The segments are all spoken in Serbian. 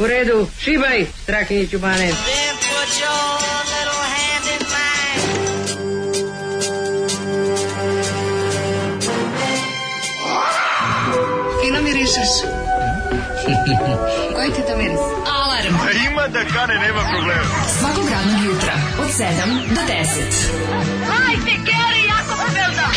U redu, šibaj, Strahinjiću Bane. Fino mirišeš. Koji ti to miris? Alarm. Ima da kane, nema problema. Svakog radnog jutra, od 7 do 10. Hajde, Geri, jako se velda.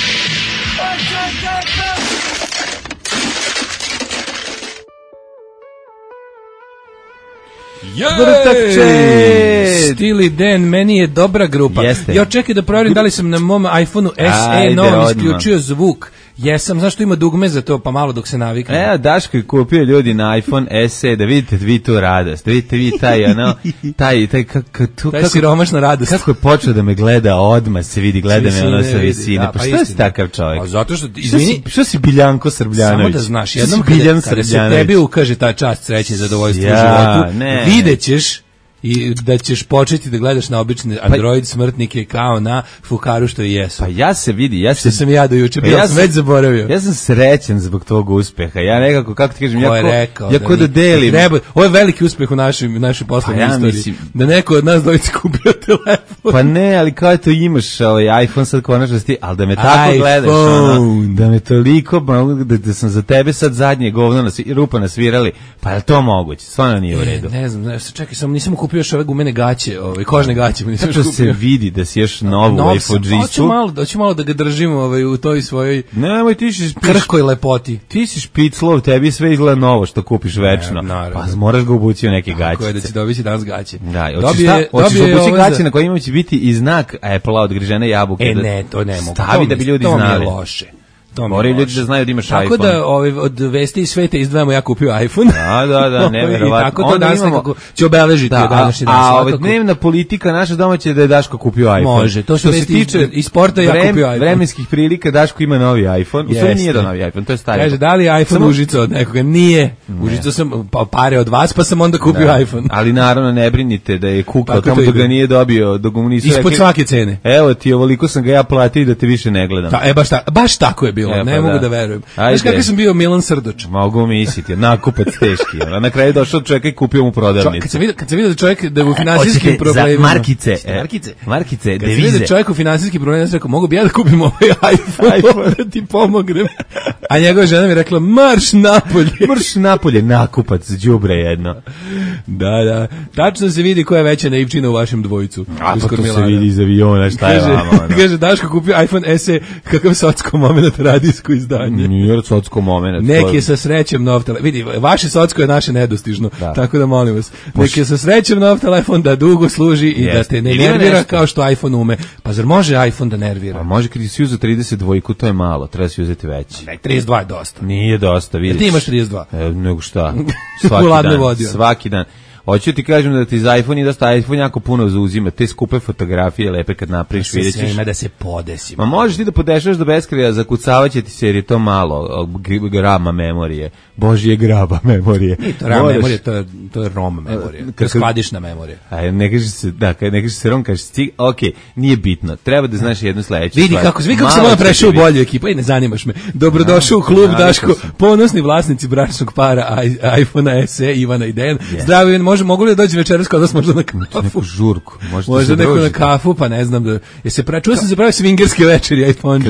Steely Dan, meni je dobra grupa. Jeste. Ja čekaj da proverim da li sam na mom iPhoneu SE novom isključio zvuk. Jesam, zašto ima dugme za to, pa malo dok se navikne. Evo, Daško je kupio ljudi na iPhone SE, da vidite vi tu radost, da vidite vi taj, ono, taj siromašna radost. Kako je počeo da me gleda, odmah se vidi, gleda me ono sa visine, pa što si takav čovjek? A zato što, izvini, što si Biljanko Srbljanović? Samo da znaš, jednom kada se tebi ukaže ta čast, sreće i zadovoljstvo u životu, vidjet ćeš i da ćeš početi da gledaš na obične Android smrtnike kao na fukaru što i jesu. Pa ja se vidi, što sam ja do juče bio, sam već zaboravio. Ja sam srećan zbog tog uspeha. Ja nekako, kako ti kažem, ja ko da delim. Ovo je veliki uspeh u našoj poslovnoj istoriji. Mislim, da neko od nas dvojice kupio telefon. Pa ne, ali kao to imaš iPhone sad konačno ti, ali da me tako gledaš, da me toliko, da sam za tebe sad zadnje govno rupa nasvirali, pa je to moguće? Stvarno nije u redu. Ne znam, čekaj, sam nisam kupio još ove gumene gaće, kožne gaće. Kako se vidi da si još novu iPhone-džistu? Hoću malo da ga držim u toj svojoj krhkoj lepoti. Ti si špiclov, tebi sve izgleda novo što kupiš večno. Pa moraš ga obući u neke gaćice. Tako je da će dobiti danas gaće. Da, hoćeš obući gaće na kojima će biti i znak Apple-a od grižene jabuke. Ne, to ne mogu. Stavi da bi ljudi znali. To mi je loše. Moraju ljudi da znaju da imaš tako iPhone. Tako da od vesti iz sveta izdvajamo ja kupio iPhone. Da, neverovatno. I tako to danas nekako će obeležiti današnji dan. A dnevna politika naša domaća da je Daško kupio iPhone. Može, to što se tiče iz sporta ja kupio iPhone. Vremenskih prilika Daško ima novi iPhone. U stvari nije da novi iPhone, to je stari. Kaže, da li je iPhone Užica od nekoga? Nije. Užica sam pare od vas, pa sam onda kupio iPhone. Ali naravno ne brinite da je kukao tamo da ga nije dobio, dok mu nisu rekli. Ispod svake cene. Evo ti, ovoliko sam ga ja platio da te više ne gledam. Baš tako je bilo, ne mogu da verujem. Znaš kako sam bio Milan Srdoč? Mogu misliti, nakupac teški. Na kraju došao čovjek i kupio mu prodavnicu. Kad sam vidio čovjek da je u finansijskim problemima... Markice, devize. Kad sam vidio čovjek u finansijskim problemima, ja sam rekao, mogu bi ja da kupim ovaj iPhone da ti pomognem. A njegova žena mi rekla, marš napolje. Nakupac, đubre jedno. Da. Tačno se vidi koja je veća naivčina u vašem dvojicu. A pa to se vidi iz aviona, šta je vama? Kaže, Daško kupio iPhone SE, kakav socko moment radijsko izdanje. Nije socko moment. Neki je sa srećem nov telefon. Vidi, vaše socko je naše nedostižno. Tako da molim vas. Neki je sa srećem nov telefon da dugo služi i da te ne nervira kao što iPhone ume. Pa zar može iPhone da nervira? Pa može kad si uzeo 32, to je malo. Treba si uzeti veći. 32 je dosta. Nije dosta, vidiš. Ti imaš 32. Nego šta? Svaki dan. Hoću ti kažem da ti za iPhone i dosta iPhone jako puno zauzima, te skupe fotografije lepe kad napraviš, vidjet ćeš. Ima da se podesi. Ma možeš ti da podešaš do beskraja, zakucavaće ti se jer je to malo grama memorije. Božje graba memorije. Nije to RAM memorije, to je ROM memorije. To je skladišna memorija. Ne kažeš se ROM, kažeš ti, nije bitno. Treba da znaš jednu sledeću stvar. Vidi kako sam ovo prešao u bolju ekipu, ne zanimaš me. Dobrodošao u klub, Daško, ponosni vlasnici bračnog para iPhone SE, Ivana i Dejan. Zdravo, mogu li da dođe večeras kod vas možda na kafu? Neku žurku. Možda neko na kafu, pa ne znam. Čuo sam se pravi svingerske večeri iPhone.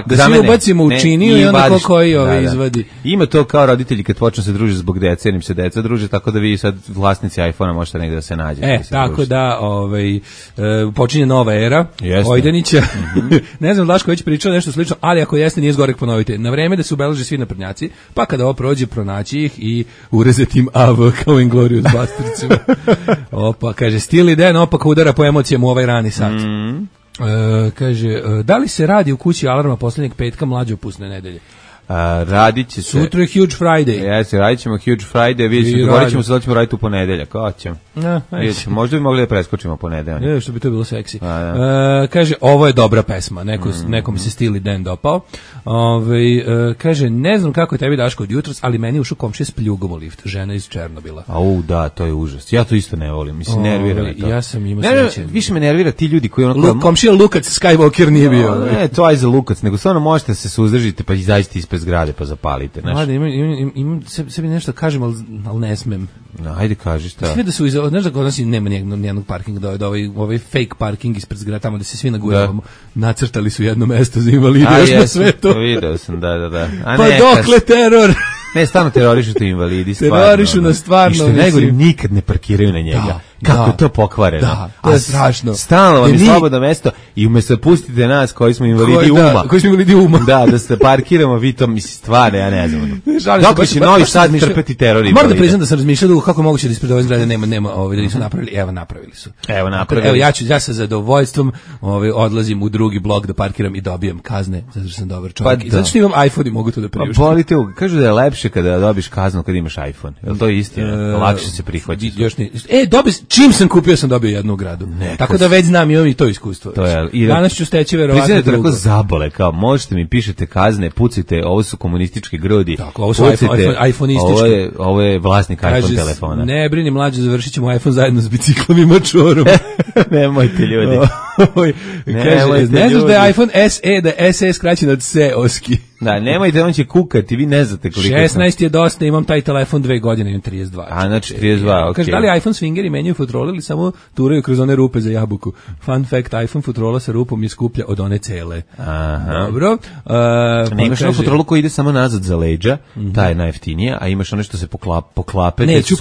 Da svi ubacimo u činiju i onda ko koji izvadi. Ima to kao roditelji kad počnu se družiti zbog dece, jer im se deca druže, tako da vi sad vlasnici iPhone-a možete negde da se nađete. Tako da počinje nova era Ojdanića. Ne znam, Daško već pričao nešto slično, ali ako jeste, nije zgorek ponovite. Na vreme da se ubeleže svi naprednjaci, pa kada ovo prođe, pronaći ih i urezati im AV kao Inglourious Basterds. Opa, kaže, Steely Dan opaka udara po emocijama u ovaj rani sat. Kaže, da li se radi u kući alarma posljednjeg petka mlađopusne nedelje? Radit će se. Sutra je Huge Friday. Jeste, radit ćemo Huge Friday, vidjet ćemo, govorit ćemo se da ćemo raditi u ponedeljak, kao ćemo. Možda bi mogli da preskočimo ponedeljak. Što bi to bilo seksi. Kaže, ovo je dobra pesma, nekom se Steely Dan dopao. Kaže, ne znam kako je tebi Daško od jutros, ali meni je ušao komšija s pljugom u lift, žena iz Černobila. Da, to je užas. Ja to isto ne volim, mislim, nervira me to. Ja sam imao sreće. Više me nervira ti ljudi koji komšija Lukac Skywalker nije bio. Ne, to je za Lukac, nego stvarno možete se suzdržiti pa izađite ispred zgrade pa zapalite. Imam sebi nešto kažem, ali ne smem. No, ajde kaži šta. Sve da su znaš da kod nas nema nijednog parkinga, da ovaj fake parking ispred zgrade tamo da se svi nagujavamo. Nacrtali su jedno mesto za invalide, još na sve to. Video sam, da. Pa dokle teror? Ne, stvarno terorišu ti invalidi, stvarno. Terorišu nas stvarno. I što najgore, nikad ne parkiraju na njega. Kako je to pokvareno. Da, to je strašno. Stalno vam je slobodno mesto i umesto da pustite nas koji smo invalidi uma. Koji smo invalidi uma. Da se parkiramo, vi to misli stvarno, ja ne znam. Dok će Novi Sad trpeti teror invalida. Moram da priznam da sam razmišljao kako moguće da ispred ove zgrade nema da nisu napravili. Evo, napravili su. Evo, ja sa zadovoljstvom odlazim u drugi blok da parkiram i dobijam kazne, zato što sam dobar čovjek. I zato što imam iPhone i mogu to da priuštim. Bolite, kažu da je lepše kada dobiš kaznu kad imaš iPhone. Je to istina? Lakše se prihvaća. Čim sam kupio sam dobio jednu gradu. Tako da već znam, imam i to iskustvo. Danas ću steći verovatno drugo. Priznajte tako zabole, kao možete mi pišete kazne, pucite, ovo su komunistički grudi. Tako, ovo su iPhone-istički. Ovo je vlasnik iPhone telefona. Ne brini mlađe, završit ćemo iPhone zajedno s biciklom i mačorom. Nemojte ljudi. Ne znaš da je iPhone SE, da je SE skraćen od SE-oski. Da, nemojte, on će kukati, vi ne znate koliko 16 je dosta, imam taj telefon 2 godine, imam 32. A, znači 32, okej. Kaže, da li iPhone swingeri menjaju futrole ili samo turaju kroz one rupe za jabuku? Fun fact, iPhone futrola sa rupom je skuplja od one cele. Aha. Dobro. Ne imaš onu futrolu koja ide samo nazad za leđa, ta je najjeftinija, a imaš ono što se poklape, neću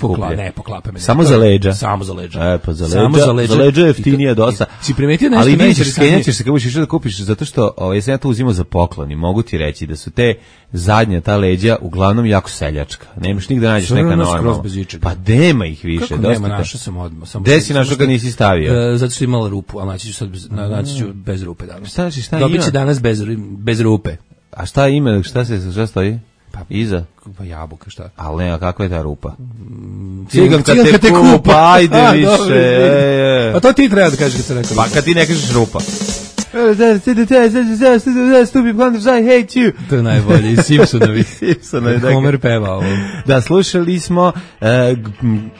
poklape me. Samo za leđa. Samo za leđa. Pa za leđa je jeftinija dosta. Si primetio nešto ali skenjaćeš se kako ćeš da kupiš, zato što sam ja to uzimao za poklon i mogu ti reći da su te zadnja ta leđa uglavnom jako seljačka. Nemaš nigde nađeš neka normalna. Pa nema ih više. Kako nema, našao sam odmah. Gde si našao kad nisi stavio? Zato što je imala rupu, ali naći ću bez rupe danas. Šta ima? Dobit će danas bez rupe. A šta ima? Šta stoji? Pa iza? Pa jabuka, šta? Ali ne, a kakva je ta rupa? Ciganka te kupa, ajde više. Pa to ti treba da kažeš kad se rekao. Pa kad ti ne kažeš rupa. Stupid Blunders, I hate you. To je najbolje, iz Simpsonovi. Homer peva ovo. Da, slušali smo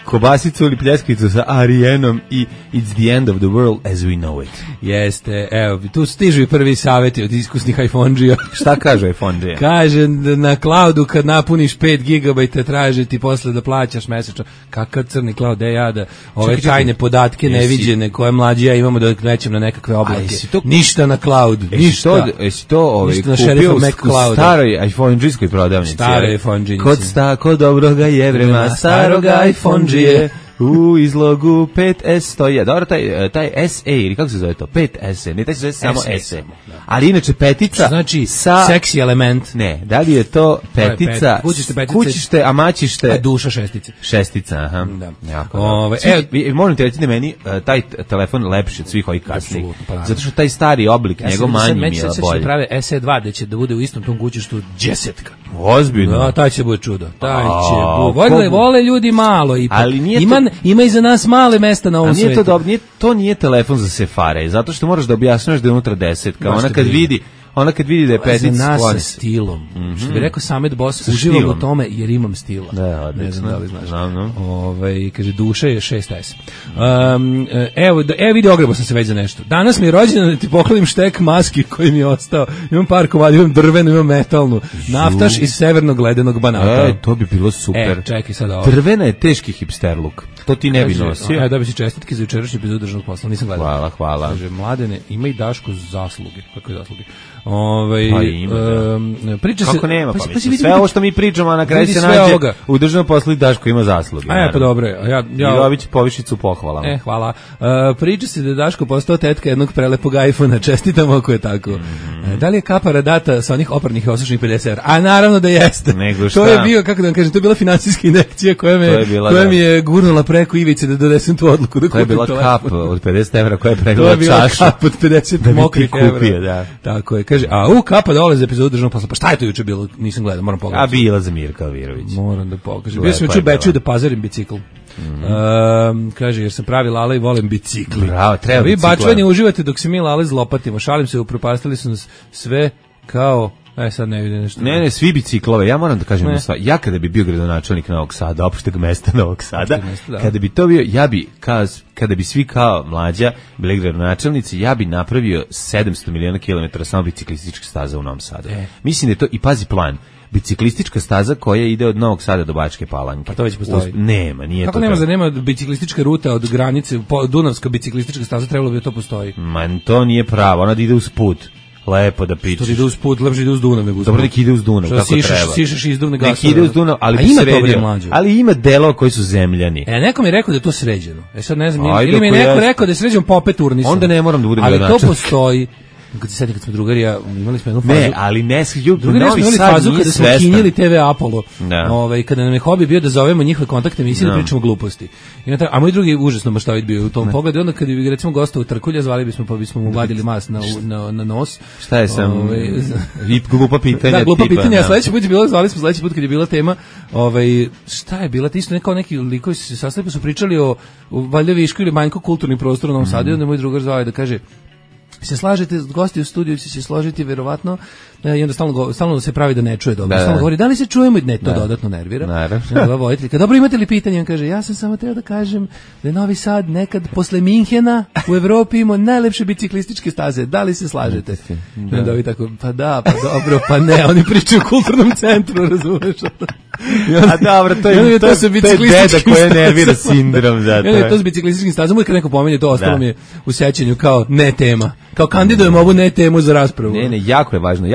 Kobasicu ili Pljeskicu sa Arijenom i It's the end of the world as we know it. Jeste, evo, tu stižu i prvi savjeti od iskusnih iPhone-đija. Šta kaže iPhone-đija? Kaže, na cloudu kad napuniš 5 GB traže ti posle da plaćaš mesečno. Kakav crni cloud, ja da ove tajne podatke neviđene koje mlađi ja imamo da krećem na nekakve oblake. Ništa na cloud, ništa. Jesi to kupio u staroj iPhone-đijskoj prodavnici? Staroj iPhone-đinici. Kod tako dobroga jevrema, staroga iPhone-đije. U izlogu 5S stoji. Dobro, taj SE, ili kako se zove to? 5S, ne taj se zove samo SE. Ali inače petica znači sa... seksi element. Ne, da li je to petica, kućište, a mačište... A duša šestice. Šestica, aha. Da. Jako, moram ti reći da meni taj telefon lepši od svih ovih kasnih. Zato što taj stari oblik, njegov manji mi je bolji. Sad će prave SE2, da će da bude u istom tom kućištu džesetka. Ozbiljno. Da, taj će bude čudo. Vole ljudi malo ipak. Ali nije ima i za nas male mesta na ovom svijetu. To nije telefon za sefare, zato što moraš da objašnjaš da je unutra 10. Ona kad vidi da je petica za nas sa stilom. Što bi rekao Samet Boss, uživam u tome jer imam stila. Da, ne znam da li znaš. Znam. Kaže, duša je 6S. Evo vidi, ogrebo sam se već za nešto. Danas mi je rođendan da ti poklonim štek maski koji mi je ostao. Imam par komada, imam drvenu, imam metalnu. Naftaš iz severnog ledenog banata. To bi bilo super. Čekaj sad ovo. Drvena je teški hipster look. To ti ne bi nosio. Da bi si čestitke za jučerašnji epizod državnog posla. Nisam gledao. Hvala. Kaže, Mladene, ima i Daško zasluge. Kako je zasluge? Pa ima, priča kako se, nema, sve ovo što mi pričamo, a na kraju se nađe u državnom poslu i Daško ima zasluge. Pa dobro. I dobit povišicu pohvalama. Hvala. Priča se da je Daško postao tetka jednog prelepog iPhone-a, čestitam ako je tako. Da li je kapara data sa onih oparnih i osušenih 50 €? A naravno da jeste. To je bio, kako da vam kažem, to je bila finansijska injekcija koja mi je gurnula preko ivice da donesem tu odluku da kupim telefon. To je bila kap od 50 € koja je pregledala čašu. To je bila kap od 50 mokrih €. Tako je. Kaže, kapa dole za epizodu državnog posla. Pa šta je to juče bilo? Nisam gledao, moram pogledati. A bila za Mirka Alvirović. Moram da pokažem. Bio sam juče u Beču da pazarim bicikl. Kaže, jer sam pravi Lala i volim bicikli. Bravo, treba bicikla. Vi bačvani uživate dok se mi Lale zlopatimo. Šalim se, upropastili su nas sve kao... sad ne vidim nešto. Ne, svi biciklove. Ja moram da kažem da ja kada bi bio gradonačelnik Novog Sada, opšteg mesta Novog Sada, kada bi to bio, ja bi kada bi svi kao mlađa bili gradonačelnici, ja bi napravio 700 miliona kilometara samo biciklističkih staza u Novom Sadu. Mislim da je to, i pazi plan, biciklistička staza koja ide od Novog Sada do Bačke Palanke. Pa to već postoji. Nema, nije kako to. Kako nema biciklistička ruta od granice, Dunavska biciklistička staza, trebalo bi da to postoji. Man, to nije pravo, ona ide uz put. Lepo da pičeš. Što ide uz put, lepše ide uz Dunav nego uz put. Dobro, nek ide uz Dunav, kako treba. Sišeš izduvne gasove. Nek ide uz Dunav, ali ima to ali ima delova koji su zemljani. Neko mi je rekao da je to sređeno. Sad ne znam, ili mi je neko rekao da je sređeno pa opet urnisano. Onda ne moram da budem ali to postoji. Kad se kad smo drugarija, imali smo jednu fazu. Ne, ali ne drugarija smo imali fazu kada smo kinjili TV Apollo. Kada nam je hobi bio da zovemo njihove kontaktne emisije da pričamo gluposti. A moj drugi užasno maštovit bio u tom pogledu. Onda kad bi recimo gostao u Trkulja, zvali bismo pa bismo mu vadili mas na nos. Šta je sam glupa pitanja. Da, glupa pitanja. Sledeći put je bilo, zvali smo sledeći put kad je bila tema, šta je bila, isto neki likovi se sastali pa su pričali o valjda višku ili manjku kulturnih prostora u Novom Sadu. Onda moj drugar zvao da kaže: se slažete, gosti u studiju će se složiti verovatno, i onda stalno se pravi da ne čuje dobro. Stalno govori, da li se čujemo? Ne, to dodatno nervira. Dobro, imate li pitanje? On kaže, ja sam samo trebao da kažem da je Novi Sad nekad posle Minhena u Evropi imao najlepše biciklističke staze. Da li se slažete? I onda ovi tako, pa da, pa dobro, pa ne, oni pričaju u kulturnom centru, razumeš? A dobro, to je deda koja nervira sindrom. To s biciklističkim stazom, uvijek neko pomenje, to ostalo mi je u sećanju kao ne tema. Kao kandidujemo ovu ne temu za raspravu. Ne, jako je važno.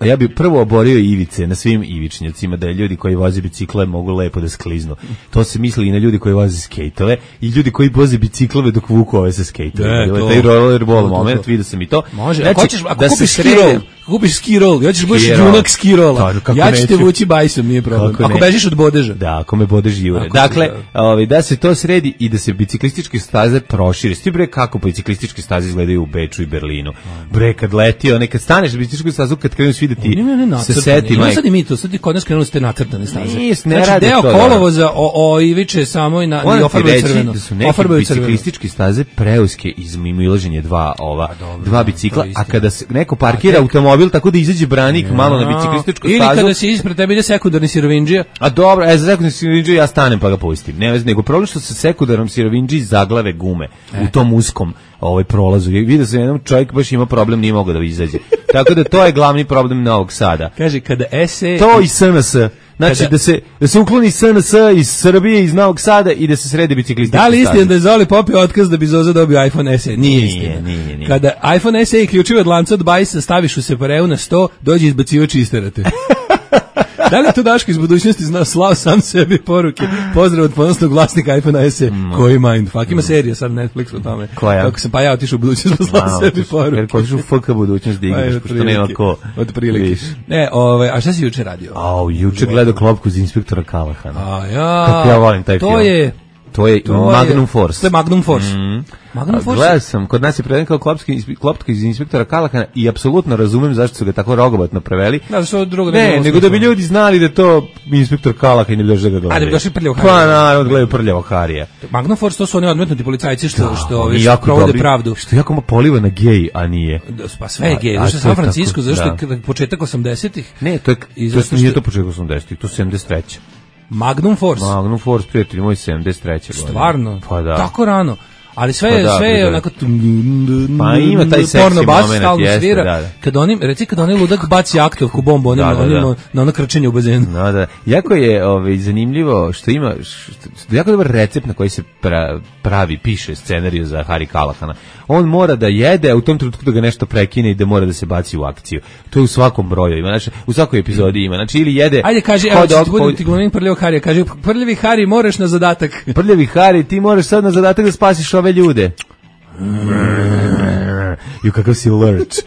Ja bih prvo oborio ivice na svim ivičnjacima, da ljudi koji voze bicikle mogu lepo da skliznu. To se misli i na ljudi koji voze skejtove i ljudi koji voze biciklove dok vuku ove sa skejtove. Taj rollerball moment, vidio sam i to. Može, ako kupiš ski roll, ja ćeš budeš junak ski rolla. Ja ću te vući bajsom, nije problem. Ako bežiš od bodeža. Da, ako me bodeš jure. Dakle, da se to sredi i da se biciklističke staze prošire. Sti bre kako biciklističke staze izgledaju u Beču i Berlinu. Bre, kad letio, nekad staneš na biciklističku stazu, kad krenu svi da ti se seti. Sad i mi to, sad i kod nas krenuli ste nacrtane staze. Znači, deo kolovoza iviče samo i ofarbaju crveno. Da su neke biciklističke staze preuske iz mimoilaženje dva bicikla, a kada se neko parkira automobil tako da izađe branik malo na biciklističku stazu. Ili kada se ispred tebe ide sekundarni sirovindžija. A dobro, za sekundarni sirovindžiju ja stanem pa ga pustim. Ne vez, nego problem što se sekundarnom sirovindžiji zaglave gume u tom uskom prolazu. Vidio sam jedan čovjek baš ima problem, nije mogao da izađe. Tako da to je glavni problem Novog Sada. Kaže, kada SE... To i SNS. Znači, da se ukloni SNS iz Srbije, iz Novog Sada i da se sredi biciklističke staze. Da li istina da je Zoli popio otkaz da bi Zoza dobio iPhone SE? Nije istina. Nije. Kada iPhone SE i ključive od lanca od bajsa staviš u separeu na 100, dođe izbacivač i isterate. Da li je to Daško iz budućnosti slao sam sebi poruke? Pozdrav od ponosnog vlasnika iPhone SE. Koji mindfuck? Ima serija sad Netflix o tome. Koja? Kako sam ja otišao u budućnost pa slao sebi poruke. Jer ko ćeš u FK budućnost da igraš, pošto nema ko. Od prilike. Ne, a šta si juče radio? Juče gledao Klopku za inspektora Kalahana. Kako ja volim taj film. To je Magnum Force. To je Magnum Force. Magnum Force. Gledao sam, kod nas je preveden kao Klopka iz inspektora Kalahana i apsolutno razumem zašto su ga tako rogobatno preveli. Nego da bi ljudi znali da to inspektor Kalahan i ne bi došli da ga gledaju. A da bi došli Prljavog Harija. Pa naravno, gledaju Prljavog Harija. Magnum Force, to su oni odmetnuti policajci što provode pravdu. Što jako poliva na gej, a nije. Pa sve je gej. Zašto je San Francisco, zašto je početak 80-ih? Ne, to nije to početak 80-ih, to je 73. Magnum Force, prijatelj moj, 73. godine. Stvarno? Pa da. Tako rano. Ali sve je onako pa ima taj seksi moment, jeste, kad oni ludak baci aktovku bombu na ono krčenje u bazenu. Da. Jako je zanimljivo što ima jako dobar recept na koji se piše scenariju za Harry Calahana. On mora da jede, a u tom trenutku da ga nešto prekine i da mora da se baci u akciju. To je u svakom broju ima, znači u svakoj epizodi ima. Znači ili jede. Ajde kaže, evo ti glavni Prljavog Harija, kaže Prljavi Hari moraš na zadatak. Prljavi Hari, ti moraš sad na zadatak da spasiš ove ljude. I kakav si lurch.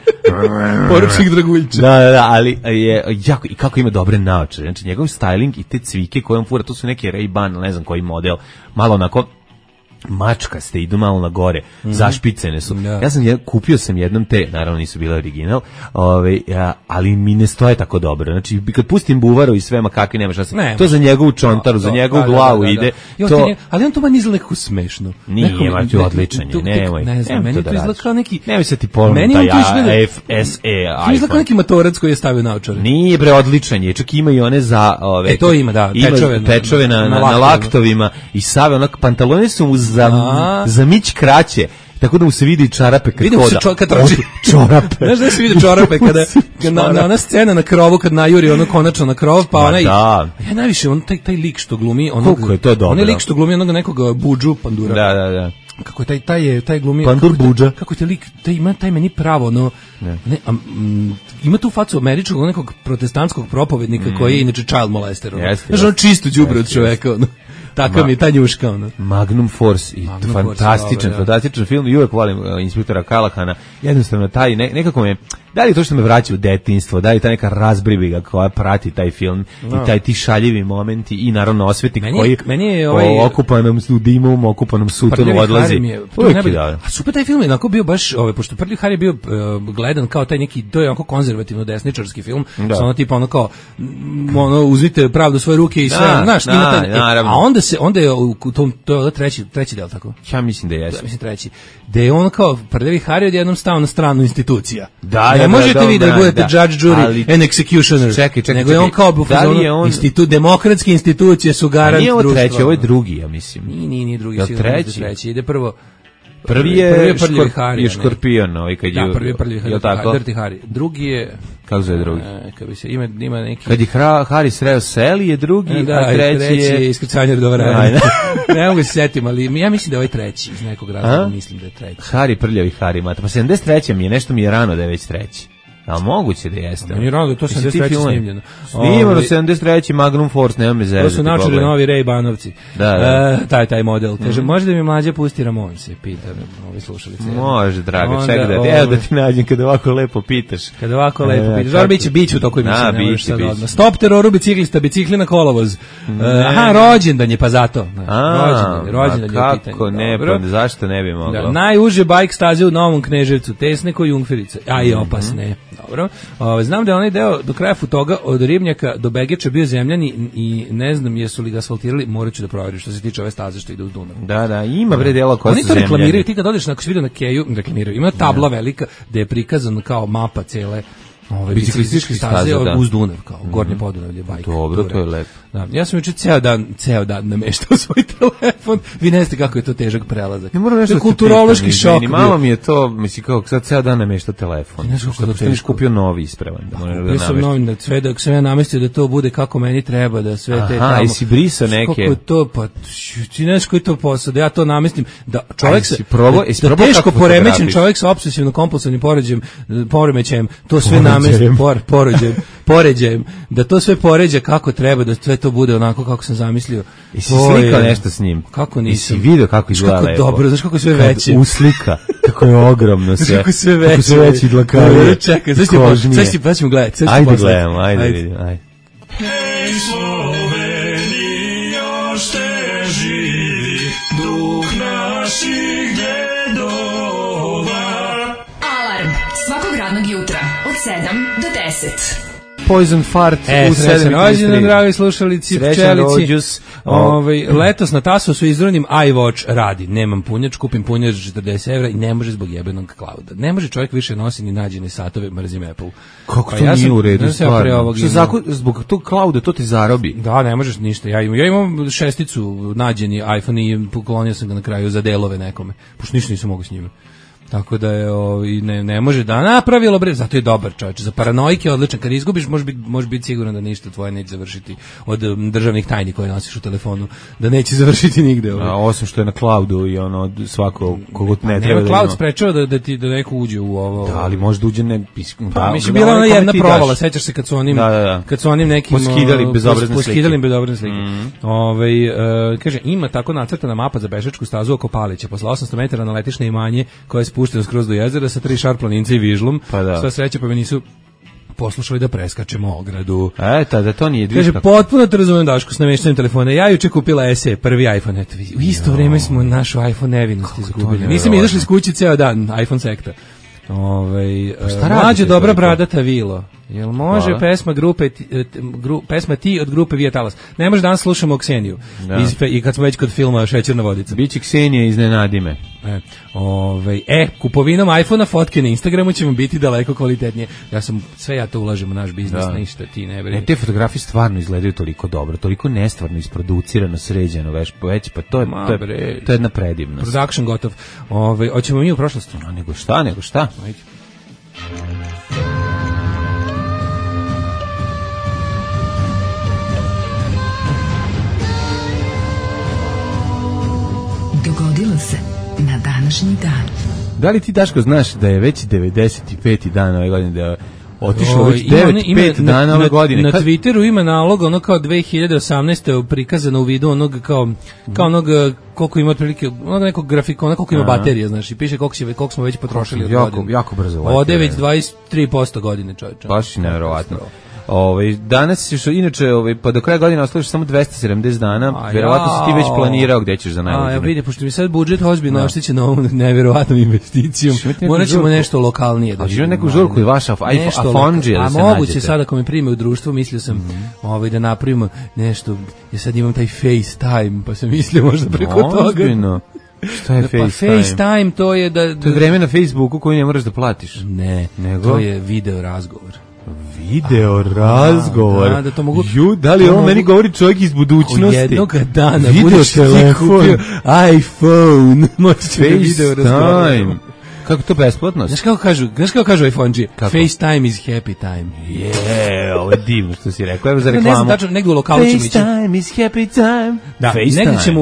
Poručnik Draguljča. Da, ali je jako, i kako ima dobre naočare. Znači njegov styling i te cvike koje on fura, to su neke Ray-Ban, ne znam koji model, malo onako mačkaste, idu malo na gore, zašpicene su. Ja sam kupio sam jednom te, naravno nisu bile original, ali mi ne stoje tako dobro. Znači, kad pustim buvaru i sve makakvi, nema šta se... To za njegovu čontaru, za njegovu glavu ide. Ali on to meni izgleda nekako smešno. Nije, ti odličan je, nemoj. Ne znam, meni to izgleda kao neki... Nemoj se ti ponovno taj FSE iPhone. Izgleda kao neki matorac koji je stavio naočare. Nije bre, odličan je, čak ima i one za... to ima, da, pečove na laktovima i save, onak, pantalone su mu za mić kraće, tako da mu se vidi čarape kad Vidim hoda. se kad trči. Čorape. Znaš da se vidi čorape kada ona scena na krovu kad najuri ono konačno na krov, pa onaj. Ja najviše on taj lik što glumi onog. Kako je to dobro. Onaj lik što glumi onog nekog Budžu Pandura. Da. Kako je taj glumi Pandur Budža. Kako je taj lik, taj meni pravo no. Ima tu facu američkog nekog protestantskog propovednika koji je inače child molester. Znaš, on čisto đubre od čoveka, ono. Takav mi je ta njuška, ono. Magnum Force, i fantastičan film, i uvek volim inspektora Kalahana, jednostavno taj, nekako me, da li to što me vraća u detinjstvo, da li ta neka razbribiga koja prati taj film, i taj ti šaljivi momenti, i naravno osvetnik koji okupanom dimom, okupanom sutonu odlazi. A super taj film je onako bio baš, pošto Prljavi Hari je bio gledan kao taj neki, to je onako konzervativno desničarski film, ono tipa ono kao, uzmite pravdu u svoje ruke i sve, znaš, a onda je u tom, to je treći del, tako? Ja mislim da jeste. Mislim treći. Da je on kao Prljavi Hari odjednom stao na stranu institucija. Ne možete vi da budete judge, jury and executioner. Čekaj. Nego je on kao demokratske institucije su garant društva. Nije ovo treći, ovo je drugi, ja mislim. Nije drugi, sigurno treći. Ide prvo. Prvi je Škorpion, ovaj kad je. Da, prvi je Prljavi Hari. Drugi je. Kako zove drugi? Kad bi se ima neki. Kad je Hari sreo Seli je drugi, a treći je iskrcanje do vremena. Ne mogu se setim, ali ja mislim da je ovaj treći iz nekog razloga, mislim da je treći. Hari, Prljavi Hari, mata. Pa 73. mi je, nešto mi je rano da je već treći. Ali moguće da jeste. Mi je rano da je to 73. snimljeno. Snimano 73. Magnum Force, nema me zezati. To su načeli novi Ray Banovci. Taj model. Kaže, može da mi mlađe pusti Ramon, se pita ovi slušalice. Može, drago, čekaj da evo da ti nađem kada ovako lepo pitaš. Kada ovako lepo pitaš. Zor biće u toku emisije. Biće. Stop teroru biciklista, bicikli na kolovoz. Rođendan je, pa zato. Rođendan je u pitanju. Kako ne, pa zašto ne bi moglo? Najuže bajk staze u Novom Kneževcu, tesne ko Jungferice, a i opasne. Dobro. Znam da je onaj deo do kraja Futoga od Ribnjaka do Begeča bio zemljani i ne znam jesu li ga asfaltirali, morat ću da proverim što se tiče ove staze što ide uz Dunav. Da, ima bre dela koja su zemljani. Oni to reklamiraju, ti kad odeš na vidio na Keju, reklamiraju. Ima tabla velika gde je prikazan kao mapa cele biciklističke staze uz Dunav, kao Gornje Podunavlje, bajka. Dobro, to je lepo. Da, ja sam juče ceo dan nameštao svoj telefon. Vi ne znate kako je to težak prelazak. Ne moram nešto kulturološki šok. Malo mi je to, mislim kao sad ceo dan nameštao telefon. Ne znam kako da kupio novi ispravan. Ja sam novi, da sve dok sam ja namestio da to bude kako meni treba, da sve te tamo. Jesi brisao neke? Kako to, pa ti ne znaš koji to posao, da ja to namestim, da čovjek se da teško poremećen čovjek sa opsesivno kompulsivnim poremećajem, to sve namestim, poređajem, da to sve poređa kako treba, da sve to bude onako kako sam zamislio. I si slikao nešto s njim? Kako nisam? I si vidio kako izgleda lepo? Dobro, znaš kako je sve veće? Uslika, kako je ogromno sve. Kako sve veće. Kako sve veći dlakavije. Čekaj, sad ćemo gledati. Ajde gledamo, ajde vidim, ajde. Hej Slovenija, šte živi duh naših djedova. Alarm svakog radnog jutra od 7 do 10. Poison Fart u 7. Rođendan, dragi slušalici, pčelici. Letos na Tasosu izronim iWatch radi. Nemam punjač, kupim punjač 40 € i ne može zbog jebenog clouda. Ne može čovjek više nositi ni nađene satove, mrzim Apple. Kako to nije u redu, stvarno? Zbog tog clouda to ti zarobi. Da, ne možeš ništa. Ja imam šesticu nađeni iPhone i poklonio sam ga na kraju za delove nekome. Pošto ništa nisam mogu s njima. Tako da je ne može da napravilo bre, zato je dobar čovječe. Za paranoike je odličan. Kad izgubiš, može biti siguran da ništa tvoje neće završiti od državnih tajni koje nosiš u telefonu, da neće završiti nigde. Osim što je na cloudu i ono svako kogo ne treba da ima. Cloud sprečava da neko uđe u ovo. Da, ali možda uđe ne. Mislim bila ona jedna provala, sećaš se kad su onim nekim poskidali bezobrazne slike. Kaže ima tako nacrtana mapa za pešačku stazu oko Palića. Posle 800 metara naletiš na imanje koje je spušteno skroz do jezera sa 3 šarplaninca i vižlom. Sva sreća pa me nisu poslušali da preskačemo ogradu. Da to nije dviška. Kaže, potpuno te razumem Daško s namještanjem telefona. Ja juče kupila SE, prvi iPhone. Eto, u isto vrijeme smo našu iPhone nevinost izgubili. Nisam izašli s kući ceo dan, iPhone sekta. Mlađe dobra bradata vilo. Jel može pesma Ti od grupe Vija Talas? Ne može, danas slušamo Kseniju. I kad smo već kod filma Šećerna vodica. Biće Ksenija, iznenadi me. Kupovinom iPhone-a fotke na Instagramu će vam biti daleko kvalitetnije. Ja to ulažem u naš biznis, ništa ti ne brini. Te fotografije stvarno izgledaju toliko dobro, toliko nestvarno isproducirano, sređeno, već pa to je jedna predivnost. Production gotov. Hoćemo mi u prošlost? Nego šta? Ajde. Dogodilo se na današnji dan. Da li ti, Daško, znaš da je već 95. dan ove godine, da je otišlo već 5 dana ove godine? Na Twitteru ima nalog, ono kao 2018. prikazano u vidu onog kao onog koliko ima otprilike, onog nekog grafikona, koliko ima baterija, znaš, i piše koliko smo već potrošili od godine. Jako brzo. Ode već 23% godine, čovječe. Baš nevjerovatno. Danas ćeš, inače, pa do kraja godine ostališ samo 270 dana, verovatno si ti već planirao gde ćeš za najbolje. Vidi, pošto mi sad budžet ozbiljno oštećen ovom nevjerovatnom investicijom, morat ćemo nešto lokalnije da vidimo. Neku žurku i vaša Afonđija da se nađete. A moguće sad ako me prime u društvo, mislio sam da napravimo nešto, ja sad imam taj FaceTime, pa sam mislio možda preko toga. Ozbiljno. Šta je FaceTime? FaceTime to je da... To je vreme na Facebooku koju ne moraš da platiš. Ne, to je video razgovor. Video razgovor. Da to mogu. Da li ovo meni govori čovjek iz budućnosti? Jednog dana budeš telefon, iPhone, možeš video razgovor. Kako to besplatno? Znaš kako kažu iPhone-G? FaceTime is happy time. Ovo je divno što si rekao. Evo za reklamu. Ne znam tačno, negdje u lokalu ćemo ići. FaceTime is happy time. Da,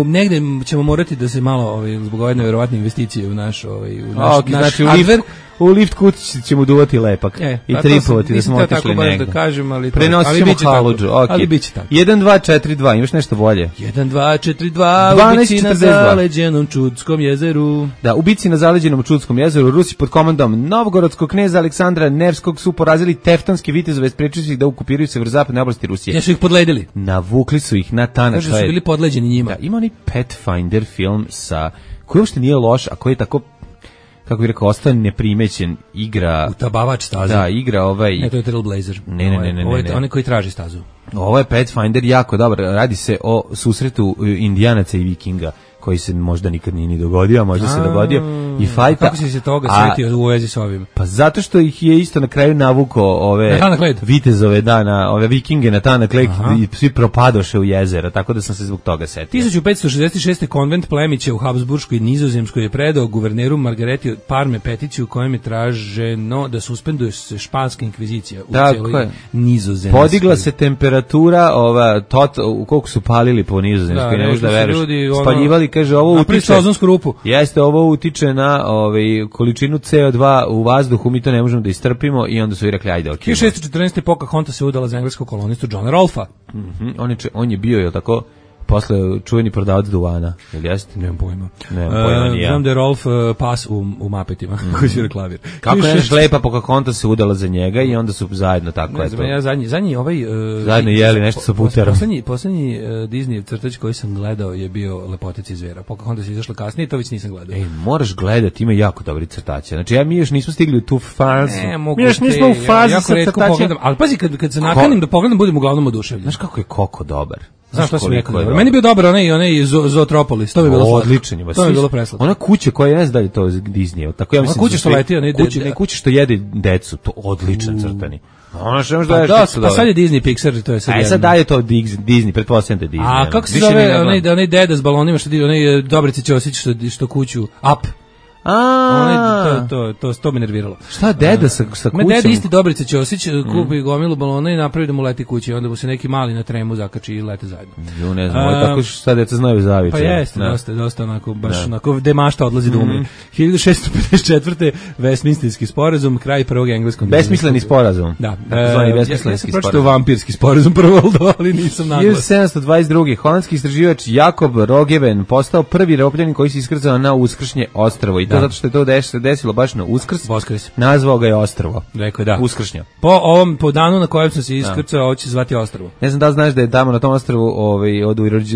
negdje ćemo morati da se malo, zbog ove nevjerovatne investicije u naš hardware. U lift kući ćemo duvati lepak i tripovati da smo otišli negdje. Da kažem, prenosit ćemo haludžu. Ali bit će tako. 1-2-4-2, imaš nešto bolje? 1-2-4-2, ubici na zaleđenom Čudskom jezeru. Da, ubici na zaleđenom Čudskom jezeru, Rusi pod komandom novgorodskog kneza Aleksandra Nevskog su porazili teftonske vitezove, sprečili su ih da okupiraju severozapadne oblasti Rusije. Ja su ih podledili. Navukli su ih na tanak. Kažu su bili podleđeni njima. Da, ima onaj Pathfinder film koji uopšte nije loš, a koji je tako, kako bih rekao, ostao neprimećen, igra... Utabavač stazu. Da, igra Ne, to je Trailblazer. Ne. Ovo je onaj koji traži stazu. Ovo je Pathfinder jako dobar. Radi se o susretu Indijanaca i Vikinga, koji se možda nikad nije ni dogodio, a možda se dogodio i fajta. Kako si se toga sjetio u vezi s ovim? Pa zato što ih je isto na kraju navukao ove vitezove ove Vikinge na tanak led i svi propadoše u jezera, tako da sam se zbog toga setio. 1566. konvent plemića u Habsburškoj i Nizozemskoj je predao guverneru Margareti Parme peticiju kojem je traženo da suspenduje se španska inkvizicija u cijeloj Nizozemskoj. Podigla se temperatura, koliko su palili po Nizozemskoj, ne možeš da veruješ. Spaljivali, kaže, ovo utiče. Jeste, ovo utiče na količinu CO2 u vazduhu, mi to ne možemo da istrpimo i onda su i rekli, ajde, okej. 1614. Pocahontas se udala za engleskog kolonistu Johna Rolfa. On je bio, je tako, posle čuveni prodavac duvana, ili jeste? Nemam pojma. Ja. Znam da je Rolf pas u Mapetima, koji svira klavir. Kako je lepa Pocahontas se udala za njega i onda su zajedno tako. Ne znam, ja zadnji zajedno jeli nešto sa puterom. Poslednji Disneyev crtač koji sam gledao je bio Lepotac i zvera. Pocahontas je izašla kasnije, to već nisam gledao. Moraš gledati, ima jako dobri crtače. Znači, mi još nismo stigli u tu fazu. Mi još nismo u fazi sa crtačem. Ali pazi, kad se nakanim da pogledam, budem uglavnom oduševljen. Znaš kako je Koko dobar? Znaš što sam rekao? Meni je bio dobar onaj Zootropolis, to bi bilo odličan je. To bi bilo preslatno. Ona kuća koja ne zna da je to Disney, tako ja mislim. Kuća što leti, ne kuća što jede decu, to odličan crtani. Ona što da je pa sad je Disney Pixar, to je sad. Sad daje to Disney, pretpostavljam da je Disney. A kako se zove onaj deda s balonima što onaj Dobrica Ćosić što kuću Up. To me nerviralo. Šta deda sa kućom? Deda isti Dobrica Ćosić kupi gomilu balona i napravi da mu leti kući, onda mu se neki mali na tremu zakači i lete zajedno. Ne znam, tako šta deca znaju zavice. Pa jeste, dosta onako, baš onako demašta odlazi da umre. 1654. Westminsterski sporazum, kraj prvog engleskog. Besmisleni sporazum. Da. Besmislenski sporazum. Ja sam pročitao vampirski sporazum prvo, ali nisam naglas. 1722. Holandski istraživač Jakob Roggeveen postao prvi Europljanin koji se iskrcao na Uskršnje ostrvo i to zato što je to desilo baš na Uskrs. Voskres. Nazvao ga je Ostrvo. Rekao je da. Uskršnja. Po danu na kojem sam se iskrcao, ovo će zvati Ostrvo. Ne znam da li znaš da je tamo na tom ostrvu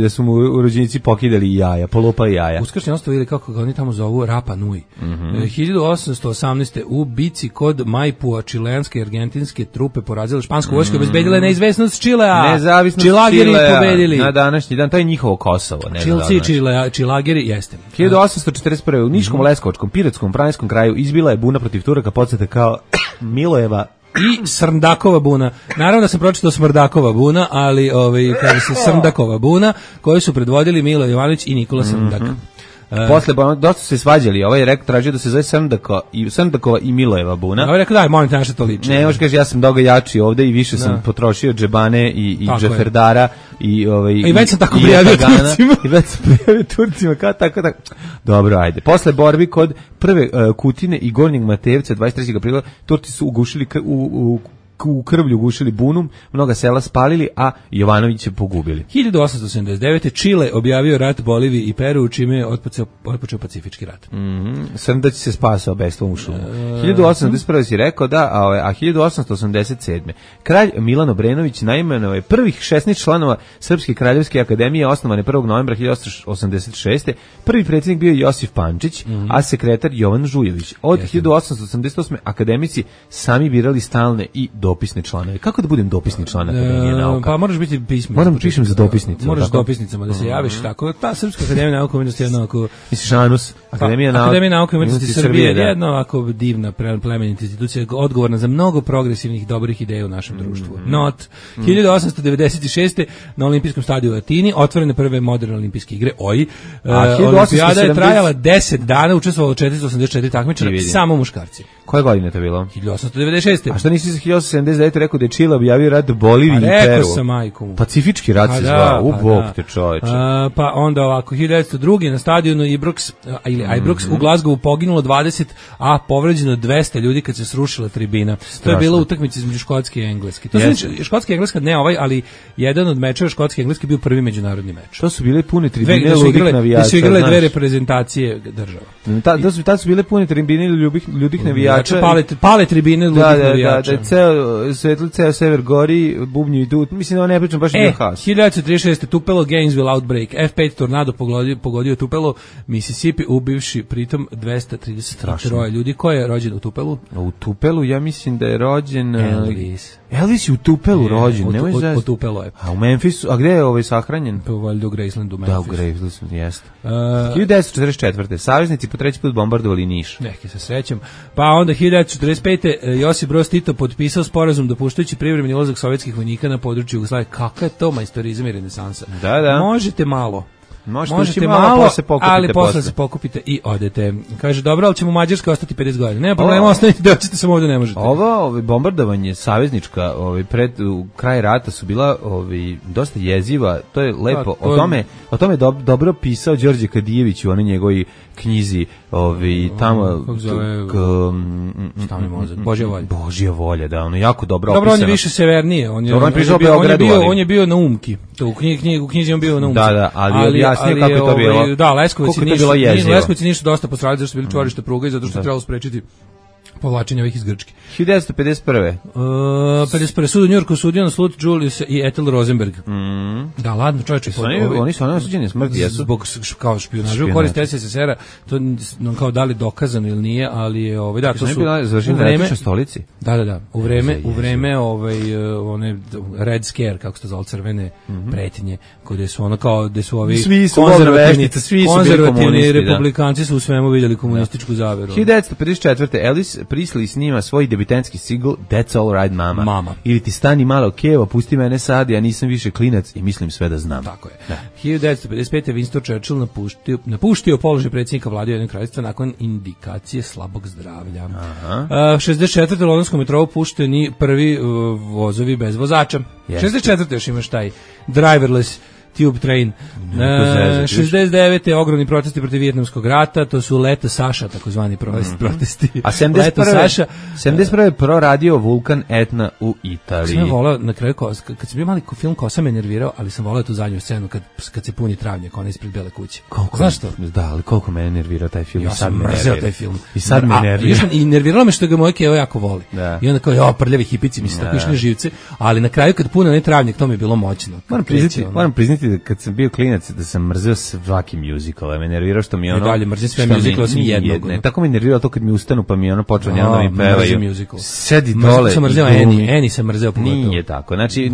da su mu urođenici pokidali jaja, polupali jaja. Uskršnje ostrvo ili kako ga oni tamo zovu Rapa Nui. 1818. u bici kod Maipua čileanske i argentinske trupe porazile špansku vojsku i obezbedile neizvesnost Čilea. Nezavisnost Čilageri Čilea pobedili. Na današnji dan, to je njihovo Kosovo. Čilci i Čilageri, jeste. 1841. u Niškom, Leskovačkom, Piratskom, Pranskom kraju izbila je buna protiv Turaka, podsjete kao Milojeva i Srndakova buna. Naravno da sam pročitao Smrdakova buna, ali kaže se Srndakova buna, koju su predvodili Milo Jovanović i Nikola Srndak. Posle dosta su se svađali, ovaj je rekao, tražio da se zove Srndakova i Milojeva buna. Ovaj je rekao, daj, molim te nešto to liči. Ne, može kaže, ja sam doga jači ovde i više sam potrošio džebane i džeferdara i već sam tako prijavio Turcima. I već sam prijavio Turcima, kao tako. Dobro, ajde. Posle borbi kod prve Kutine i Gornjeg Matevca 23. aprila Turci su ugušili u krvlju gušili bunu, mnoga sela spalili, a Jovanović je pogubili. 1879. Čile objavio rat Boliviji i Peru, čime je otpočeo Pacifički rat. Srndać se spasao bestvom u šumu. 1881. si rekao da, a 1887. Kralj Milan Obrenović naimenovao je prvih 16 članova Srpske kraljevske akademije osnovane 1. novembra 1886. Prvi predsjednik bio Josif Pančić, a sekretar Jovan Žujević. Od 1888. akademici sami birali stalne i dopisne članove. Kako da budem dopisni član Akademije nauka? Pa moraš biti pismen. Moram pišem za dopisnicu. Moraš dopisnicama da se javiš tako. Ta Srpska akademija nauka i umetnosti je jednako... Misliš ANUS? Akademija nauka i umetnosti Srbije je jedna ovako divna, plemenita institucija, odgovorna za mnogo progresivnih dobrih ideja u našem društvu. 1896. na olimpijskom stadionu u Atini otvorene prve moderne olimpijske igre, Olimpijada je trajala 10 dana, učestvovalo 484 takmičara, samo muškarci. Koje godine je to bilo? 1896. A što nisi za 1879 rekao da je Čile objavio rat Boliviji i Peru? Rekao sam, majkom. Pacifički rat se zvao, bog te čoveče. Pa onda ovako, 1902. na stadionu Ibrox u Glasgowu poginulo 20, a povređeno 200 ljudi kad se srušila tribina. To je bila utakmica između Škotske i Engleske. To znači Škotska i Engleska, ne ali jedan od mečeva Škotske i Engleske bio prvi međunarodni meč. To su bile pune tribine ludih navijača. Da su igrale dve reprezentacije država. Tad su bile pune tribine ludih navijača. Pale tribine ludih navijača. Da, ceo sever gori, bubnju i tu. Mislim da ne pričam baš na has. 1936. Tupelo Gainesville outbreak. F5 tornado pogodio Tupelo, Mississippi, ubivši pritom 233 ljudi. Ko je rođen u Tupelu? U Tupelu ja mislim da je rođen Elvis je u Tupelu rođen, nemoj u Tupelu je. A u Memphisu, a gde je sahranjen? Pa valjda u Gracelandu, Memphis. Da, u Gracelandu, jeste. 1944. Saveznici po treći put bombardovali Niš. Neki se srećem. Pa onda 1945. Josip Broz Tito potpisao sporazum dopuštajući privremeni ulazak sovjetskih vojnika na području Jugoslavije. Kakav je to majstorizam i renesansa? Da. Možete malo. Možete malo, ali posle se pokupite i odete. Kaže, dobro, ali ćemo u Mađarskoj ostati 50 godina. Nema problema, ostanite da ćete samo ovde ne možete. Ovo bombardovanje saveznička pred kraj rata su bila dosta jeziva. To je lepo. O tome dobro pisao Đorđe Kadijević u onoj njegovoj knjizi tamo kako zove Božja volja, da, ono jako dobro opisano. Dobro, on je više severnije, on je bio na Umki. To u knjizi on bio na Umki. Da, ali objasnio kako je to bilo. Da, Leskovac nisu dosta postradali zašto su bili čvorište pruga i zato što je trebalo sprečiti povlačenje ovih iz Grčke. 1951. 51. Sud u Njurku sudio na slut Julius i Ethel Rosenberg. Da, ladno čovječe. Oni su osuđeni smrti, jesu? Zbog kao špijunaža u korist SSSR-a, to kao da li dokazano ili nije, ali je da, to su u vreme stolici. Da, u vreme one Red Scare, kako se to zove, crvene pretnje, gde su ono kao gde su ovi konzervativni republikanci su u svemu vidjeli komunističku zaveru. 1954. Elvis Presley snima svoj debitantski single That's All Right Mama. Ili ti stani malo kevo, pusti mene sad, ja nisam više klinac i mislim sve da znam. Tako je. 1955. Winston Churchill napuštio položaj predsjednika vlade Ujedinjenog kraljevstva nakon indikacije slabog zdravlja. 64. u londonskom metrou pušteni prvi vozovi bez vozača. 64. još imaš taj driverless Tube Train. 69. ogromni protesti protiv Vijetnamskog rata, to su Leto Saša, takozvani protesti. A 71. proradio Vulkan Etna u Italiji. Sam volao na kraju, kad sam bio mali film Kosa me nervirao, ali sam volao tu zadnju scenu kad se puni travnjak, ona ispred Bele kuće. Znaš što? Da, ali koliko mene nervirao taj film. Ja sam mrzeo taj film. I sad me nervira. I nerviralo me što ga moje kevo jako voli. Da. I onda kao, prljavi hipici, mislim, tako išli živce, ali na kraju kad pune onaj travnjak, to mi je bilo moćno. Moram priznati da kad sam bio klinac, da sam mrzeo svaki musical, me nervirao što mi ono... I dalje mrzim sve musical osim jednog. Ne, tako me nervirao to kad mi ustanu pa mi ono počeo njeno da mi pevaju. Sedi dole. Sam mrzeo Annie sam mrzeo pogotovo. Nije tako, znači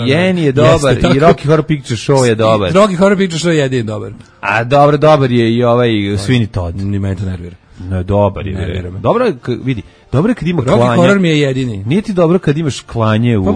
i Annie je dobar, i Rocky Horror Picture Show je dobar. Rocky Horror Picture Show je jedin dobar. A dobar je i ovaj Sweeney Todd. Ni mene to nervira. No, dobar je. Dobro je, vidi, dobro je kad ima klanje. Rocky Horror mi je jedini. Nije ti dobro kad imaš klanje u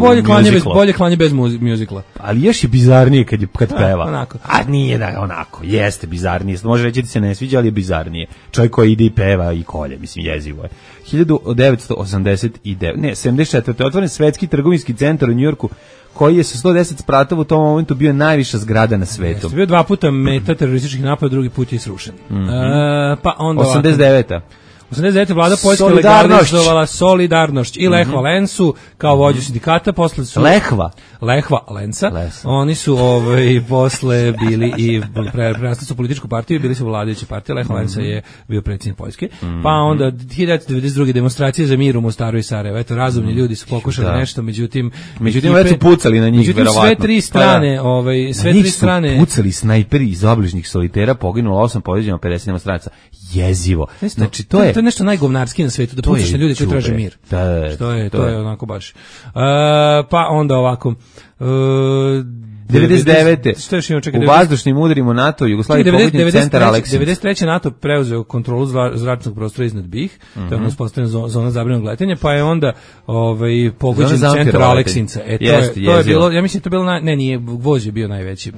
bolje klanje bez muzikla. Ali još je bizarnije kad peva. Onako. A nije da onako, jeste bizarnije. Može reći da se ne sviđa, ali je bizarnije. Čovjek koji ide i peva i kolje, mislim, jezivo je. 74. otvoren svetski trgovinski centar u Njujorku, koji je sa 110 spratova u tom momentu bio najviša zgrada na svetu. Jeste bio 2 puta meta terorističkih napada, drugi put je srušen. Pa onda 89. 89. vlada Poljske legalizovala Solidarnošć i Lech Valensu kao vođu sindikata, posle su Lech Valensa. Oni su posle bili i prerasli su političku partiju, bili su vladajuća partija. Lech Valensa je bio predsjednik Poljske. Pa onda 1992. demonstracije za mir u Mostaru i Sarajevu. Eto, razumni ljudi su pokušali nešto, međutim već su pucali na njih, verovatno. Sve tri strane, sve tri strane pucali snajperi iz obližnjih solitera, poginulo 8, povređeno 50 demonstracija. Jezivo. Znači to je nešto najgovnarski na svetu, da pucaš na ljude koji traže mir. To je onako baš. Pa onda ovako 99. U vazdušnim udarima NATO Jugoslavije pogodnjen centar Aleksinca. 93. NATO preuzeo kontrolu zračnog prostora iznad BiH, to je uspostavljena zona zabranjenog letenja, pa je onda pogođen centar Aleksinca. To je bilo, ja mislim to je bilo nije, Gvoz je bio najveći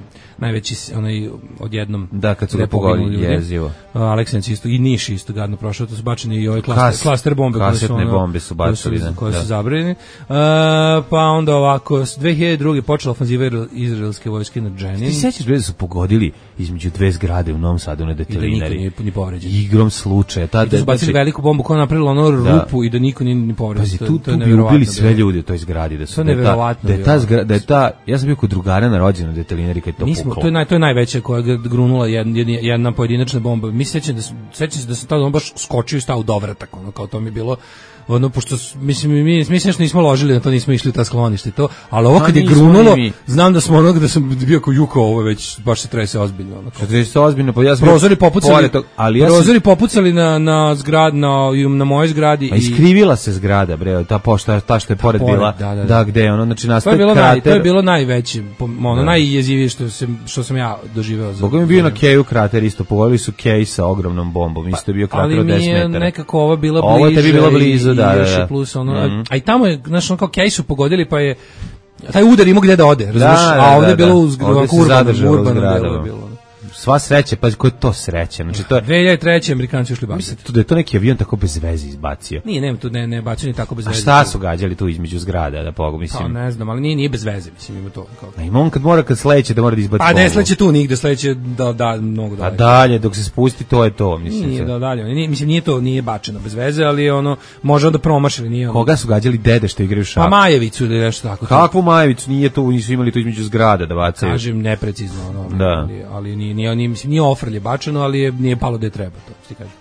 onaj odjednom. Da, kad su ga pogodili, jezivo. Aleksinc isto i Niš isto gadno prošao, to su bačeni i ove klaster bombe bombe su bacili, koje su zabranjene. Pa onda ovako 2002. počela ofanziva izraelske vojske na Dženin. Ti sećaš da su pogodili između dve zgrade u Novom Sadu na Detelinari? I da niko nije povređen. Igrom slučaja. I da su bacili veliku bombu koja je napravila ono rupu i da niko nije ni povređen. Tu bi ubili sve ljudi u toj zgradi. To je neverovatno. Ja sam bio kod drugara na rođendan u Detelinari kad je to puklo. To je najveća koja je grunula jedna pojedinačna bomba. Mi sećam se da sam tada baš skočio i stao u dovratak, ono kao to mi je bilo pošto mi što nismo ložili na to, nismo išli u ta sklonište to, ali ovo kad je grunulo, znam da smo da sam bio kao juko, ovo već baš se trese ozbiljno. Pa ja sam prozori popucali na zgrad, na mojoj zgradi. A iskrivila se zgrada, bre, ta što je pored bila, da gde ono, znači nastaje krater. To je bilo najveće, najjezivije što sam ja doživeo. Boga mi bio na Keju krater isto, pogodili su Kej sa ogromnom bombom, isto je bio krater od 10 metara. Ali mi je nekako ovo bila bliže. Ovo tebi bilo blizu, da. Plus a i tamo je, znaš, kao Kej su pogodili, pa je taj udar imao gde da ode, razumiješ, a ovdje je bilo urbanom bilo. Sva sreća, pa koja je to sreća? Znači to je 2003. Amerikanci ušli baciti. Mislim da je to neki avion tako bez veze izbacio. Nije, nema tu ne bacio ni tako bez veze. A šta su gađali tu između zgrada, da pogu, mislim. Pa ne znam, ali nije bez veze, mislim, ima to kao. A ima on kad sleće da mora da izbaci. A ne sleće tu nigde, sleće mnogo dalje. A dalje dok se spusti to je to, mislim. Nije dalje. Mislim nije bačeno bez veze, ali ono može onda promašili, nije. Koga su gađali, dede što igraju šah? Pa Majevicu ili nešto tako. Kakvu Majevicu? Nije to, nisu imali tu između zgrada da bacaju. Kažem neprecizno, ali nije ofrlje bačeno, ali nije palo da je treba, to ti kažem.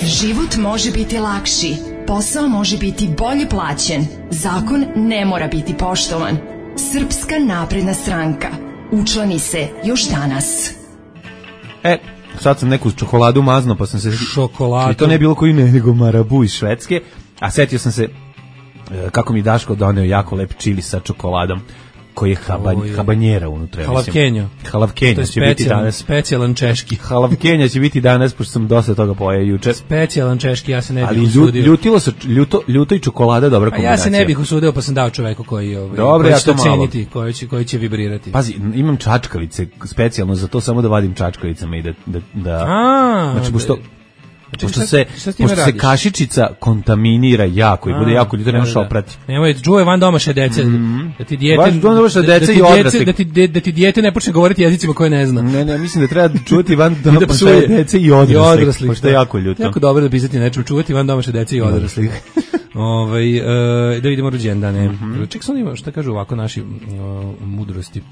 Život može biti lakši, posao može biti bolje plaćen, zakon ne mora biti poštovan. Srpska napredna stranka. Učlani se još danas. Sad sam neku čokoladu mazno, pa sam se... Šokoladu. I to ne bilo koji nego Marabu iz Švedske, a setio sam se kako mi Daško doneo jako lep čili sa čokoladom, koji je habanjera unutra. Halavkenja će biti danas. Specijalan češki. Halavkenja će biti danas, pošto sam dosta toga pojeo juče. Specijalan češki, ja se ne bih usudio. Ali ljuto i čokolada, dobra kombinacija. Ja se ne bih usudio, pa sam dao čoveku koji će to ceniti, koji će vibrirati. Pazi, imam čačkalice specijalno za to, samo da vadim čačkalicama i da... Znači, pošto... Pošto se kašičica kontaminira jako i bude jako ljudi, ne možeš oprati. Nemoj, čuvaj van domaše dece. Da ti dijete... Van domaše dece i odrasli. Da ti dijete ne počne govoriti jezicima koje ne zna. Ne, mislim da treba čuvati van domaše dece i odrasli. Pošto je jako ljuto. Jako dobro da pisati nečem, čuvati van domaše dece i odrasli. Da vidimo rođendane. Ček sam ima, šta kažu ovako naši mudrosti.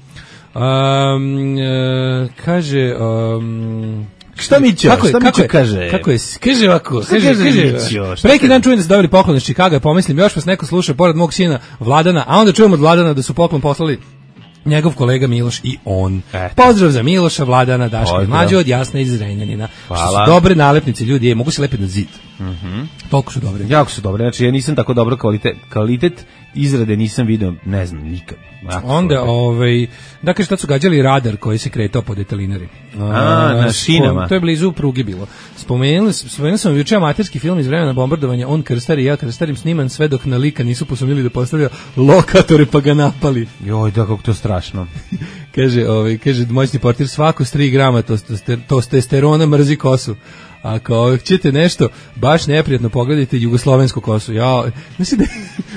Kaže... Šta Mićo? Šta Mićo kaže? Kako je? Kaže ovako. Kaže. Preki dan čujem da su dobili poklon iz Čikaga, pomislim, još vas neko sluša pored mog sina Vladana, a onda čujem od Vladana da su poklon poslali njegov kolega Miloš i on. Pozdrav za Miloša, Vladana, Daška i Mlađe od Jasna iz Zrenjanina. Što su dobre nalepnice, ljudi, mogu se lepiti na zid. Toliko su dobre. Jako su dobre, znači ja nisam tako dobro kvalitet izrade nisam video, ne znam, nikad. Onda, dakle, šta su gađali radar koji se kretao po detalinari. Na šinama. To je blizu pruge bilo. Spomenuli sam juče amaterski film iz vremena bombardovanja, on krstar i ja krstarim, sniman sve dok na lika nisu posumnjeli da postavlja lokatore pa ga napali. Joj, da, kako to strašno. Kaže moćni portir, svako s 3 grama testosterona mrzi kosu. Ako ćete nešto baš neprijatno, pogledajte jugoslovensku kosu. Znači da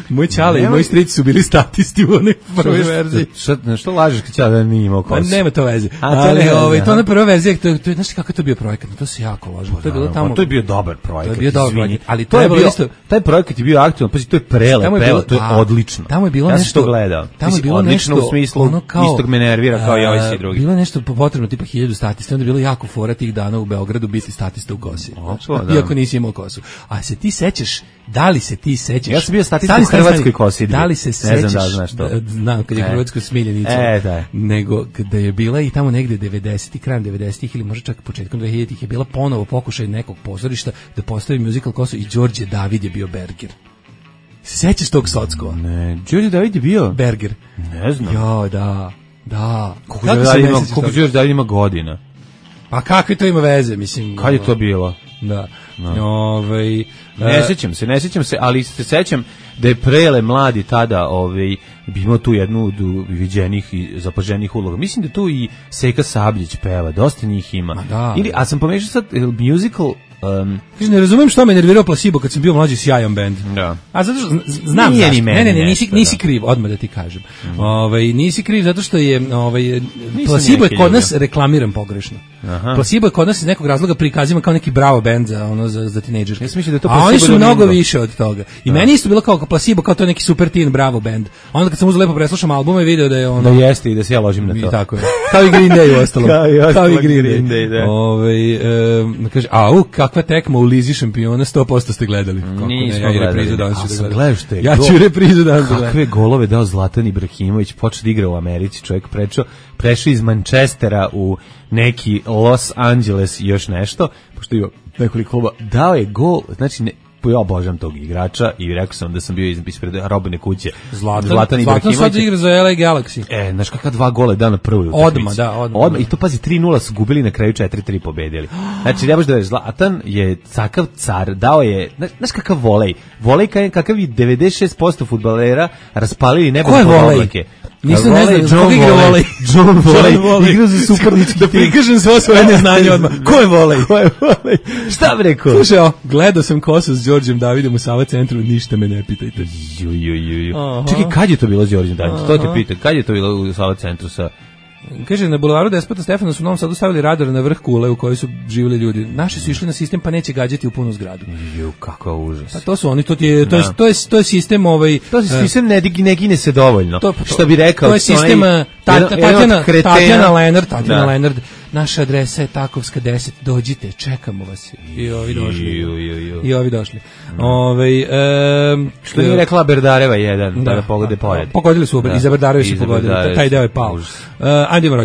moj ćale i moj stric su bili statisti u onoj prvoj verziji. Što lažeš kad ćale nije imao kosu? Pa nema to veze. Ali to je na prvoj verziji, to je, znaš kako je to bio projekat? To se jako ložilo. To je bilo tamo. To je bio dobar projekat. To je bio dobar projekat, ali to je bilo isto. Taj projekat je bio aktualan, pa to je prelepo, to je odlično. Tamo je bilo nešto. Ja sam to gledao. Tamo je bilo nešto u smislu istog me nervira kao i ovaj svi drugi. Bilo je nešto potrebno tipa 1000 statista, onda je bilo jako fora tih dana u Beogradu biti statista u kosi. Iako nisi imao kosu. A se ti sećaš, da li se ti sećaš? Ja sam bio statista u hrvatskoj kosi. Da li se sećaš? Ne znam da znaš to. Znam, kad je hrvatsko smiljenica. Da. Nego kada je bila i tamo negde 90-ih, krajem 90-ih ili možda čak početkom 2000-ih je bila ponovo pokušaj nekog pozorišta da postavi musical kosu i Đorđe David je bio Berger. Se sećaš tog Sockova? Ne, Đorđe David je bio Berger. Ne znam. Jo, da. Koliko Đorđe David ima godina? Pa kakve to ima veze, mislim. Kad je to bilo? Da. Ne sjećam se, ali se sećam da je Prele mladi tada bi imao tu jednu od viđenih i zapaženih uloga. Mislim da tu i Seka Sabljić peva, dosta njih ima. A sam pomešao sad musical. Ne razumem što me nervirao Placebo kad sam bio mlađi, sjajan bend. Da. A zato što znam nisi kriv, odmah da ti kažem. Nisi kriv zato što je Placebo je kod nas reklamiran pogrešno. Placebo je kod nas iz nekog razloga prikazivan kao neki bravo bend za tinejdžerke. Ja mislim da je to a oni su mnogo više od toga. I meni isto bilo kao Placebo, kao to je neki super teen bravo bend. Onda kad sam uzeo lepo preslušam albume i video da je ono... Da jeste i da se ja ložim na to. Tako je. Kao i Green Day u ostalom. Kao i Green Day, da. Kaže, kakva tekma u Lizi šampiona, 100% ste gledali. Nismo gledali. Ja ću reprizu danas gledati. Kakve golove dao Zlatan Ibrahimović, počeo da igra u Americi, čovjek prešao iz Manchestera u neki Los Angeles i još nešto, pošto je nekoliko kluba, dao je gol, znači ja obožavam tog igrača i rekao sam da sam bio ispred Robine kuće. Zlatan Ibrahimović. Sad igra za LA Galaxy. Znaš kakva 2 gola dana prvoj utakmici. Odmah. I to pazi 3-0 su gubili, na kraju 4-3 pobedili. Znači ne možeš da veriš, Zlatan je cakav car, dao je, znaš kakav volej. Volej kakav i 96% fudbalera raspalili nebo po oblake. Nisam ne znam, koga igra volej? John Volej. Igra za supernički tim. Da prikažem svo svoje neznanje odmah. Ko je volej? Šta bi rekao? Slušaj, gledao sam kosu s Đorđem Davidom u Sava centru, ništa me ne pitajte. Čekaj, kad je to bilo s Đorđem Davidom? To te pitam, kad je to bilo u Sava centru sa... Kaže, na bulevaru Despota Stefana su u Novom Sadu stavili radar na vrh kule u kojoj su živjeli ljudi. Naši su išli na sistem pa neće gađati u punu zgradu. Kakav užas. Pa to su oni, to je sistem To je sistem ne gine se dovoljno. Što bi rekao? To je sistem Tatjana Lenard. Naša adresa je Takovska 10, dođite, čekamo vas. I ovi došli. Što je rekla Berdareva 1, da pogode pored. Pogodili su, iza Berdareva su pogodili, taj deo je pao. Ajde ima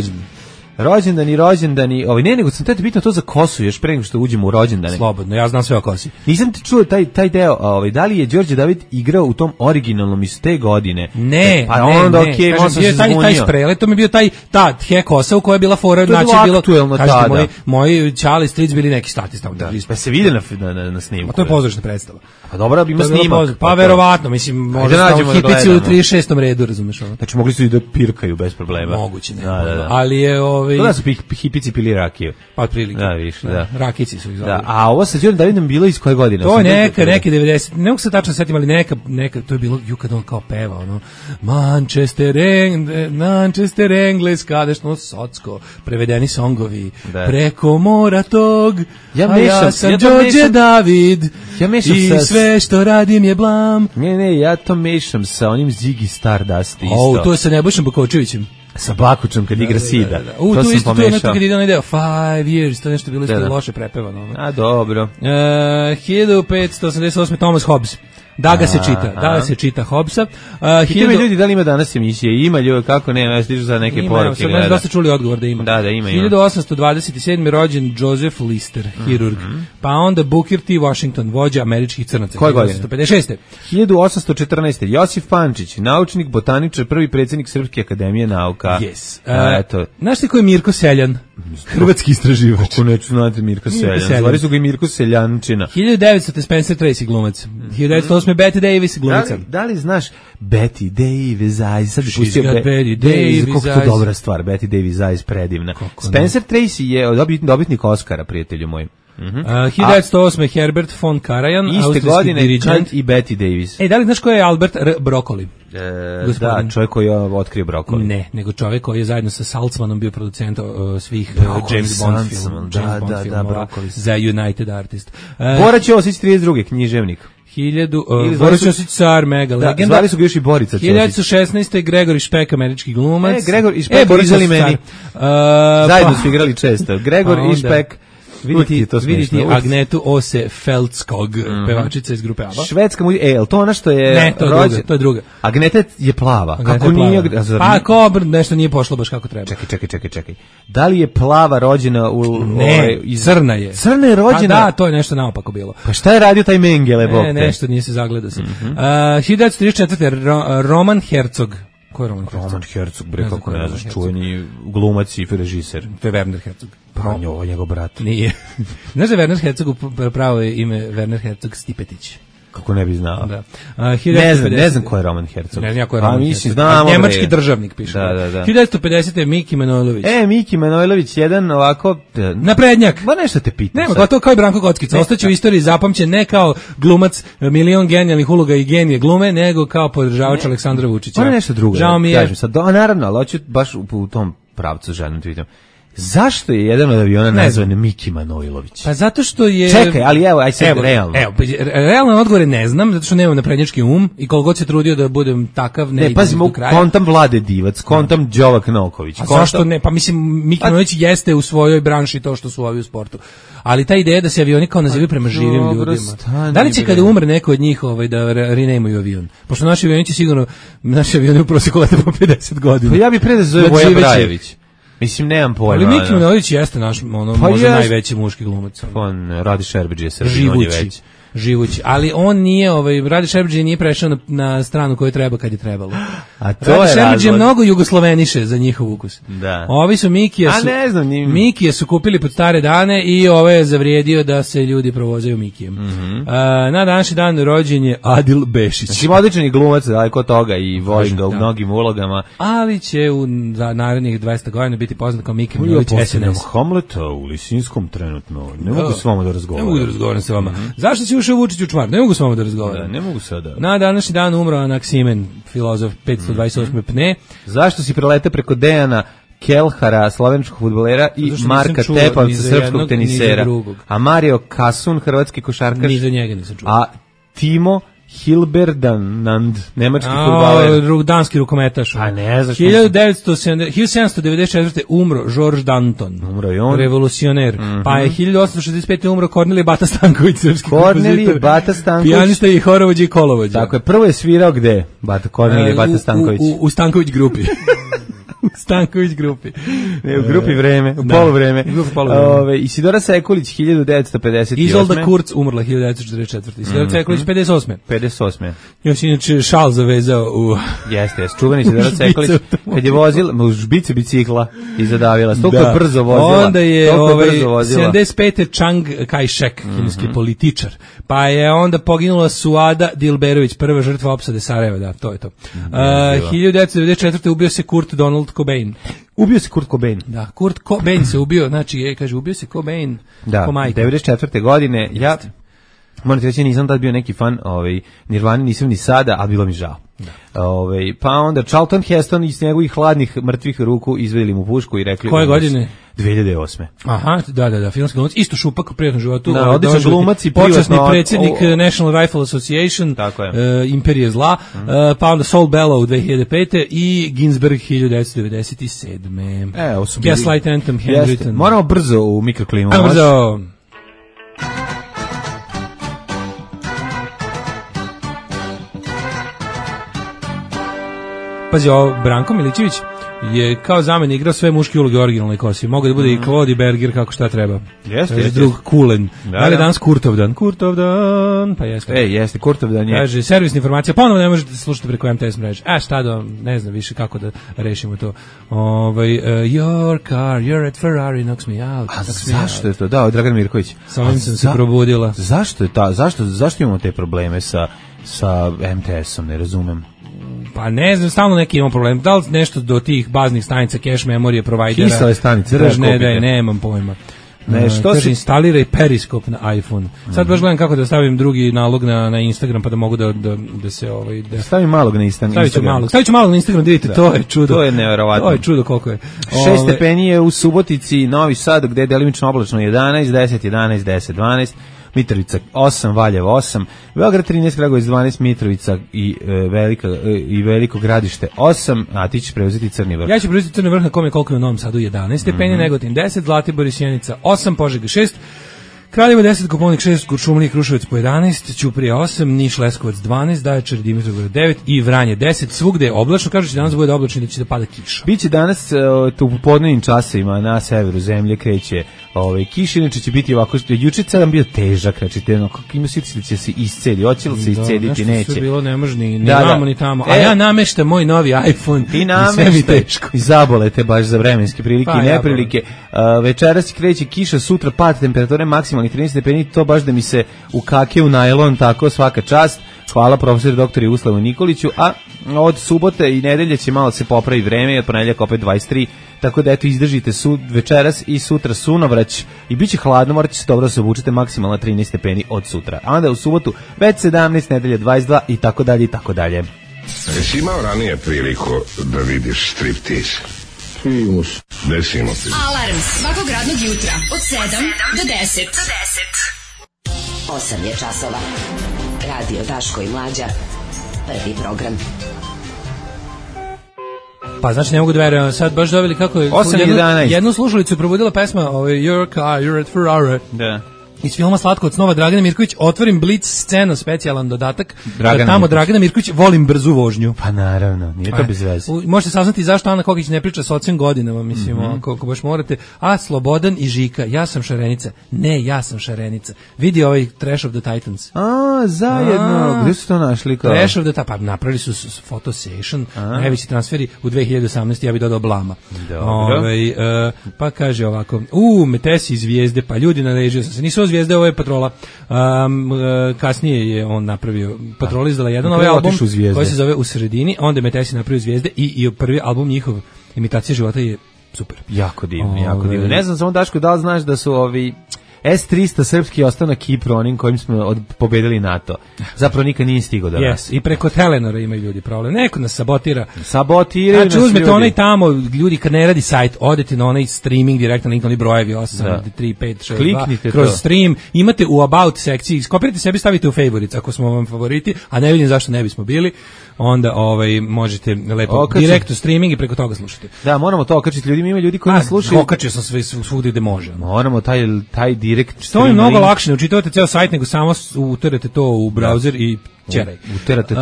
rođendani, nego sam te bitno to za kosu, još pre nego što uđemo u rođendane. Slobodno, ja znam sve o kosi. Nisam ti čuo taj deo, da li je Đorđe David igrao u tom originalnom iz te godine? Ne, pa onda okej, možda se zbunio. Taj sprele, to mi je bio ta tje kosa u kojoj je bila fora, znači bilo aktuelno tada. Moji ćali stric bili neki statista. Pa se vide na snimku. A to je pozorišna predstava. Pa dobro, ima snimak. Pa verovatno, mislim, možda hipici u 36. redu, razumeš ovo. Znači mogli su i da pirkaju bez problema. Moguće, ne. Ali je Da su hipici pili rakiju. Pa otprilike. Da, više, da. Rakici su ih zvali. Da, a ovo sa Đurom Davidom bilo iz koje godine? To je neke 90, ne mogu se tačno setim, ali neka, to je bilo kad on kao peva, ono, Manchester, Engleska, nešto socko, prevedeni songovi, preko mora tog, ja sam Đorđe David, i sve što radim je blam. Ne, ja to mešam sa onim Ziggy Stardust isto. To je sa Nebojšom Bakočevićem. Sa Bakučem kad igra Sida. To sam pomešao. To je nešto kad ide onaj deo 5 years, to nešto bilo isto loše prepevano. A, dobro. 1588. Thomas Hobbes. Da se čita Hobbesa. Pitaju ljudi da li ima danas emisije. Ima ljudi, kako ne, ja stižu za neke poruke. Ima, dosta čuli odgovor da ima. Da, ima. 1827. rođen Joseph Lister, hirurg. Pa onda Booker T. Washington, vođa američkih crnaca. Koje godine? 1856. 1814. Josif Pančić, naučnik, botaničar, prvi predsjednik Srpske akademije nauka. Yes. Znaš ti ko je Mirko Seljan? Hrvatski istraživač. Kako neću znati Mirko Seljan. Zvali su ga i Mirko Seljančina. 1900. Spencer Tracy, glumac. 1908. Betty Davis, glumica. Da li znaš Betty Davis Eyes? Sad bi pustio Betty Davis Eyes. Kako to dobra stvar, Betty Davis Eyes, predivna. Spencer Tracy je dobitnik Oscara, prijatelju moj. 1908. Herbert von Karajan, iste godine dirigent i Betty Davis. Da li znaš ko je Albert Broccoli? Da, čovjek koji je otkrio Broccoli. Ne, nego čovjek koji je zajedno sa Saltzmanom bio producent svih James Bond filmova za United Artists. Bora Ćosić, 32. književnik. Boris Ćosić, car, mega legenda. Zvali su ga još i Borica Ćosić. 1916. Gregor Špek, američki glumac. Gregor i Špek izali meni. Zajedno su igrali često. Gregor i Špek. Vidite Agnetu Ose Feldskog, pevačica iz grupe ABBA. Švedska muzika, to ona što je... Ne, to je druga. Agneta je plava. Kako nije... Pa Kobr nešto nije pošlo baš kako treba. Čekaj. Da li je plava rođena u... Ne, crna je. Crna je rođena? Pa da, to je nešto naopako bilo. Pa šta je radio taj Mengele, bog te? Nešto nije se zagledao se. 1934. Roman Herzog. Ko je Roman Herzog, bre, kako ne znaš, čuveni glumac i režiser. To je Werner Herzog. Pa ovo je njegov brat. Nije. Znaš da je Werner Herzog, pravo je ime Werner Herzog Stipetić. Kako ne bi znao. Da. Ne znam ko je Roman Herzog. Ne znam ko je Roman Herzog. Znamo, njemački državnik piše. Da. 1950. Miki Manojlović. Miki Manojlović, jedan ovako... Naprednjak. Ba nešto te pitam. Nema, to kao i Branko Kockica. Ostaće u istoriji zapamćen ne kao glumac milion genijalnih uloga i genije glume, nego kao podržavač Aleksandra Vučića. Ono nešto drugo. Žao mi je. Kažem sad, naravno, ali hoću baš u tom pravcu želim te vidim. Zašto je jedan od aviona nazvan Miki Manojlović? Pa zato što je... Čekaj, ali aj sad realno. Realno odgovore ne znam, zato što nemam naprednjački um i koliko god se trudio da budem takav, ne pazi, kontam Vlade Divac, kontam Đovak Noković. A zašto ne? Pa mislim, Miki Manojlović jeste u svojoj branši to što su ovi u sportu. Ali ta ideja da se avioni kao nazivaju prema živim ljudima. Da li će kada umre neko od njih da renameuju avion? Pošto naši avioni će sigurno, naši avioni u prosjeku lete po 50 godina. Pa ja bih pre da zove Voja Brajević. Mislim, nemam pojma. Ali Miki Manojlović jeste naš, možda najveći muški glumac. On Radi Šerbeđ je živući, ali on nije, Radi Šerbeđ nije prešao na stranu koju treba kad je trebalo. A to Radi je Šerbeđ je mnogo jugosloveniše za njihov ukus. Da. Ovi su Mikije su kupili pod stare dane i ovo je zavrijedio da se ljudi provozaju Mikijem. Na današnji dan rođen je Adil Bešić. Znači, odličan je glumac, daleko toga i volim ga u mnogim ulogama. Ali će u narednih 200 godina biti poznat kao Miki Manojlović SNS. Hamleta u Lisinskom trenutno. Ne mogu s vama da razgovaram. Ne mogu da razgovaram sa vama. Zašto si ušao Vučić u čmar? Ne mogu s vama da razgovaram. Ne mogu sada. Na današnji dan umro Anaksimen, filozof 528. pne. Zašto si prelete preko Dejana Kelhara, slovenskog fudbalera, i Marka Tepavca, srpskog tenisera? A Mario Kasun, hrvatski košarkaš? Ni za njega nisam čuo. A Timo Hilberdand, nemački fudbaler. Danski rukometaš. A ne znaš. 1794. umro George Danton. Umro i on. Revolucioner. Pa je 1865. umro Kornelije Bata Stanković, srpski Kornelije Bata Stanković. Pijanista i horovođa i kolovođa. Tako je, prvo je svirao gde? Kornelije Bata Stanković. U Stanković grupi. Stanković grupi. Ne, u grupi Vreme, u poluvreme. Isidora Sekulić, 1958. Izolda Kurz umrla 1944. Isidora Sekulić, 58. Još inače šal zavezao u... Jeste, čuveni Isidora Sekulić, kad je vozila, u žbicu bicikla i zadavila. Toliko brzo vozila. Onda je 75. Chiang Kai-shek, kineski političar. Pa je onda poginula Suada Dilberović, prva žrtva opsade Sarajeva, da, to je to. 1994. ubio se Kurt Donald Kurt Cobain. Ubio se Kurt Cobain. Da, Kurt Cobain se ubio, znači, kaže, ubio se Cobain. Da, 94. godine, ja... Moram ti reći, nisam tad bio neki fan Nirvani, nisam ni sada, ali bilo mi žao. Pa onda Charlton Heston iz njegovih hladnih mrtvih ruku izvedili mu pušku i rekli... Koje godine? 2008. Aha, da, filmski glumac, isto šupak u prijatnom životu. Da, odličan glumac i počasni predsjednik National Rifle Association, Imperije zla, pa onda Saul Bellow 2005. i Ginsberg 1997. Gaslight Anthem, Handwritten. Moramo brzo u mikroklimu. Brzo! Pazi, Branko Milićević je kao zameni igrao sve muške uloge u originalnoj kosi. Mogu da bude i Claude Berger kako šta treba. Jeste. Drug Kulen. Da li danas Kurtovdan? Kurtovdan, pa jeste. Jeste, Kurtovdan je. Kaže, servisna informacija, ponovo ne možete slušati preko MTS mreže. Šta da, ne znam više kako da rešimo to. Your car, you're at Ferrari, knocks me out. A zašto je to? Da, Dragan Mirković. Sa ovim sam se probudila. Zašto imamo te probleme sa MTS-om, ne razumem. Pa ne znam, stalno neki imamo problem. Da li nešto do tih baznih stanica, cache memorije, provajdera? Kisale stanice, nemam pojma. Kaže, instaliraj periskop na iPhone. Sad baš gledam kako da stavim drugi nalog na Instagram, pa da mogu da se... Stavim malog na Instagram. Stavit ću malog na Instagram, vidite, to je čudo. To je nevjerovatno. To je čudo koliko je. 6 stepeni je u Subotici, Novi Sad, gde je delimično oblačno 11, 10, 11, 10, 12, Mitrovica 8, Valjevo 8, Beograd 13, Kragujevac 12, Mitrovica i Veliko Gradište 8, a ti ćeš preuzeti Crni vrh. Ja ću preuzeti Crni vrh na kome koliko je u Novom Sadu 11 stepeni, Negotin 10, Zlatibor i Sjenica 8, Požega 6, Kraljevo 10, Koponik 6, Kuršumlija i Kruševac po 11, Ćuprija 8, Niš, Leskovac 12, Zaječar i Dimitrovgrad 9 i Vranje 10. Svugde je oblačno, kažu će danas bude oblačno i da će da pada kiša. Biće danas u popodnevnim časovima na severu zemlje kreće kiš, inače će biti ovako, juče celan bio težak, znači ima siti da će se iscedi, hoće li se iscediti, neće. Nešto bilo ne može ni vamo ni tamo, a ja nameštam moj novi iPhone i sve mi teško. I zabolete baš za vremenske prilike i neprilike. Večeras kreće kiša, sutra pad temperature maksimalnih 13 stepeni, to baš da mi se ukake u najlon, tako svaka čast. Hvala profesor dr. Juslavu Nikoliću, a od subote i nedelje će malo se popravi vreme, od ponedjeljaka opet 23, tako da eto izdržite večeras i sutra sunovrać i bit će hladno, morat će se dobro da se obučete, maksimalno 13 stepeni od sutra. A onda u subotu već 17, nedelje 22 i tako dalje i tako dalje. Jesi imao ranije priliku da vidiš striptease? Primus. Desimo ti. Alarm svakog radnog jutra od 7 do 10. 8 je časova. Radio Daško i Mlađa. Prvi program. Pa znači ne mogu da verujem, sad baš dobili kako je 8:11. Jednu slušalicu probudila pesma Your car, you're at Ferrari. Da. Iz filma Slatko od snova Dragana Mirković, otvorim Blitz scenu, specijalan dodatak, tamo Dragana Mirković, volim brzu vožnju. Pa naravno, nije to bez veze. Možete saznati zašto Ana Kokić ne priča sa ocem godinama, mislim, ako baš morate. A Slobodan i Žika, ja sam Šarenica. Ne, ja sam Šarenica. Vidi ovaj Trash of the Titans. Zajedno. Gde su to našli? Trash of the Titans, pa napravili su photo session, najveći transferi u 2018. Ja bih dodao Blama. Pa kaže ovako, Metesi Zvijezde, pa ljudi narežio sam se, nisu Zvijezde, ovo je Patrola. Kasnije je on napravio, Patrola izdala jedan ovaj album koji se zove U sredini, onda je Metesi napravio Zvijezde i prvi album njihov, Imitacija života, je super. Jako divno, jako divno. Ne znam samo Daško, da li znaš da su ovi S-300 srpski ostao na Kipru, onim kojim smo pobedili NATO. Zapravo nikad nije stigao do nas. I preko Telenora imaju ljudi problem. Neko nas sabotira. Sabotiraju nas ljudi. Uzmete onaj tamo, ljudi kad ne radi sajt, odete na onaj streaming direktno, link na onaj brojevi 8, 3, 5, 6, 2, kroz stream. Imate u About sekciji, skopirajte sebi, stavite u favorites ako smo vam favoriti, a ne vidim zašto ne bismo bili. Onda možete lepo direktno streaming i preko toga slušati. Da, moramo to okačiti ljudima, ima ljudi koji nas slušaju. Okačio sam sve svugdje gde može. Moramo taj direkt. To je mnogo lakše, ne učitavate ceo sajt, nego samo uterate to u browser i ćeraj. Uterate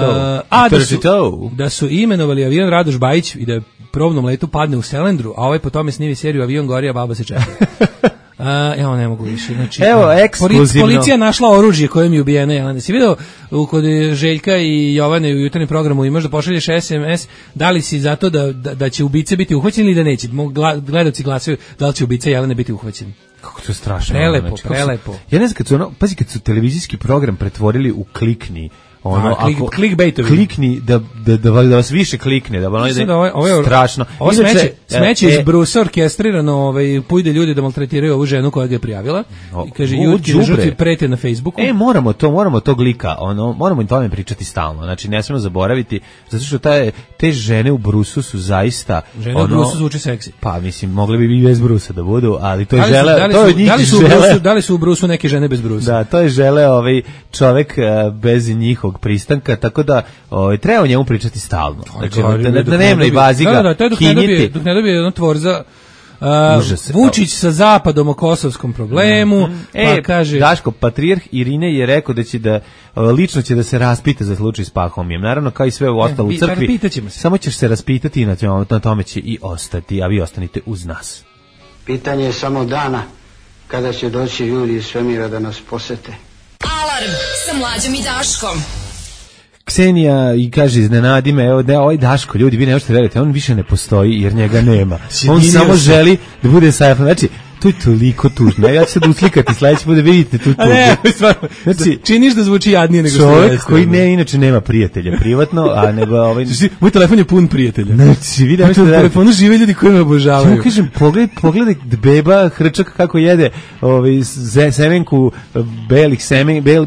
to. Da su imenovali avion Radoš Bajić i da probnom letu padne u Selendru, a ovaj po tome snivi seriju Avion gori, a baba se čeka. Evo ne mogu više. Znači, evo, ekskluzivno. Policija našla oružje kojim je ubijena Jelena. Si vidio kod Željka i Jovane u jutarnjem programu imaš da pošalješ SMS, da li si zato da će ubice biti uhvaćeni ili da neće? Gledalci glasaju da li će ubica Jelene biti uhvaćen. Kako to je strašno. Prelepo. Ja ne znam, kad su televizijski program pretvorili u klikni, clickbaitovi. Klikni da vas više klikne, da ono strašno. Ovo smeće iz Brusa orkestrirano, pojde ljudi da maltretiraju ovu ženu koja ga je prijavila i kaže jutki žrtvi prete na Facebooku. Moramo tog lika, moramo im tome pričati stalno. Znači ne smemo zaboraviti, zato što te žene u Brusu su zaista žene u Brusu zvuči seksi. Pa mislim mogli bi i bez Brusa da budu, ali to je da li su u Brusu neke žene bez Brusa? Da, to je žele čovek bez njihovog pristanka, tako da treba o njemu pričati stalno. Znači, na dnevnoj bazi ga kinjiti. Dok ne dobije jedno tvorza Vučić sa zapadom o kosovskom problemu, pa kaže... Daško, patrijarh Irine je rekao da lično će da se raspita za slučaj s Pahomijem. Naravno, kao i sve u ostalo u crkvi, samo ćeš se raspitati i na tome će i ostati, a vi ostanite uz nas. Pitanje je samo dana kada će doći ljudi iz svemira da nas posete. Alarm sa Mlađom i Daškom. Ksenija i kaže iznenadi me, evo da ovaj Daško, ljudi, vi ne možete verujete, on više ne postoji jer njega nema. On samo želi da bude sajafan. Znači, to je toliko tužno. Ja ću sad uslikati sledeći put da vidite tu tužno. Znači, činiš da zvuči jadnije nego čovjek koji inače nema prijatelja privatno, a nego moj telefon je pun prijatelja. Znači, vidi na telefonu žive ljudi koji me obožavaju. Ja kažem, pogledaj beba hrčak kako jede, semenku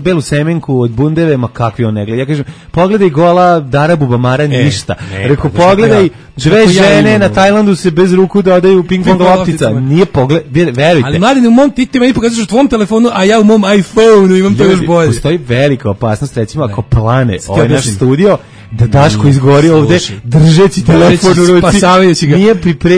belu semenku od bundeve, ma kakvi on ne gleda. Ja kažem, pogledaj gola Dara Bubamara, ništa. Rekao, pogledaj dve žene na Tajlandu se bez ruku dodaju ping-pong loptica. Nije pogled, verujte. Ali mladine, u mom ti meni pokazuješ u tvom telefonu, a ja u mom iPhone-u imam to još bolje. Postoji velika opasnost, recimo, ako plane ovaj naš studio, da Daško izgori ovde držeći telefon u ruci,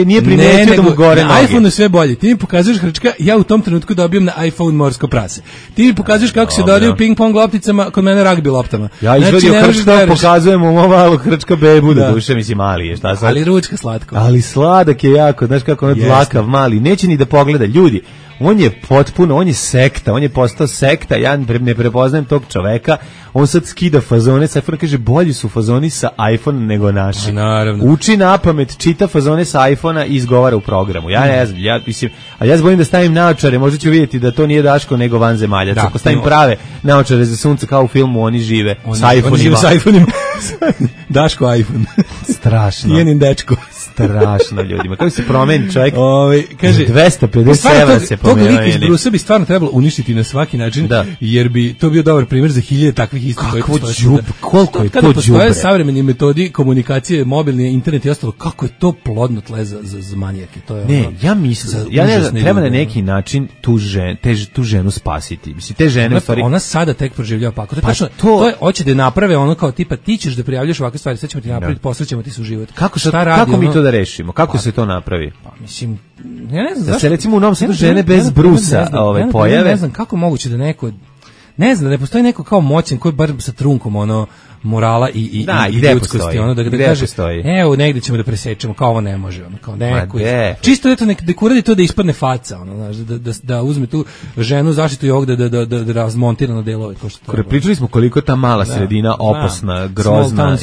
nije primetio da mu gore noge. Na iPhone-u sve bolje. Ti mi pokazuješ hrčka, ja u tom trenutku dobijem na iPhone morsko prase. Ti mi pokazuješ kako se dodaju ping-pong lopticama, kod mene ragbi loptama. Ja izvadio hrčka, pokazujem u malo hrčka bebu, da duše, mislim, mali je, šta sad? Ali ručka slatko. Ali sladak je jako, znaš kako on je dlakav, mali, neće ni da pogleda, ljudi. On je potpuno, on je sekta, on je postao sekta, ja ne prepoznajem tog čoveka, on sad skida fazone sa iPhone, kaže bolji su fazoni sa iPhone nego naši. Naravno. Uči napamet, čita fazone sa iPhone-a i izgovara u programu. Ja ne znam, ja se bojim da stavim naočare, možda ću vidjeti da to nije Daško nego vanzemaljac. Ako stavim prave naočare za sunce kao u filmu, oni žive sa iPhone-ima. Oni žive sa iPhone-ima. Daško iPhone. Strašno. Jenin dečko. Strašno ljudima. Kako se promeni čovjek? Kaže 250 evra se promenio. Tog lika iz Brusa bi stvarno trebalo uništiti na svaki način, jer bi to bio dobar primjer za hiljade takvih istih. Koliko je to đubre? Postoje savremeni metodi komunikacije, mobilni internet i ostalo, kako je to plodno tle za manijake. To je ne, ja mislim, ja ne znam, treba na neki način tu ženu spasiti. Mislim, te žene u stvari... Ona sada tek proživljava pakao. To je, hoće da naprave ono kao tipa, ti ćeš da prijavljaš ovakve stvari, sad ćemo ti napraviti, posrećemo ti suživot. Kako mi to da rešimo? Kako se to napravi? Pa mislim, ja ne znam da se recimo u Novom Sadu žene bez brusa pojave. Ne znam kako moguće da neko, ne znam, da ne postoji neko kao moćan koji bar sa trunkom morala i ljudskosti, da kaže, evo negdje ćemo da presečemo, kao ovo ne može, kao neko, čisto eto nek uradi to da ispadne faca, da uzme tu ženu zaštitu i ovog da razmontira na delove. Pričali smo koliko ta mala sredina opasna, grozna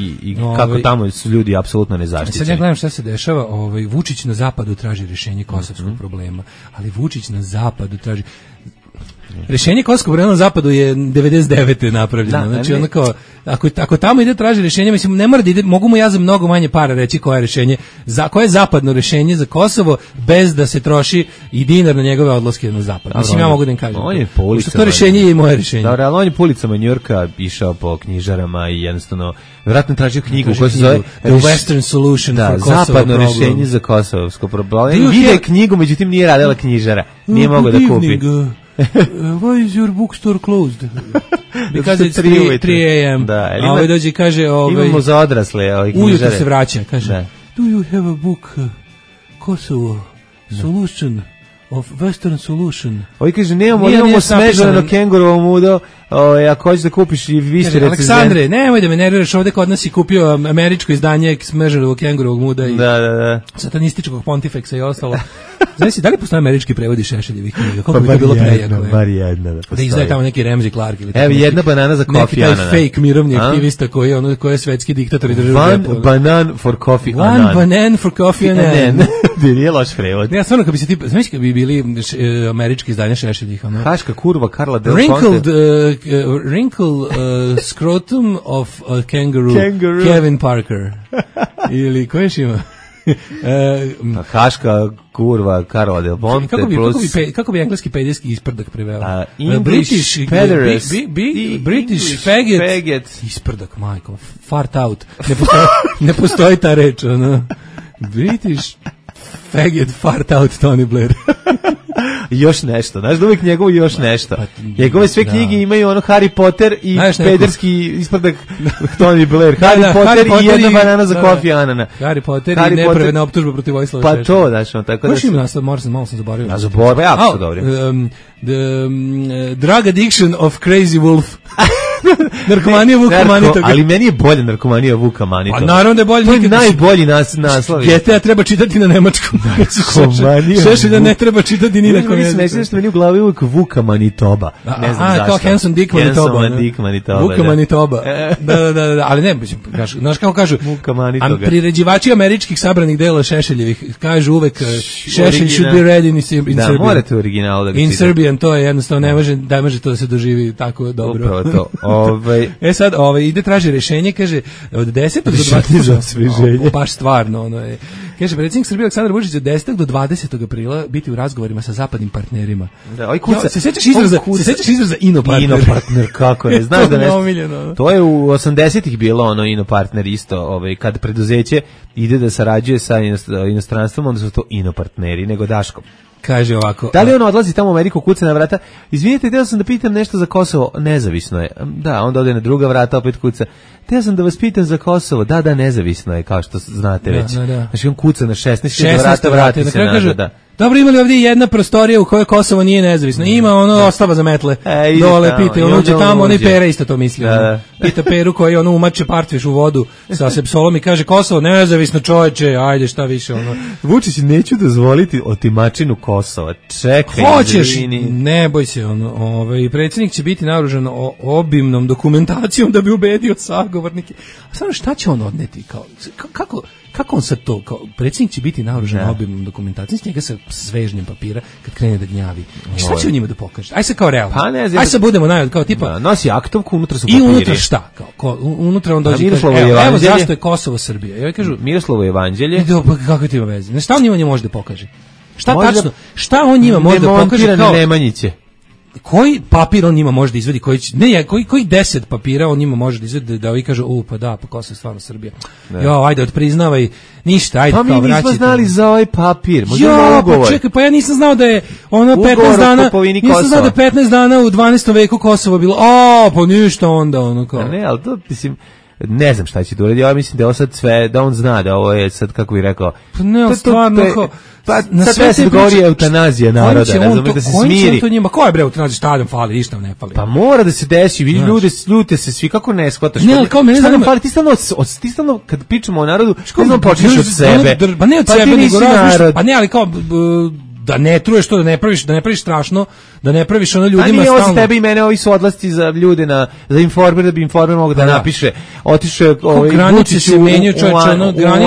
i kako tamo su ljudi apsolutno nezaštićeni. Sad ja gledam šta se dešava, Vučić na zapadu traži rješenje kosovskog problema, ali Vučić na zapadu traži rješenje kosovskog problema na zapadu je 99. napravljeno. Znači ono kao, ako tamo ide traži rješenje, mislim, ne mora da ide, mogu mu ja za mnogo manje para reći koje je rješenje, koje je zapadno rješenje za Kosovo, bez da se troši i dinar na njegove odlaske na zapad. Mislim, ja mogu da im kažem. On je po ulicama. To rješenje je i moje rješenje. Dobro, ali on je po ulicama Njujorka išao po knjižarama i jednostavno, vjerojatno tražio knjigu koja se zove The Western Solution for Kosovo zapadno rješenje za kosovsko problem. Vide knjigu, međutim nije radila knjižara. Nije mogao da kupi. Why is your bookstore closed? Because it's 3 a.m. A ovaj dođe i kaže... Imamo za odrasle knjižare. Ujutro se vraća, kaže, do you have a book Kosovo Solution of Western Solution? Ovi kaže, nemamo smežano kengurovo mudo, ako hoćeš da kupiš i više recenzent. Aleksandre, nemoj da me nerviraš, ovde kod nas si kupio američko izdanje smežanog kengurovog muda i satanističkog pontifeksa i ostalo. Znaš, da li postoje američki prevodi Šešeljevih knjiga? Koliko bi to bilo prejako? Bar jedna. Da izdaje tamo neki Ramsey Clark ili evo jedna banana za Kofi Annan. Neki taj fake mirovni aktivista koji je svetski diktator i država. One banan for Kofi Annan. One banan for Kofi Annan. Nije loš prevod. Ja stvarno, kad bi se ti, znaš kad bi bili američki izdanja Šešeljih. Haška kurva Karla Del Ponte. Wrinkled wrinkle scrotum of a kangaroo. Kevin Parker. Ili ko još ima? Haška kurva Karla Del Ponte kako bi engleski pedijski isprdak preveo? British pederast, British faggot isprdak, majko, fart out, ne postoji ta reč, ono. British faggot fart out Tony Blair. Još nešto, znaš da uvijek njegovo još nešto. Njegove sve knjige imaju ono Harry Potter i pederski isprdak Tony Blair. Harry Potter i jedna banana za Kofi Anana. Harry Potter i nepravedna optužba protiv Vojislava Šešelja. Pa to, znaš, on tako da... Baš ima nastav, malo sam zaboravio. A zaboravio, jako su dobri. The drug addiction of Crazy Wolf. Narkomanija Vuka Manitoga. Ali meni je bolje narkomanija Vuka Manitoga. A naravno da je bolje. To je najbolji naslov. GTA treba čitati na nemačkom. Šešelja ne treba čitati ni na kom jeziku. Mislim što meni u glavi uvijek Vuka Manitoba. Ne znam zašto. Kao Hanson Dick Manitoba. Hanson Dick Manitoba. Vuka Manitoba. Da, ali ne, znaš kako kažu, priređivači američkih sabranih dela Šešeljevih kažu uvek Šešelj should be read in Serbian. Da, morate u originalu da ga in Serbian, to je jednostavno, ne može to da se doživi tako dobro. Upravo to. Sad, ide traži rešenje, kaže, od 10. do 20. Baš stvarno, ono je. Kaže, predsjednik Srbije Aleksandar Vučić od 10. do 20. aprila biti u razgovorima sa zapadnim partnerima. Da, kuca. Se sećaš izraza inopartner? Inopartner, kako ne, znaš da nešto. To je u 80-ih bilo ono inopartner isto, kad preduzeće ide da sarađuje sa inostranstvom, onda su to inopartneri, nego Daško. Kaže ovako. Da li on odlazi tamo u Ameriku, kuca na vrata? Izvinite, htio sam da pitam nešto za Kosovo. Nezavisno je. Da, onda ode na druga vrata, opet kuca. Htio sam da vas pitam za Kosovo. Da, nezavisno je, kao što znate već. Znači on kuca na 16 vrata, vrati se nazad. Dobro, imali ovdje jedna prostorija u kojoj Kosovo nije nezavisno. Ima ono ostava za metle. Dole pita, on uđe tamo, on i Pera isto to misli. Pita Peru koji ono umače partviš u vodu sa sepsolom i kaže Kosovo nezavisno, čoveče, ajde šta više. Ono. Vučić, neću dozvoliti otimačinu Kosova. Čekaj. Hoćeš, ne boj se. Predsjednik će biti naoružan obimnom dokumentacijom da bi ubedio sagovornike. A samo šta će on odneti? Kako on sad to, predsjednik će biti naoružan obimnom dokumentacijom, s njega sa svežnjem papira kad krene da gnjavi. Šta će on njima da pokaže? Aj se kao realno. Aj se budemo kao tipa. Nosi aktovku, unutra su papiri. I unutra šta? Unutra on dođe i kaže, evo zašto je Kosovo Srbija. Ja kažu, Miroslovo evanđelje. Kako ti ima veze? Šta on njima može da pokaže? Šta tačno? Šta on njima može da pokaže? Demontirane Nemanjiće. Koji papir on njima može da izvedi, koji 10 papira on njima može da izvedi da ovi kažu, pa Kosovo je stvarno Srbija. Jo, ajde, odpriznavaj, ništa, ajde, kao vraćajte. Pa mi nismo znali za ovaj papir, možda ugovor. Pa čekaj, pa ja nisam znao da je ono 15 dana, nisam znao da je 15 dana u 12. veku Kosovo bilo, pa ništa onda, ono kao. Ne, ali to, mislim, ne znam šta će da uredi, ja mislim da je ovo sad sve, da on zna da ovo je sad, kako bih rekao. Pa ne, stvarno, pa sad sve se govori eutanazija naroda, ne znam, da se smiri. Ko je bre eutanazija, šta nam fali, ništa nam ne fali. Pa mora da se desi, vidi ljute se svi, kako ne shvataš. Ne, ali kao mene šta nam fali, ti stalno, kad pričamo o narodu, što počneš od sebe. Pa ne od sebe, nego razmišljaš, pa ne, ali kao da ne truješ to, da ne praviš strašno, da ne praviš ono ljudima stalno. A nije ovo za tebe i mene, ovi su odlasci za ljude za Informer, da bi Informer mogo da napiše, otišao Vučić u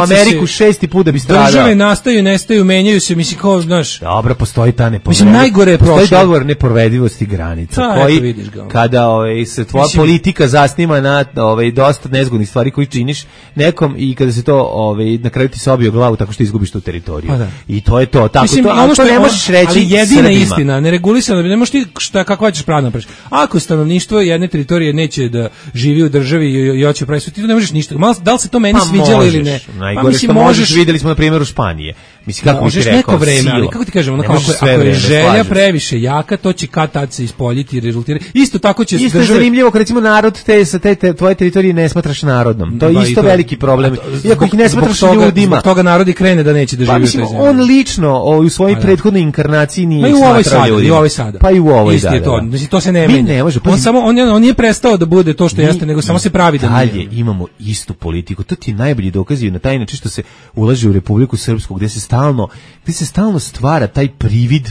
Ameriku 6. put da bi stradao. Države nastaju, nestaju, menjaju se, mislim kao, znaš. Dobro, postoji ta postoji dogovor neprovedivosti granica, koji kada se tvoja politika zasniva na dosta nezgodnih stvari koji činiš nekom i kada se to na kraju ti se obije glavu tako što izgubiš tu teritoriju. I to je to, tako to. Ne možeš reći ali jedina istina, neregulisano, ne možeš ti kakva ćeš pravno napraviš. Ako stanovništvo jedne teritorije neće da živi u državi i hoće praviti, ti to ne možeš ništa. Da li se to meni sviđalo ili ne? Najgore što možeš, vidjeli smo na primjeru Španije. Mislim, kako možeš neko vreme, ali kako ti kažemo, ako je želja previše jaka, to će kad tad se ispoljiti i rezultirati. Isto tako će isto države... zanimljivo kad recimo narod sa te tvoje teritorije ne smatraš narodnom. To je isto veliki problem. Iako ih ne smatraš ljudima. Zbog toga narodi krene da neće da živi u toj zemlji. On lično u svojoj prethodnoj inkarnaciji nije smatrao ljudima. I u ovoj sada. Pa i u ovoj, da. To se ne menja. On nije prestao da bude to što jeste, nego samo se pravi da nije. Dalje imamo istu politiku. To ti najbolji dokazi na taj način što se ulaže u Republiku Srpsku, gde se stalno stvara taj privid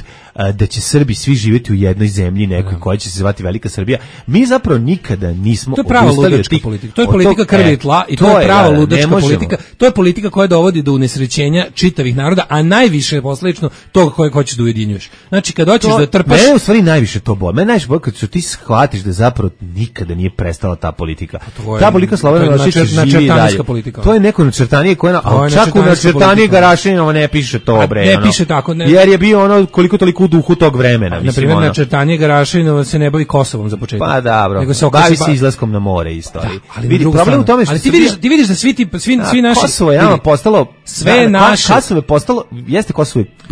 da će Srbi svi živjeti u jednoj zemlji nekoj koja će se zvati Velika Srbija. Mi zapravo nikada nismo odustali od tih politika. To je politika krvi i tla i to je prava ludačka politika. To je politika koja dovodi do unesrećenja čitavih naroda, a najviše je posledično toga koje hoćeš da ujedinjuješ. Znači kad hoćeš da trpaš, u stvari najviše to boli. Mene najviše boli kad ti shvatiš da zapravo nikada nije prestala ta politika. Ta politika Slobodana Miloševića živi dalje. To je neko načrtanije koje čak u načrtanije Garašaninovo ne piše to bre. Ne piše tako, ne. Jer je bio ono koliko toliko u duhu tog vremena, na primjer načrtanije Garašaninovo se ne bavi Kosovom za početak. Pa dobro. Bavi se izlaskom na more isto. Ali vidi problem u tome što ti vidiš da svi naši Kosovo je postalo sve naše. Kosovo je postalo, jeste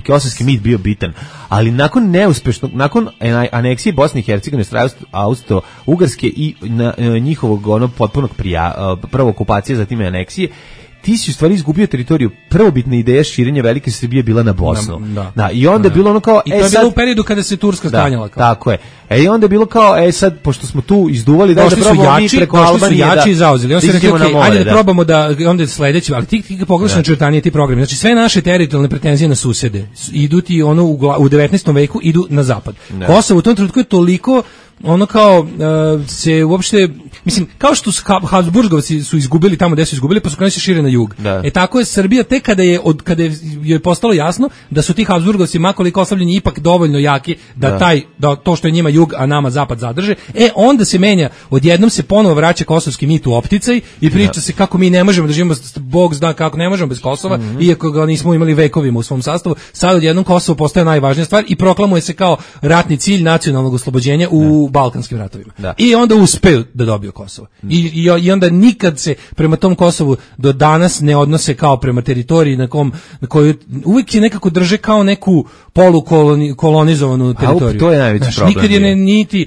kosovski mit bio bitan, ali nakon neuspešnog, nakon aneksije Bosne i Hercegovine, Austro-Ugarske i njihovog onog potpunog prvo okupacije, zatim aneksije, ti si u stvari izgubio teritoriju. Prvobitna ideja širenja Velike Srbije bila na Bosnu. Da, i onda je bilo ono kao... I to je bilo u periodu kada se Turska stanjala. Tako je. I onda je bilo kao, sad, pošto smo tu izduvali, da probamo mi preko Albanije da... i zauzeli. Onda se rekli, ajde da probamo da, onda sledeći, ali ti pogledaš na črtanije ti programi. Znači, sve naše teritorijalne pretenzije na susede idu ti ono u 19. veku, idu na zapad. Kosovo u tom trenutku je toliko ono kao se uopšte, mislim, kao što Habsburgovci su izgubili tamo gde su izgubili, pa su krenuli se šire na jug. Tako je Srbija tek kada je postalo jasno da su ti Habsburgovci makoliko oslabljeni ipak dovoljno jaki da to što je njima jug, a nama zapad zadrže, onda se menja, odjednom se ponovo vraća kosovski mit u opticaj i priča se kako mi ne možemo da živimo, Bog zna kako ne možemo bez Kosova, iako ga nismo imali vekovima u svom sastavu. Sad odjednom Kosovo postaje najvažnija stvar i proklamuje se kao ratni cilj nacionalnog oslobođenja u Balkanskim ratovima. I onda uspeju da dobiju Kosovo. I onda nikad se prema tom Kosovu do danas ne odnose kao prema teritoriji na koju uvijek je nekako drže kao neku polukolonizovanu teritoriju. To je najveći problem. Nikad je niti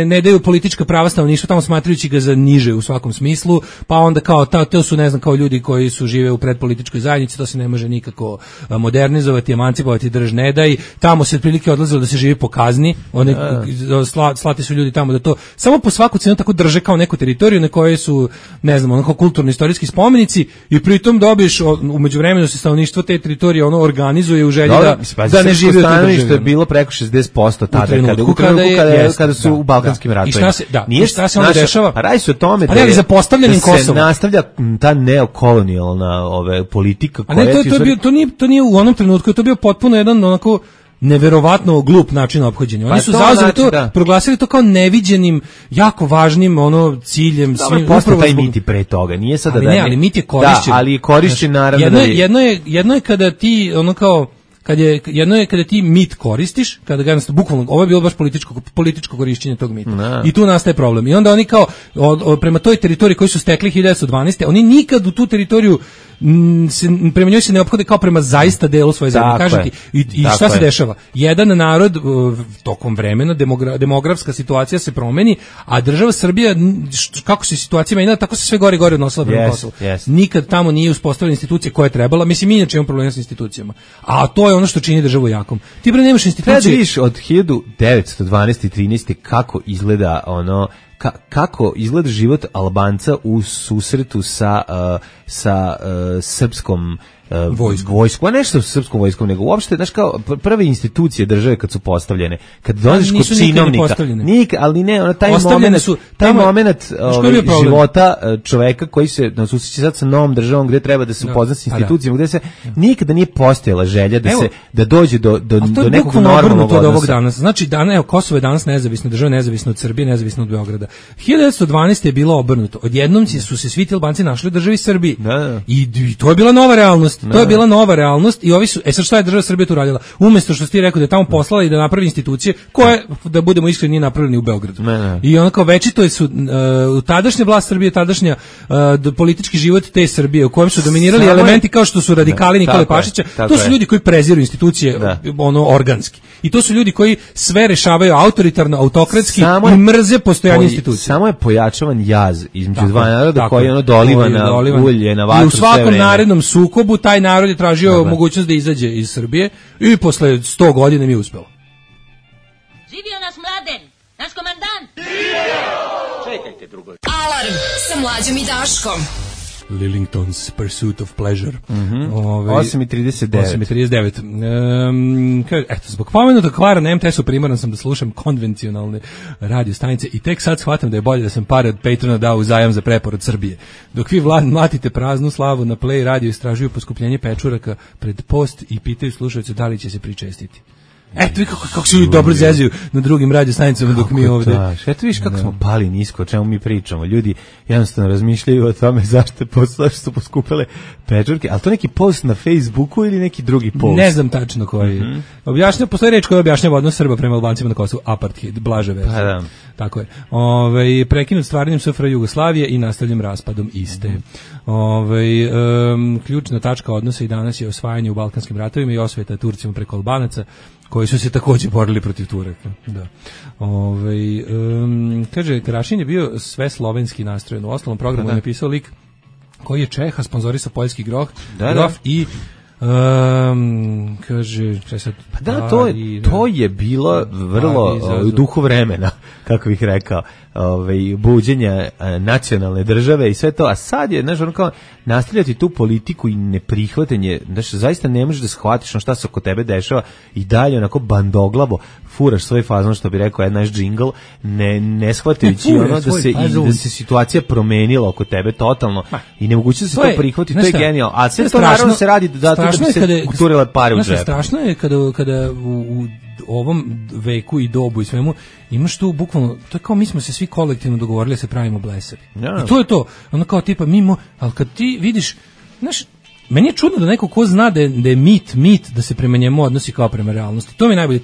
ne daju politička prava stanovništva tamo, smatrajući ga za niže u svakom smislu, pa onda kao to su, ne znam, kao ljudi koji su žive u predpolitičkoj zajednici, to se ne može nikako modernizovati, emancipovati, drž ne daj. Tamo se otprilike odlazilo da se živi po kazni, slati su ljudi tamo da to samo po svaku cenu tako drže kao neku teritoriju na kojoj su, ne znam, onako kulturno-istorijski spomenici, i pritom dobiješ u međuvremenu se stanovništvo te teritorije ono organizuje u želji da ne živi u toj državi. Što je bilo preko 60% tada kada su u Balkanskim ratovima. I šta se onda dešava? Radi se o tome da se nastavlja ta neokolonijalna politika koja to nije u onom trenutku, to bio potpuno jedan onako neverovatno glup način ophođenja. Oni su zauzeli to, proglasili to kao neviđenim, jako važnim ciljem. Upravo taj mit i pre toga. Nije sada ali mit je korišćen. Da, ali je korišćen naravno. Jedno je kada ti ono kao jedno je kada ti mit koristiš, kada ga jednostavno, bukvalno, ovo je bilo baš političko korišćenje tog mita. I tu nastaje problem. I onda oni kao, prema toj teritoriji koju su stekli 1912. oni nikad u tu teritoriju prema njoj se ne ophode kao prema zaista delu svoje zemlje. Kažete, i šta se dešava? Jedan narod tokom vremena, demografska situacija se promeni, a država Srbija, kako se situacija menjala, tako se sve gore i gore odnosila prema Kosovu. Nikad tamo nije uspostavljena institucija koja je trebala. Mislim, mi inače imamo problema s institucijama. A to je ono što čini državu jakom. Ti bre nemaš institucije. Kada vidiš od 1912. i 13. kako izgleda kako izgleda život Albanca u susretu sa srpskom vojskom, a nešto sa srpskom vojskom, nego uopšte, znaš, kao prve institucije države kad su postavljene, kad dođeš kod činovnika, ali ne, ono, taj moment života čoveka koji se susreće sad sa novom državom gde treba da se upozna s institucijama, gde se nikada nije postojala želja da dođe do nekog normalnog odnosa. Ovog danas. Znači, Kosovo je danas nezavisna država, nezavisno od Srbije, nezavisno od Beograda. 1912. je bilo obrnuto. Odjednom su se svi ti Albanci našli u državi Srbiji. I to je bila nova realnost. To je bila nova realnost i ovi su, sad šta je država Srbija tu radila? Umjesto što ti rekao da je tamo poslala i da napravi institucije koje, da budemo iskreni, nije napravljeni u Beogradu. I onako večito su tadašnja vlast Srbije, tadašnja politički život te Srbije u kojem su dominirali elementi kao što su radikali Nikole Pašića. To su ljudi koji preziru institucije organski. I to su ljudi koji sve rešavaju autoritarno, autokratski i mrze postojanje institucija. Samo je pojačavan jaz između dva naroda koji doliva na ulje, na vatru. I u svakom narednom sukobu taj narod je tražio mogućnost da izađe iz Srbije i posle 100 godina mi je uspelo. Živio naš Mladen, naš komandant! Čekajte drugo. Alarm sa Mlađom i Daškom. Lillington's Pursuit of Pleasure. 8:39. Eto, zbog pomenutog kvara na MTS-u primoran sam da slušam konvencionalne radio stanice i tek sad shvatam da je bolje da sam pare od Patrona dao u zajam za preporod Srbije. Dok vi mlatite praznu slavu na Play radio istražuju poskupljenje pečuraka pred post i pitaju slušalce da li će se pričestiti. Eto vi kako se ljudi dobro zezuju na drugim radio stanicama dok mi ovde. Eto viš kako smo pali nisko, o čemu mi pričamo. Ljudi jednostavno razmišljaju o tome zašto su poskupele pečurke, ali to neki post na Facebooku ili neki drugi post? Ne znam tačno koji. Objašnjava, postoji reč koja objašnjava odnos Srba prema Albancima na Kosovu, apartheid, blaže verzije. Pa da. Tako je. Prekinut stvaranjem SFRJ Jugoslavije i nastavljen raspadom iste. Ključna tačka odnosa i danas je osvajanje u Balkanskim ratovima i osveta Turcima preko Albanaca, koji su se takođe borili protiv Turaka. Da. Kaže, Karašin je bio sve slovenski nastrojen. U ostalom programu je napisao lik koji je Čeha, sponzorisao poljski grof i kaže, to je bilo vrlo duhu vremena, kako bih rekao, buđenja nacionalne države i sve to, a sad je, znaš, ono kao nastavljati tu politiku i neprihvatanje, znaš, zaista ne možeš da shvatiš šta se oko tebe dešava i dalje onako bandoglavo furaš svoj fazon, što bi rekao naš džingl, ne shvatajući da se situacija promenila oko tebe totalno i nemoguće da se to prihvati, to je genijalno, a sve to naravno se radi da bi se uturile pare u džep. Strašno je kada u ovom veku i dobu i svemu imaš tu bukvalno, to je kao mi smo se svi kolektivno dogovorili da se pravimo blesavi. I to je to, ono kao tipa mimo, ali kad ti vidiš, znaš, meni je čudno da neko ko zna da je mit da se prema njemu odnosi kao prema realnosti. To mi je najbolje.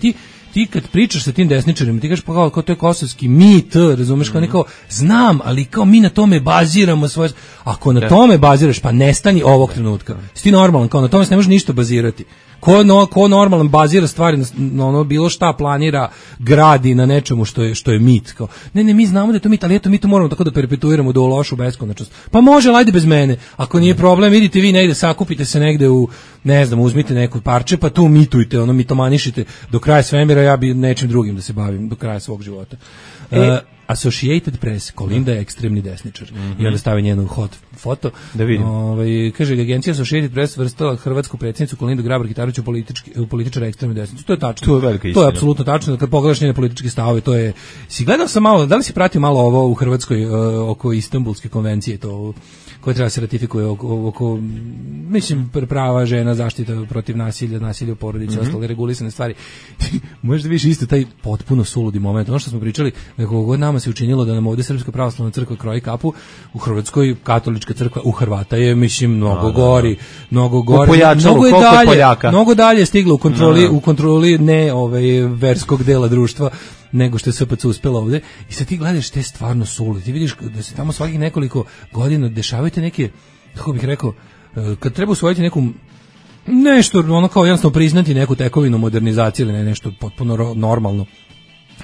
Ti kad pričaš sa tim desničarima, ti kažeš pa kao to je kosovski mit, razumeš, kao neko znam, ali kao mi na tome baziramo svoje. Ako na tome baziraš, pa nestani ovog trenutka. Si ti normalan, kao na tome se ne može ništa bazirati. Ko normalan bazira stvari na ono bilo šta planira, gradi na nečemu što je mit. Kao, ne, mi znamo da je to mit, ali eto mi to moramo tako da perpetuiramo do lošu beskonačnost. Pa može, ajde bez mene. Ako nije problem, idite vi negde, sakupite se negde u, ne znam, uzmite neko parče, pa tu mitujte, ono mitomanišite do kraja svemira, ja bi nečim drugim da se bavim do kraja svog života. Associated Press, Kolinda je ekstremni desničar. I onda stavi njenu hot foto. Da vidim. Kaže, agencija Associated Press vrstala hrvatsku predsjednicu Kolindu Grabar-Kitarović u političara ekstremne desnice. To je tačno. To je velika istina. To je apsolutno tačno. Kad pogledaš njene političke stavove, to je... Si gledao sam malo, da li si pratio malo ovo u Hrvatskoj oko Istanbulske konvencije, to koje treba se ratifikuje oko mislim, prava žena, zaštita protiv nasilja u porodici, ostale regulisane stvari. Možda vidiš isto taj potpuno suludi moment. Ono što smo pričali, nekog god nama se učinilo da nam ovdje Srpska pravoslavna crkva kroji kapu, u Hrvatskoj katolička crkva, u Hrvata je, mislim, mnogo gori. Mnogo dalje stiglo u kontroli ne verskog dela društva nego što je SPC uspela ovde. I sad ti gledaš te stvarno sulude. Ti vidiš da se tamo svakih nekoliko godina dešavaju neke, kako bih rekao, kad treba usvojiti neku nešto, ono kao jednostavno priznati neku tekovinu modernizacije ili nešto potpuno normalno,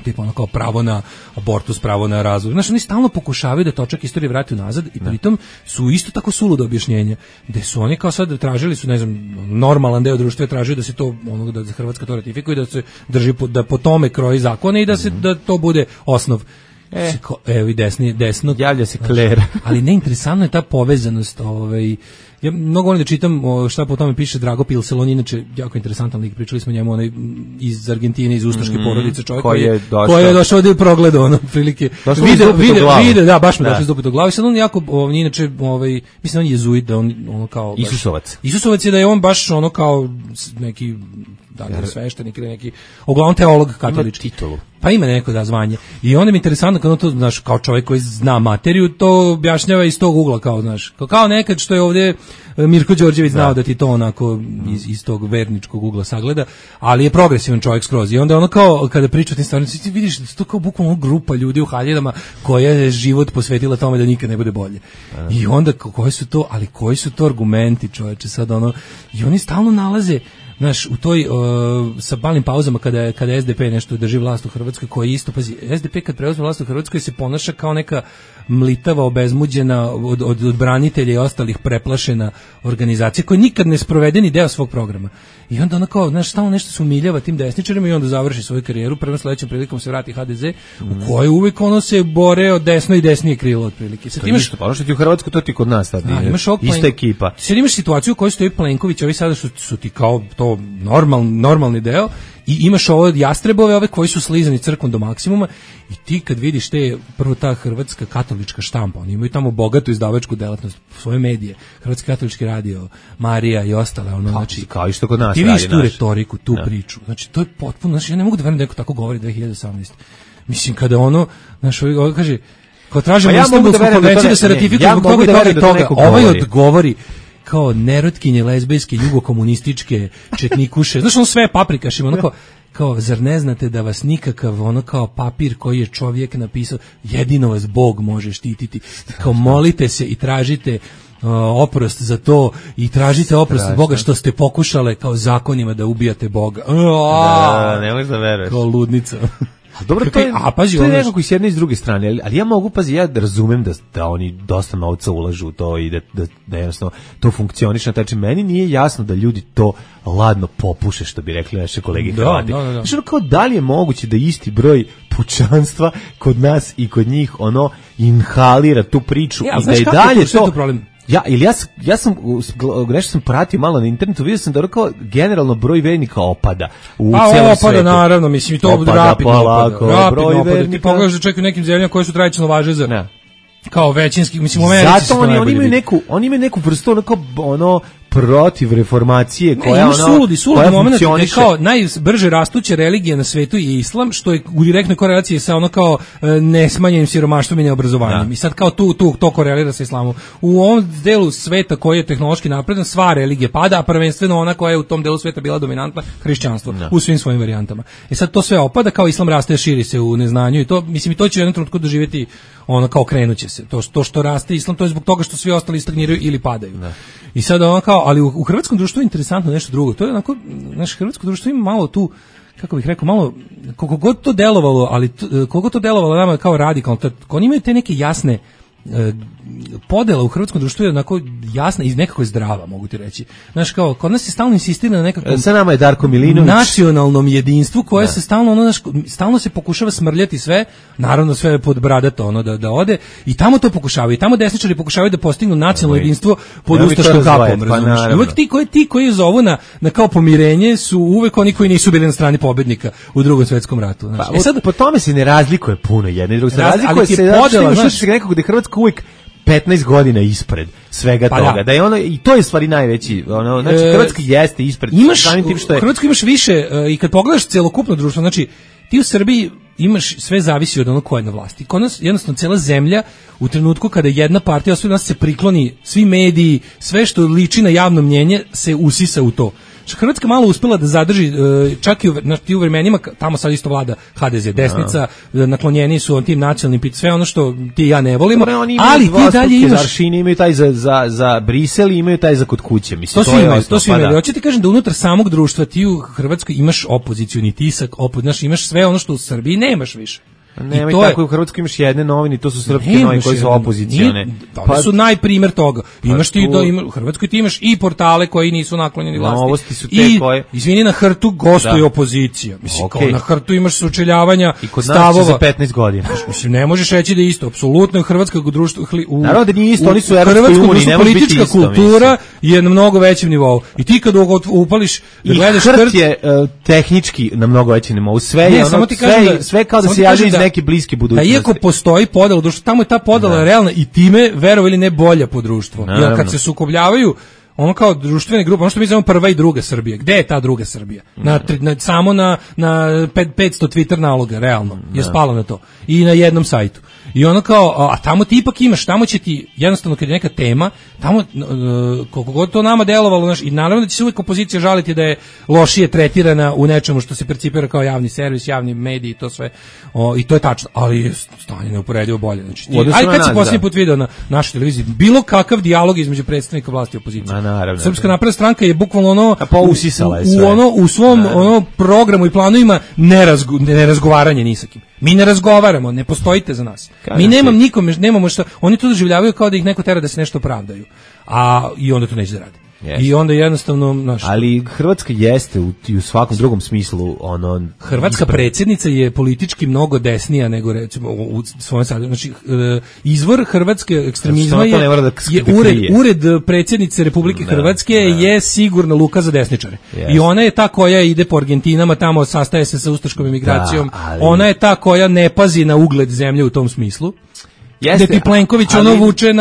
tipa ono kao pravo na abortus, pravo na razvoj. Znači, oni stalno pokušavaju da točak istorije vrati unazad i pritom su isto tako suludo objašnjenja, gde su oni kao sad tražili su, ne znam, normalan deo društva tražio da se to, ono, da Hrvatska to ratifikuje, da se drži, da po tome kroji zakone i da se, da to bude osnov. Evo i desno. Javlja se Kler. Ali neinteresantno je ta povezanost, ja mnogo volim da čitam šta po tome piše Drago Pilsel, on je inače jako interesantan lik, pričali smo njemu iz Argentine, iz ustaške porodice, čovjek koji je došao ovdje u progledu, ono, prilike, vide, da, baš me došli iz dupet u glavu, sad on jako, inače, mislim, on je jezuit, da on, ono, kao, Isusovac je da je on baš, ono, kao, neki, da li sveštenik ili neki, uglavnom teolog katolički. Pa ima neko da zvanje. I onda mi je interesantno kad on to, znaš, kao čovjek koji zna materiju, to objašnjava iz tog ugla, kao, znaš, kao nekad što je ovdje Mirko Đorđević znao da ti to onako iz tog verničkog ugla sagleda, ali je progresivan čovjek skroz. I onda ono kao, kada priča o tim stvarima, ti vidiš da to kao bukvalno grupa ljudi u haljinama koja je život posvetila tome da nikad ne bude bolje. I onda, koji su to argumenti, čovječe, sad ono, i oni stalno nalaze Znaš, u toj sa malim pauzama kada SDP nešto drži vlast u Hrvatskoj, koji isto, pazi, SDP kad preuzme vlast u Hrvatskoj se ponaša kao neka mlitava, obezmuđena od branitelja i ostalih preplašena organizacija koja nikad ne sprovede ni deo svog programa. I onda ona kao, znaš, stalno nešto se umiljava tim desničarima i onda završi svoju karijeru, prvom sledećom prilikom se vrati HDZ, u kojoj uvek ono se bore od desno i desnije krilo otprilike. Sad imaš ono što ti u Hrvatsku, to ti kod nas sad ista ekipa. Sad imaš situaciju u kojoj stoji Plenković, ovi sada su ti kao to normalni deo, i imaš ovo jastrebove, ove koji su slizani crkvom do maksimuma, i ti kad vidiš prvo ta hrvatska katolička štampa, oni imaju tamo bogatu izdavačku delatnost, svoje medije, Hrvatski katolički radio, Marija i ostale, ono, znači, kao isto kod nas ti vidiš tu retoriku, tu priču, znači to je potpuno, znači ja ne mogu da verujem da neko tako govori 2018. Mislim, kada ono, znaš, ovo kaže, kao tražimo Istanbulsku konvenciju da se ratifikuje zbog toga i toga, ovaj odgovori kao nerotkinje, lezbejske, jugokomunističke, četnikuše, znaš, ono sve paprikašima, ono kao, zar ne znate da vas nikakav, ono kao papir koji je čovjek napisao, jedino vas Bog može štititi, kao molite se i tražite oprost za to i tražite oprost od Boga što ste pokušale kao zakonima da ubijate Boga. Ne možeš da veruješ. Kao ludnica. Dobro, to je nekako i s jedne i s druge strane, ali ja mogu, ja razumem da oni dosta novca ulažu u to i da jednostavno to funkcioniše na taj način. Meni nije jasno da ljudi to ladno popuše, što bi rekli naše kolege Hrvati. Znači, kao da li je moguće da isti broj pučanstva kod nas i kod njih ono inhalira tu priču i da i dalje to... Ja sam nešto sam pratio malo na internetu, vidio sam da kao generalno broj vernika opada u celom svetu. Opada, naravno, mislim, i to rapidno opada. Ti pogledaš da čak u nekim zemljama koje su tradicionalno važe za kao većinski, mislim, u Americi. Zato oni imaju neku vrstu ono protiv reformacije koja suludi moment, kao najbrže rastuća religija na svetu je islam, što je u direktnoj korelaciji sa ono kao nesmanjenim siromaštvom i neobrazovanjem. I sad kao to korelira sa islamom. U ovom delu sveta koji je tehnološki napredan, sva religija pada, a prvenstveno ona koja je u tom delu sveta bila dominantna, hrišćanstvo, u svim svojim varijantama. I sad to sve opada, kao islam raste, širi se u neznanju i to, mislim, i to će u jednom trenutku doživjeti ono kao krenuće se. To što raste islam, to je zbog toga što svi ostali stagniraju ili padaju. I sad ono kao, ali u hrvatskom društvu je interesantno nešto drugo. To je onako, naše hrvatsko društvo ima malo tu, kako bih rekao, malo, koliko god to delovalo, ali koliko to delovalo nama kao radikalno, oni imaju te neke jasne podela u hrvatskom društvu je onako jasna i nekako je zdrava, mogu ti reći. Znaš, kao, kod nas se stalno insistira na nekakvom sa nama je Darko Milinović, nacionalnom jedinstvu koje se stalno se pokušava smrljati sve, naravno sve pod bradato ono da ode, i tamo to pokušavaju, i tamo desničari pokušavaju da postignu nacionalno jedinstvo pod ustaškom kapom, razumiješ? Uvek ti koji zovu na kao pomirenje su uvek oni koji nisu bili na strani pobednika u Drugom svetskom ratu. Znači, sad po tome se ne razlikuje puno jedno i drugo, razlikuje se podela, znači nekako da Hrvatska uvijek 15 godina ispred svega toga. Da je ono, i to je stvari najveći, ono, znači Hrvatska jeste ispred. U Hrvatskoj imaš više, i kad pogledaš celokupno društvo, znači ti u Srbiji imaš, sve zavisi od onog ko je na vlasti. Kod nas jednostavno cela zemlja u trenutku kada jedna partija, sve nas se prikloni, svi mediji, sve što liči na javno mnjenje se usisa u to. Hrvatska malo uspela da zadrži, čak i u vremenima, tamo sad isto vlada HDZ, desnica, naklonjeni su tim nacionalnim pitanjima, sve ono što ti i ja ne volimo, ali ti dalje imaš... Aršini imaju taj za Brisel i imaju taj za kod kuće. Mislim, to svi imaju. Hoću ti kažem da unutar samog društva ti u Hrvatskoj imaš opozicioni tisak, imaš sve ono što u Srbiji nemaš više. Nema i tako, u Hrvatskoj imaš jedne novine, to su srpske novine koje su opozicione. Pa su najprimer toga. Imaš ti u Hrvatskoj ti imaš i portale koji nisu naklonjeni vlasti. Novosti su te koje... Izvini, na Hrtu gostuje opozicija. Mislim, kao na Hrtu imaš sučeljavanja stavova. I kod nas će za 15 godina. Mislim, ne možeš reći da je isto. Apsolutno je hrvatskog društva... Naravno da nije isto, oni su u Evropskoj uniji, ne može biti isto. Politička kultura je na mnogo većem nivou. I ti kad upališ da gledaš Hrt je tehnički na mnogo većem nivou. Sve kao da se javi iz neke bliske budućnosti. Iako postoji podela društva, tamo je ta podela realna i time, verovo ili ne, bolja po društvu. Jer kad se sukobljavaju ono kao društvene grupe, ono što mi zovemo prva i druga Srbija. Gde je ta druga Srbija? Samo na 500 Twitter naloga, realno, je spalo na to. I na jednom sajtu. I ono kao, a tamo ti ipak imaš, tamo će ti, jednostavno kad je neka tema, tamo, koliko god to nama delovalo, znaš, i naravno da će se uvijek opozicija žaliti da je lošije tretirana u nečemu što se percipira kao javni servis, javni mediji i to sve, i to je tačno, ali je stanje neuporedivo bolje. Znači, ali kad si posljednji put video na našoj televiziji, bilo kakav dijalog između predstavnika vlasti i opozicije. Srpska napredna stranka je bukvalno ono, u svom programu i planovima nerazgovaranje ni sa kim. Mi ne razgovaramo, ne postojite za nas. Mi nemamo što, oni to doživljavaju kao da ih neko tera da se nešto pravdaju. I onda to neće da radi. Yes. I onda jednostavno ali Hrvatska jeste u svakom drugom smislu Hrvatska predsjednica je politički mnogo desnija nego recimo u svojem sadržaju. Znači izvor hrvatske ekstremizma je ured predsjednice Republike Hrvatske je sigurno luka za desničare. Yes. I ona je ta koja ide po Argentinama, tamo sastaje se sa ustaškom emigracijom. Ona je ta koja ne pazi na ugled zemlje u tom smislu. Jeste, da ti Plenković vuče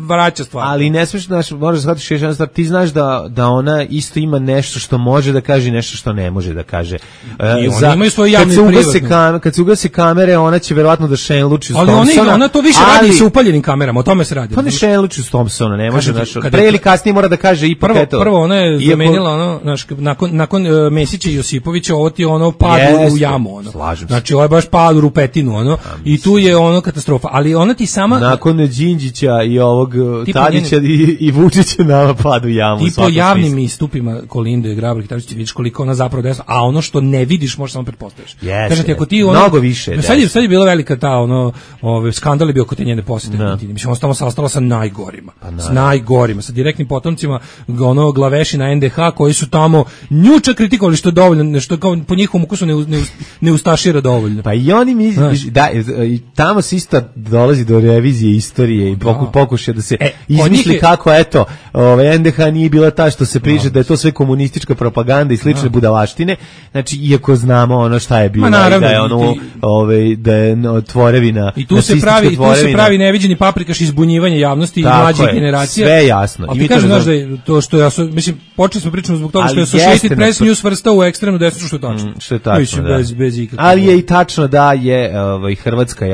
vraća stvar. Ali ne smiješ, možeš shvatiti još jedna stvar, ti znaš da ona isto ima nešto što može da kaže i nešto što ne može da kaže. I oni imaju svoje javne privatne. Kad se ugase kamere, ona će verovatno da šenluči s Thompsona. Ali ona to više radi sa upaljenim kamerama, o tome se radi. Pa ne šenluči s Thompsona, ne može. Pre ili kasnije mora da kaže ipak eto. Prvo ona je zamenila, nakon Mesića i Josipovića, ovo ti je pad u jamu. Znači ovo je baš pad u rupetinu. I tu je katastrofa. Ali ona ti sama nakon Đinđića i ovog Tadića i Vučića nama padu jamu. Ti po javnim istupima Kolinde, Grabar, Kitarović, vidiš koliko ona zapravo desna, a ono što ne vidiš možeš samo pretpostaviš. Kažete ako ti mnogo više. Sad je bila velika ta skandal je bio kod te njene posete. Mislim ona tamo sastala sa najgorima. Sa direktnim potomcima glavešina NDH koji su tamo njuča kritikovali što je dovoljno, što kao po njihovom ukusu ne ustašira dovoljno. Pa i oni da tamo se isto dolazi do revizije istorije i pokušaja da se izmisli kako NDH nije bila ta što se priča da je to sve komunistička propaganda i slične budalaštine. Znači iako znamo šta je bilo da je da je tvorevina i tu se pravi neviđeni paprikaš izbunjivanja javnosti i mlađih generacija. Sve je jasno. I mi kažem znaš da je to što ja mislim počeli smo pričati zbog toga što je Associated Press News svrstao u ekstremnu desnicu što je tačno. Što je tačno. Bez ali je i tačno da je Hrvatska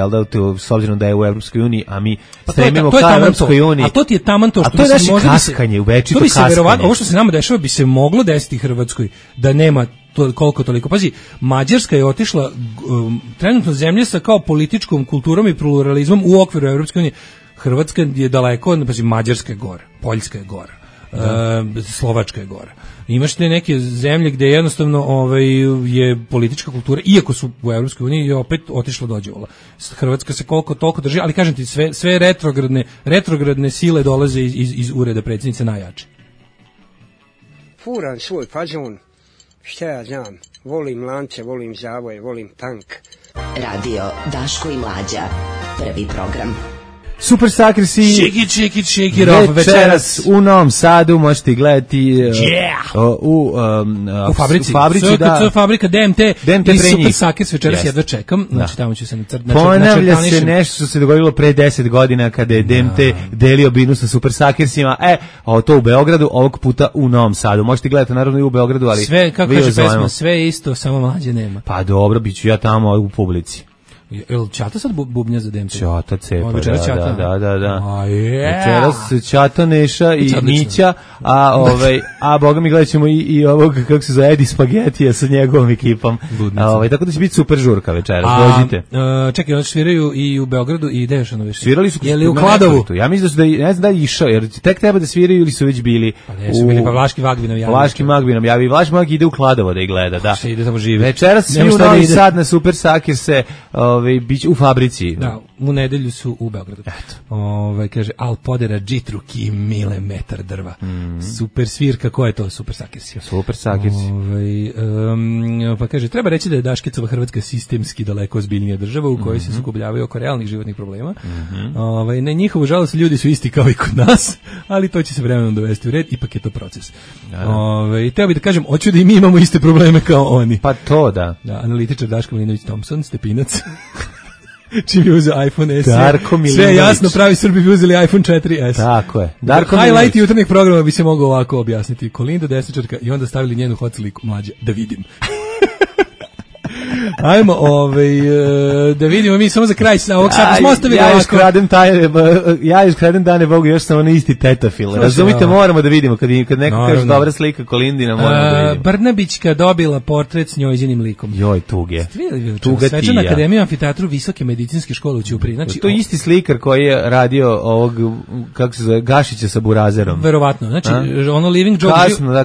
s obzirom da je u Evropskoj uniji, a mi stremimo ka Evropskoj uniji. A to ti je taman to što to je naše kaskanje, uvečito kaskanje. Ovo što se nama dešava bi se moglo desiti Hrvatskoj da nema koliko toliko. Pazi, Mađarska je otišla trenutno zemlje sa kao političkom kulturom i pluralizmom u okviru Evropske unije. Hrvatska je daleko, pazi, Mađarska je gora, Poljska je gora, Slovačka je gora. Imaš te neke zemlje gde jednostavno je politička kultura, iako su u Evropskoj uniji, je opet otišla dođevala. Hrvatska se koliko toliko drži, ali kažem ti, sve retrogradne sile dolaze iz ureda predsjednice najjače. Furan svoj fazon, šta ja znam, volim lance, volim zavoje, volim tank. Radio Daško i Mlađa, prvi program. Super Sakrsi Shake it off večeras u Novom Sadu možete gledati u fabrici da fabrika DMT i Super Sakrs večeras jedva čekam, znači tamo ću se ponavlja se nešto što se dogodilo pre 10 godina kada je DMT delio binu sa Super Sakrsima, to u Beogradu, ovog puta u Novom Sadu možete gledati naravno i u Beogradu, ali sve, kako kaže pesma, sve je isto, samo Mlađe nema. Pa dobro, bit ću ja tamo u publici. Jel Čata sad bubnja za DMT? Čata cepa, da. Večeras Čata, Neša i Mića, a boga mi gledat ćemo i ovog, kako se zove, Edi Spagetija sa njegovom ekipom. Tako da će biti super žurka večeras, dođite. Čekaj, oni sviraju i u Beogradu i gde još ono više? Svirali su u Kladovu. Ja mislim da ne znam da je išao, jer tek treba da sviraju ili su već bili. Pa ne, su bili, pa Vlaški Magvinov javi. Vlaški Magvinov javi, Vlaški Magvinov ide u Kladovo da ih gleda, da. Ide tamo živi. Večeras svi u Novi Sad na Super Sakirse bić u fabrici. Da, u nedelju su u Beogradu. Kaže, al podera džitruki milimetar drva. Super svirka, ko je to? Super Sakirsi. Super Sakirsi. Pa kaže, treba reći da je Daškicova Hrvatska sistemski daleko ozbiljnija država u kojoj se sukobljavaju oko realnih životnih problema. Na njihovu žalost ljudi su isti kao i kod nas, ali to će se vremenom dovesti u red, ipak je to proces. Teo bih da kažem, hoću da i mi imamo iste probleme kao oni. Pa to da. Analitičar Daško Milinović Thompson, Stepinac. Čim je uzeo iPhone SE. Darko Milinović. Sve jasno, pravi Srbi bi uzeli iPhone 4S. Tako je. Darko highlight jutarnjeg programa bi se mogao ovako objasniti. Kolinda, desničarka i onda stavili njenu hot sliku, Mlađe, da vidim. Ajmo, da vidimo mi samo za kraj sa ovog sata smo ostavili ovako. Ja iskradem Dane Bogu još sam onaj isti tetafil. Razumite, moramo da vidimo kad neko kaže dobra slika Kolindina, moramo da vidimo. Brnabićka dobila portret s njojzinim likom. Joj, tuge. Svečana akademija amfiteatru Visoke medicinske škole u Ćupriji. Znači, to je isti slikar koji je radio ovog, kako se zove, Gašića sa Burazerom. Verovatno. Znači, ono Living Joke.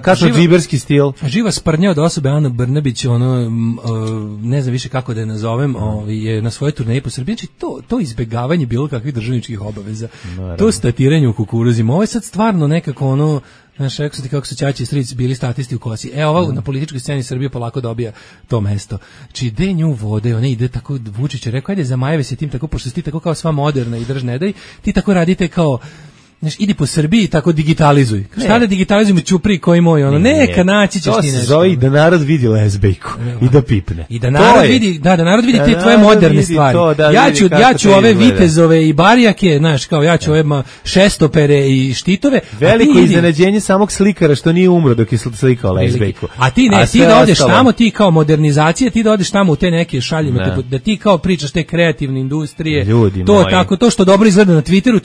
Kasno džiberski stil. Živa sprnja od osobe Ana Brnabić, ne znam više kako da je nazovem, je na svojoj turneji po Srbiji. Znači, to izbegavanje bilo kakvih državničkih obaveza. To statiranje u kukuruzima. Ovo je sad stvarno nekako znaš, rekao sam ti kako su Ćaća i stric bili statisti u kosi. Ovo na političkoj sceni Srbije polako dobija to mesto. Či ide nju vode, ona ide tako, Vučić je rekao, ajde zamajeve se tim tako, pošto si ti tako kao sva moderna i drž ne daj, ti tako radite kao, znaš, idi po Srbiji i tako digitalizuj. Šta da digitalizujemo Ćupriji koji moj, neka naći ćeš ti nešto. To se zove da narod vidi lezbejku i da pipne. I da narod vidi, da narod vidi te tvoje moderne stvari. Ja ću ove vitezove i barijake, znaš, kao ja ću ove šestopere i štitove. Veliko iznenađenje samog slikara što nije umro dok je slikao lezbejku. A ti ne, ti da odeš tamo, ti kao modernizacija, ti da odeš tamo u te neke šaljime, da ti kao pričaš te kreativne industrije, to tako, to što dobro izgleda na Twitteru,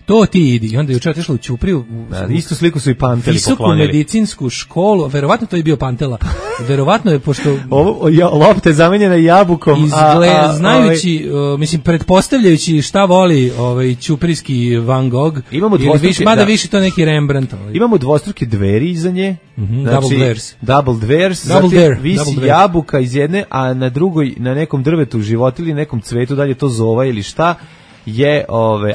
to ti idi. I onda je jučer otišla u Ćupriju. Istu sliku su i Panteli visoku poklonili. Medicinsku školu, verovatno to je bio Pantela. Verovatno je, pošto lopta je zamenjena jabukom. Znajući, mislim, pretpostavljajući šta voli ćuprijski Van Gogh, imamo dvostruke, mada više to neki Rembrandt. Imamo dvostruke dveri iza nje. Double dvares. Visi jabuka iz jedne, a na drugoj, na nekom drvetu život ili nekom cvetu, dalje to zova ili šta, je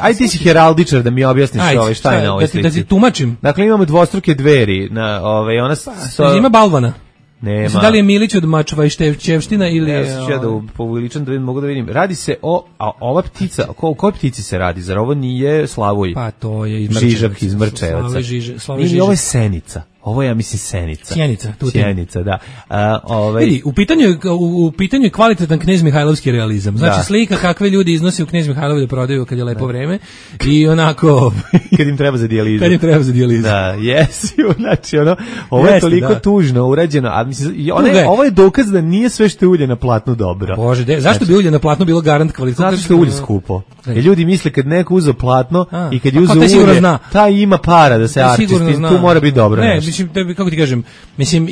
ajde ti si heraldičar da mi objasniš šta je na ovoj slici. Da ti tumačim. Dakle, imamo dvostruke dveri na ima balvana. Nema. Mislim, da li je Milić od Mačva i Števština ili ja da poviličan da mogu da vidim. Radi se ova ptica, o kojoj ptici se radi? Zar ovo nije Slavuj? Pa to je Žižak iz Mrčevaca. Ili ovo je Senica. Ovo je, ja mislim, Senica. Sjenica, da. Vidi, u pitanju je kvalitetan Knez Mihajlovski realizam. Znači, slika kakve ljudi iznose u Knez Mihajlovi da prodaju kad je lepo vreme i onako... kad im treba za dijalizu. Da, jesi. Znači, ovo je toliko tužno urađeno, a mislim, ovo je dokaz da nije sve što je ulje na platnu dobro. Bože, zašto bi ulje na platnu bilo garant kvaliteta? Zato što je ulje skupo. Jer ljudi misle kad neko uzeo platno i kad je uzeo ulje, taj ima para da se arčisti, tu mora biti dobro nešto. Mislim, kako ti kažem, mislim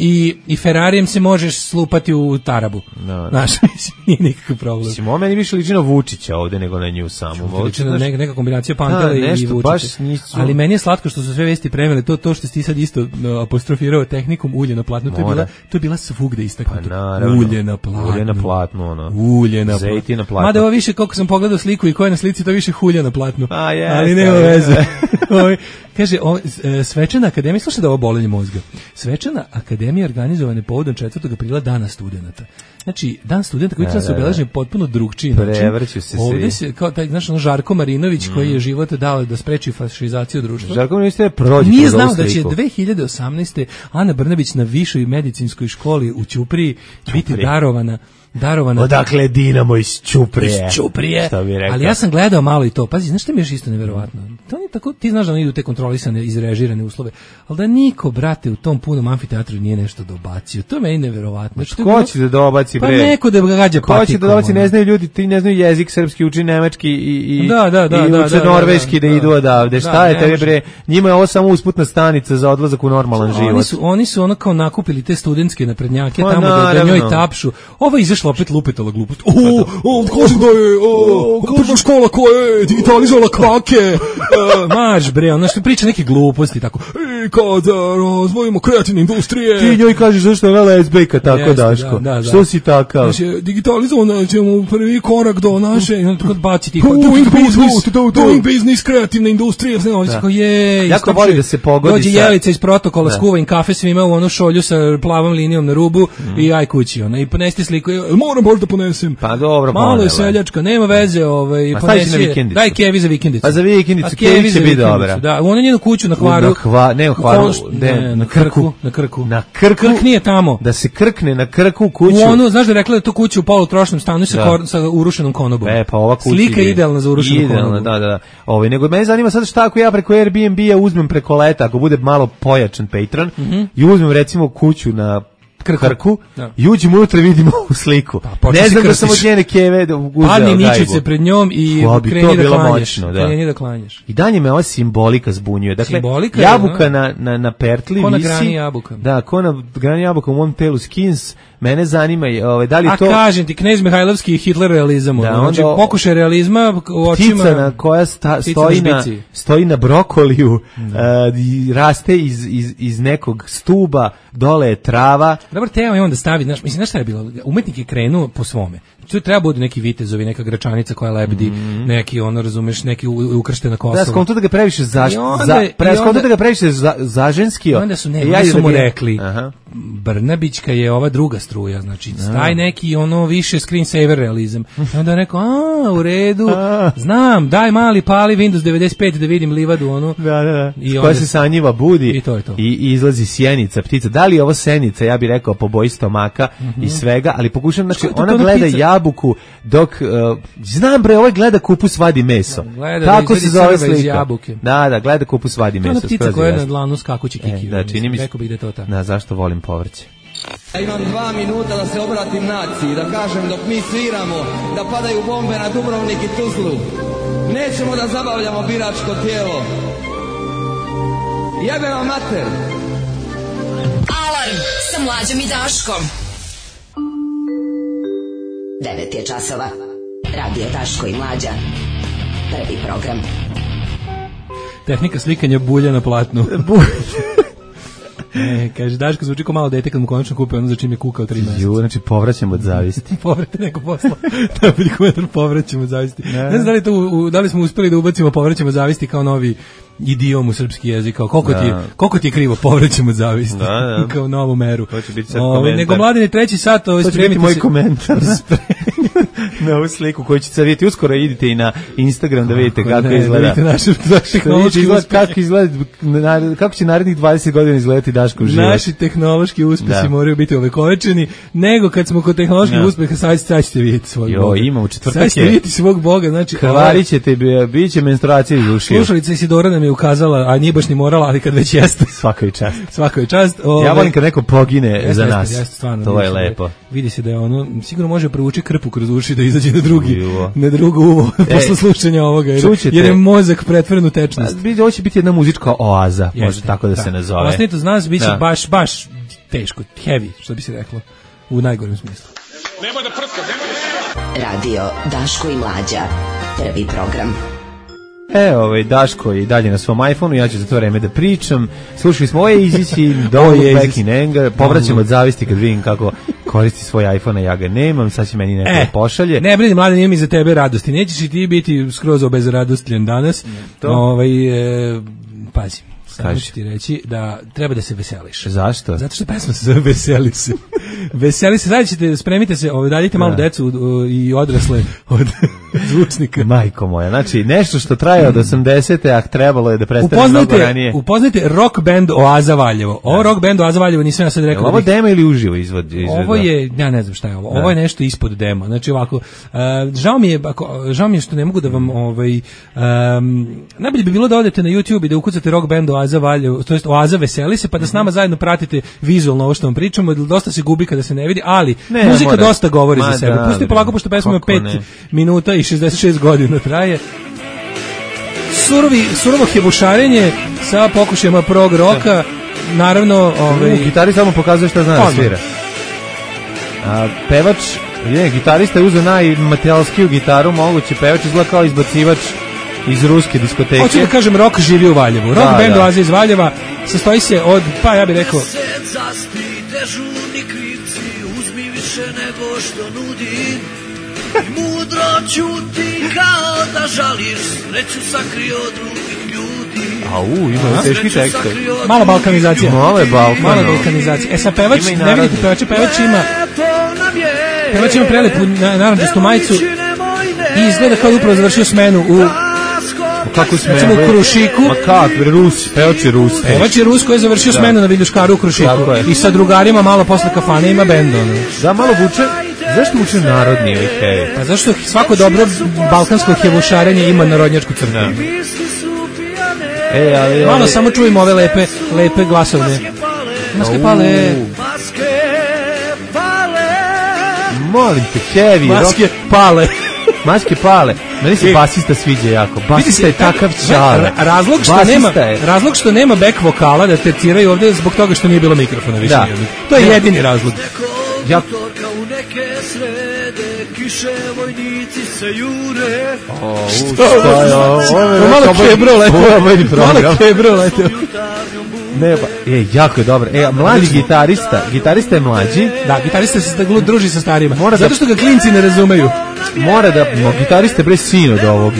i Ferrarijem se možeš slupati u tarabu. Znaš, nije nikakav problem. Mislim, ovo meni više liči na Vučića ovde nego na nju samu. Liči na neka kombinacija Pantele i Vučića. Ali meni je slatko što su sve vesti premele, to što ti sad isto apostrofirao tehnikom ulje na platnu, to je bila svugde istaknuto. Ulje na platnu. Ulje na platnu. Mada ovo više, koliko sam pogledao sliku i ko je na slici, to više hulja na platnu. Ali nema veze. Kaže, svečana akademija, slušaj da ovo bolenje mozga. Svečana akademija organizovane povodom 4. aprila Dana studenata. Znači, Dan studenta koji se obeležen potpuno drugčiji način. Prevrću se ovdje se, kao taj, znaš, Žarko Marinović koji je život dao da spreči fašizaciju društva. Žarko Marinović je prođe. Nije znao da će 2018. Ana Brnabić na višoj medicinskoj školi u Ćupriji biti darovana. Odakle Dinamo iz Ćuprije. Ali ja sam gledao malo i to. Pazi, znaš što mi je isto neverovatno? To nije tako, ti znaš da oni idu te kontrolisane, izrežirane uslove, ali da niko, brate, u tom punom amfiteatru nije nešto dobacio. To je meni neverovatno. Ko će da dobaci, bre? Pa neko da ga gađa patikom. Ko će da dobaci, ne znaju ljudi, ti ne znaju jezik srpski, uči nemački i uče norveški da idu odavde. Šta je tebi, bre? Njima je ovo samo usputna stanica za odlazak u normalan život. Oni su ono kao nakupili te studentske naprednjake tamo da njoj tapšu. Ovo izašlo opet lupetala glupost. Kaže da je prva škola koja je digitalizovala krake. Maš bre, ono što priča neke gluposti tako. Kada razvojimo kreativne industrije. Ti njoj kažeš zašto je ona lezbejka tako, Daško. Što si takav? Znači, digitalizovano ćemo prvi korak do naše, i onda tako baci ti doing business, kreativne industrije. Jako voli da se pogodi. Dođe Jelica iz protokola, skuva im kafe svima u onu šolju sa plavom linijom na rubu i aj kući. I ponesti sliku, moram baš da ponesem. Pa dobro, malo je seljačka, nema veze, ponesi. Daj kevi za vikendicu. Pa za vikendicu kevi će biti dobra. Da, u onu njenu kuću na Hvaru. Na Krku. Krk nije tamo. Da se krkne na Krku kuću. U onu, znaš da je rekla da to kuću u polutrošnom stanu sa urušenom konobom. Pa ova kuća. Slika je idealna za urušenu konobu. Da. Nego mene zanima sad šta ako ja preko Airbnb-a uzmem preko leta, ako bude malo pojačan Patreon i uzmem recimo kuću na Krku i uđem unutra i vidim ovu sliku. Ne znam da sam od njene keve uzeo padni ničice pred njom i kreni da klanjaš. Kreni da klanjaš. I dalje me ova simbolika zbunjuje. Dakle, jabuka na pertli ko visi. Na grani jabuka. Da, ko na grani jabuka u mom telu skins. Mene zanima da li to... A kažem ti, Knez Mihajlovski i Hitler realizam. Da, znači, pokušaj realizma u očima... Ptica na koja stoji na brokoliju, raste iz nekog stuba, dole je trava. Dobar tema je on da stavi, znaš šta je bilo? Umetnik je krenuo po svome. Tu treba budu neki vitezovi, neka gračanica koja lebdi, neki, razumeš, neki ukrštena Kosova. Da, skonto da ga previše zaženskio. Onda su mu rekli, Brnabićka je ova druga struja, znači taj neki više screensaver realizam. I onda je rekao, u redu, znam, daj mali pali Windows 95 da vidim livadu onu. Da. Koja se sa njiva budi i to je to. I izlazi sjenica, ptica. Da li je ovo senica, ja bih rekao po boji stomaka i svega, ali pokušam, znači ona gleda jabuku dok, znam bre, ovaj gleda kupus vadi meso. Tako se zove slika. Da, gleda kupus vadi meso. To je ona ptica koja je na dlanu skakući kiki. Da, čini mi se. Rekao bih da je to ta. Da, zašto volim povrće? Ja imam 2 minuta da se obratim naciji, da kažem dok mi sviramo, da padaju bombe na Dubrovnik i Tuzlu. Nećemo da zabavljamo biračko tijelo. Jebe vam mater! Alarm sa Mlađom i Daškom. 9 je časova. Radio Daško i Mlađa. Prvi program. Tehnika slikanja bulja na platnu. Kaže, Daško zvuči kao malo dete kad mu konačno kupe ono za čim je kukao 3 meseca. Znači povraćamo od zavisti. Povrate neko posla. Najbolji komentar, povraćamo od zavisti. Ne znam da li smo uspeli da ubacimo povraćamo od zavisti kao novi idiom u srpski jezik, kao koliko ti je krivo, povraćamo od zavisti. Kao novu meru. To će biti sad komentar. Nego Mladine, 3. sat. To će biti moj komentar. Na ovu sliku koju ćete sad vidjeti. Uskoro idite i na Instagram da vidite kako izgleda. Kako će narednih 20 godina izgledati Daškov život. Naši tehnološki uspesi moraju biti ovekovečeni, nego kad smo kod tehnoloških uspeha, sad ćete vidjeti svog Boga. Imamo četvrtak. Sad ćete vidjeti svog Boga. Znači, krvarit ćete, bit će menstruacija iz ušiju. Slušalica Isidora nam je ukazala, a nije baš ni morala, ali kad već jeste. Svaka je čast. Svaka je čast. Ja volim kad neko pogine za nas. To je lepo. Vidi se da je ono, sigurno može provući krpu kroz uši da izađe na drugo uvo posle slušanja ovoga, jer je mozak pretvoren u tečnost. Ovo će biti jedna muzička oaza, može tako da se nazove. Ostanite uz nas, bit će baš teško, heavy, što bi se reklo, u najgorem smislu. Nemoj da prska, nemoj da... Radio Daško i Mlađa, prvi program. Daško je i dalje na svom iPhoneu, ja ću za to vreme da pričam. Slušali smo Oasis, Don't Look Back in Anger, povraćam od zavisti kad vidim kako koristi svoj iPhone, a ja ga nemam, sad će meni neko pošalje. Ne brini, Mladen, nije mi za tebe radosti, nećeš i ti biti skroz obezradostljen danas. Pazi. Samo ću ti reći da treba da se veseliš. Zašto? Zato što pesma se zove Veseli se. Veseli se, sad ćete, spremite se, daljite malo decu i odrasle od zvučnika. Majko moja, znači nešto što traje od 80. a trebalo je da prestane mnogo ranije. Upoznajte rock band Oaza Valjevo. Ovo rock band Oaza Valjevo nisam ja sad rekao. Ovo demo ili uživo izvod? Ovo je, ja ne znam šta je ovo. Ovo je nešto ispod demo. Znači ovako, žao mi je što ne mogu da vam najbolje bi bilo da odete na YouTube i da ukucate rock band Oaza Valjevo, to jest Oaza Veseli se, pa da s nama zajedno pratite vizualno ovo što vam pričamo, dosta se gubi kada se ne vidi, ali muzika dosta govori za sebe. Pusti polako, pošto pesma ima 5 minuta i 66 godina traje. Surovo hebušarenje sa pokušajima prog roka, naravno... Gitari samo pokazuje šta zna da svira. Pevač, gitarista je uzeo najmaterijalskiju gitaru moguće, pevač izgleda kao izbacivač iz ruske diskoteke. Hoću da kažem, rock živi u Valjevu. Rock band Oaza iz Valjeva sastoji se od, pa ja bih rekao... Dežurni krivci, uzmi više nego što nudi. Mudro ćuti kao da žališ, sreću sakri od drugih ljudi. Ima teški tekst. Mala balkanizacija. Mala balkanizacija. Sad pevač, ne vidite pevača, pevač ima prelepu naranđastu majicu i izgleda kao upravo završio smenu u... Kako smenu? Recimo u Krušiku. Ma kak, pevač je Rus. Pevač je Rus koji je završio smenu na Viljuškaru u Krušiku. I sa drugarima malo posle kafane ima bend. Da, malo vuče. Zašto vuče narodni ovaj heavy? Pa zašto svako dobro balkansko hevušarenje ima narodnjačku crtu. Malo samo čujemo ove lepe glasovne. Maske pale. Molim te, heavy rock. Maske pale. Maske pale. Meni se basista sviđa jako. Basista je takav čale. Razlog što nema back vokala da terciraju ovde zbog toga što nije bilo mikrofona više. Da. To je jedini razlog. U neke srede kiše vojnici se jure. Šta je ovo? Malo kebro leteo. Ne, jako je dobro. Mlađi gitarista je mlađi. Da, gitarista se druži sa starima. Zato što ga klinci ne razumeju. Mora da, gitariste bre sin od ovog.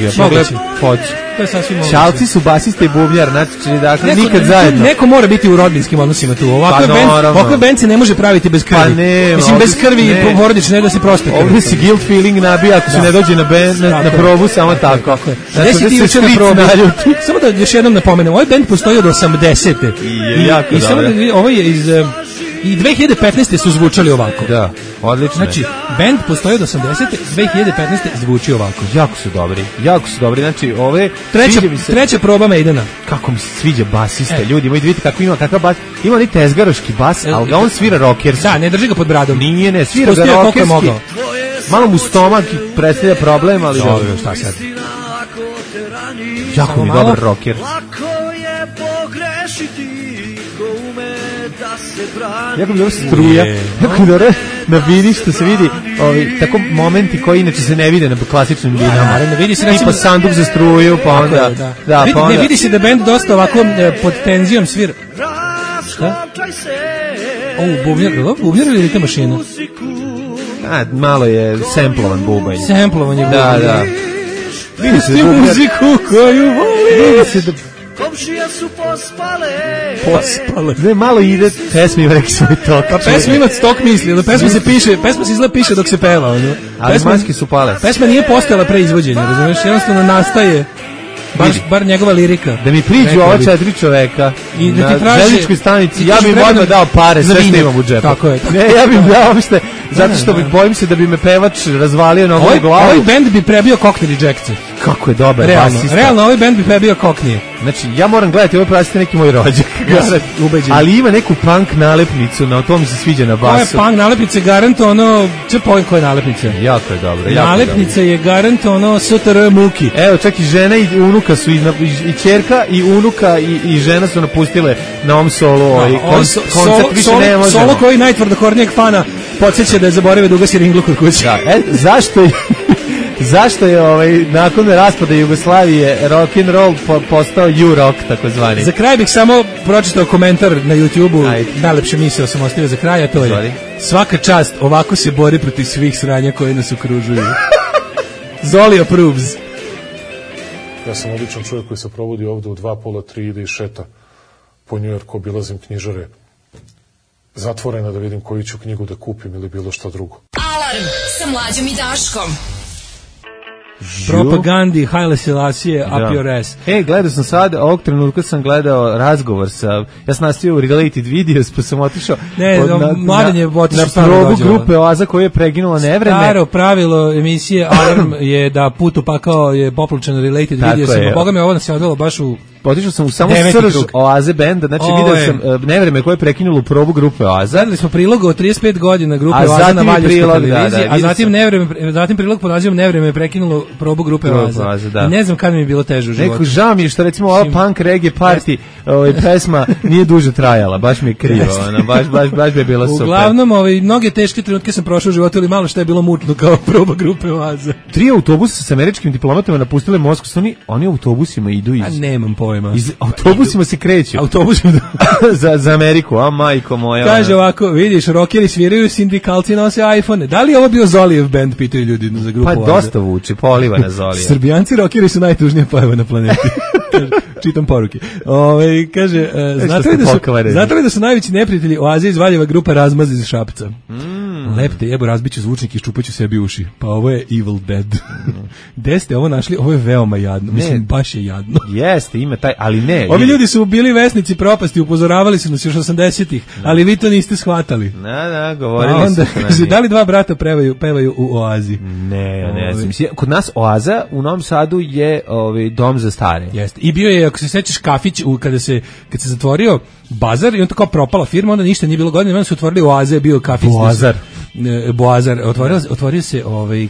Hoće. To je sasvim moguće. Čalci su basista i bubnjar, znači dakle nikad zajedno. Neko mora biti u rodbinskim odnosima tu. Ovakve band se ne može praviti bez krvi. Mislim, bez krvi i porodične, ne da se proste krvi. Ovdje si guilt feeling nabija ako se ne dođe na probu, samo tako. Gde si ti juče na probu? Samo da još jednom napomenem, ovaj band postoji od 80. I samo da ovo je iz... I 2015. su zvučali ovako. Da, odlično. Znači, band postoji od 80. 2015. zvuči ovako. Jako su dobri. Znači, ove... Treća proba Maidena. Kako mi se sviđa basista, ljudi. Moji vidite kako ima kakav bas. Ima ni tezgaroški bas, ali on svira rockerski. Da, ne drži ga pod bradom. Nije, svira ga rockerski. Malo mu stomak predstavlja problem, ali... Dobro, šta sad? Jako mi dobar rocker. Lako je pogrešiti. Jako mi dobro struja, jako mi dobro na vidi što se vidi tako momenti koji inače se ne vide na klasičnim vinama. Tipa sanduk za struju, pa onda... Ne vidi se da band dosta ovako pod tenzijom svira. Šta? Bubnjar ili ta mašina? Malo je samplovan bubanj. Samplovan je bubanj. Da. Vidi se muziku koju voli. Vidi se da... Komšije su pospale. Ne, malo ide pesma ima neki svoj tok. Pa pesma ima stok misli, da pesma se izgleda piše dok se peva. Ali maske su pale. Pesma nije postojala pre izvođenja, razumiješ, jednostavno nastaje bar njegova lirika. Da mi priđu ova 4 čoveka na željezničkoj stanici, ja bih odmah dao pare, sve što imam u džepu. Tako je. Ne, ja bih dao uopšte, zato što bojim se da bi me pevač razvalio na ovoj glavu. Ovaj band bi prebio Cockney Rejects. Kako je dobar basista. Realno, ovaj band bi prebio Cockney. Znači, ja moram gledati, ovo prasite neki moj rođak. Ali ima neku punk nalepnicu, na to mi se sviđa na basu. Ovo je punk nalepnice, garant ono, koje nalepnice? Jako je dobro. Nalepnica je garant ono STR Muki. Evo, čak i žena i unuka su, i ćerka i unuka i žena su napustile na ovom solu. Koncert više ne možemo. Solo koji najtvrdokornijeg fana podsjeća da je zaboravio da ugasi ringlu kod kuće. Zašto je nakon raspada Jugoslavije rock and roll postao U-rock takozvani? Za kraj bih samo pročitao komentar na YouTubeu, najlepše misao sam ostavio za kraj, a to je: svaka čast, ovako se bori protiv svih sranja koje nas okružuju. Zoli approves. Ja sam običan čovjek koji se provodi ovde u 2, pola, 3, ide i šeta po Njujorku, obilazim knjižare zatvorena da vidim koju ću knjigu da kupim ili bilo šta drugo. Alarm sa Mlađom i Daškom. Propagandi, Haile Selassie, up your ass. Gledao sam sad, ovog trenutka sam gledao razgovor sa, ja sam nastavio Related Videos, pa sam otišao na probu grupe Oaza koja je preginula nevreme. Staro pravilo emisije Alarm je da put u pakao je poplučeno Related Videos, pa Boga me ovo nas je odvelo baš u... Otišao sam u samo srž Oaze benda, znači video sam nevreme koje je prekinulo probu grupe Oaza. Gledali smo prilog od 35 godina grupe Oaza na Valjevskoj televiziji, a zatim prilog pod nazivom Nevreme je prekinulo probu grupe Oaza. I ne znam kad mi je bilo teže u životu. Neko žao mi je što recimo ova punk reggae party pesma nije duže trajala, baš mi je krivo, baš bi je bila super. Uglavnom, mnoge teške trenutke sam prošao u životu, ali malo što je bilo mučno kao proba grupe Oaza. 3 autobusa sa američkim diplomatama napustile Moskvu, oni autobusima idu iz... A nemam pojma. Iz autobusima se kreću. za Ameriku, a majko moja. Kaže ovako, vidiš, rockeri sviraju, sindikalci nose iPhone. Da li je ovo bio Zolijev band, pitaju ljudi za grupu Oaza? Pa dosta vuče, poliva na Zolija. Srbijanci rockeri su najtužnija pojava na planeti. Čitam poruke. Kaže, znate li da su najveći neprijatelji Oaze iz Valjeva grupa Razmaz iz Šapca? Lepte jebo, razbiću zvučnik i ščupaću sebi uši. Pa ovo je Evil Dead. Gde ste ovo našli? Ovo je veoma jadno. Mislim, baš je jadno. Jeste, ima taj, ali ne. Ovi ljudi su bili vesnici propasti, upozoravali su nas još 80-ih, ali vi to niste shvatali. Govorili su. Kaže, da li dva brata pevaju u Oazi? Ne znam. Kod nas Oaza u Novom Sadu je dom za stare. Jeste. I bio je, ako se sećaš, kafić kad se zatvorio bazar i on tako propala firma, onda ništa nije bilo godine, onda su otvorili Oaze, bio kafić. Bazar. Boazar, otvorio se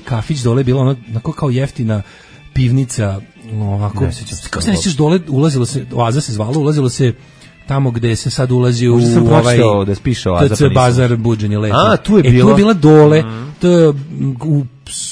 kafić dole, bilo ono onako kao jeftina pivnica, ovako, kako se nećeš dole, ulazilo se, Oaza se zvalo, ulazilo se tamo gde se sad ulazi u da spiše Oaza, TC Bazar Buđenje lepo. Tu je bila. Tu je bila dole,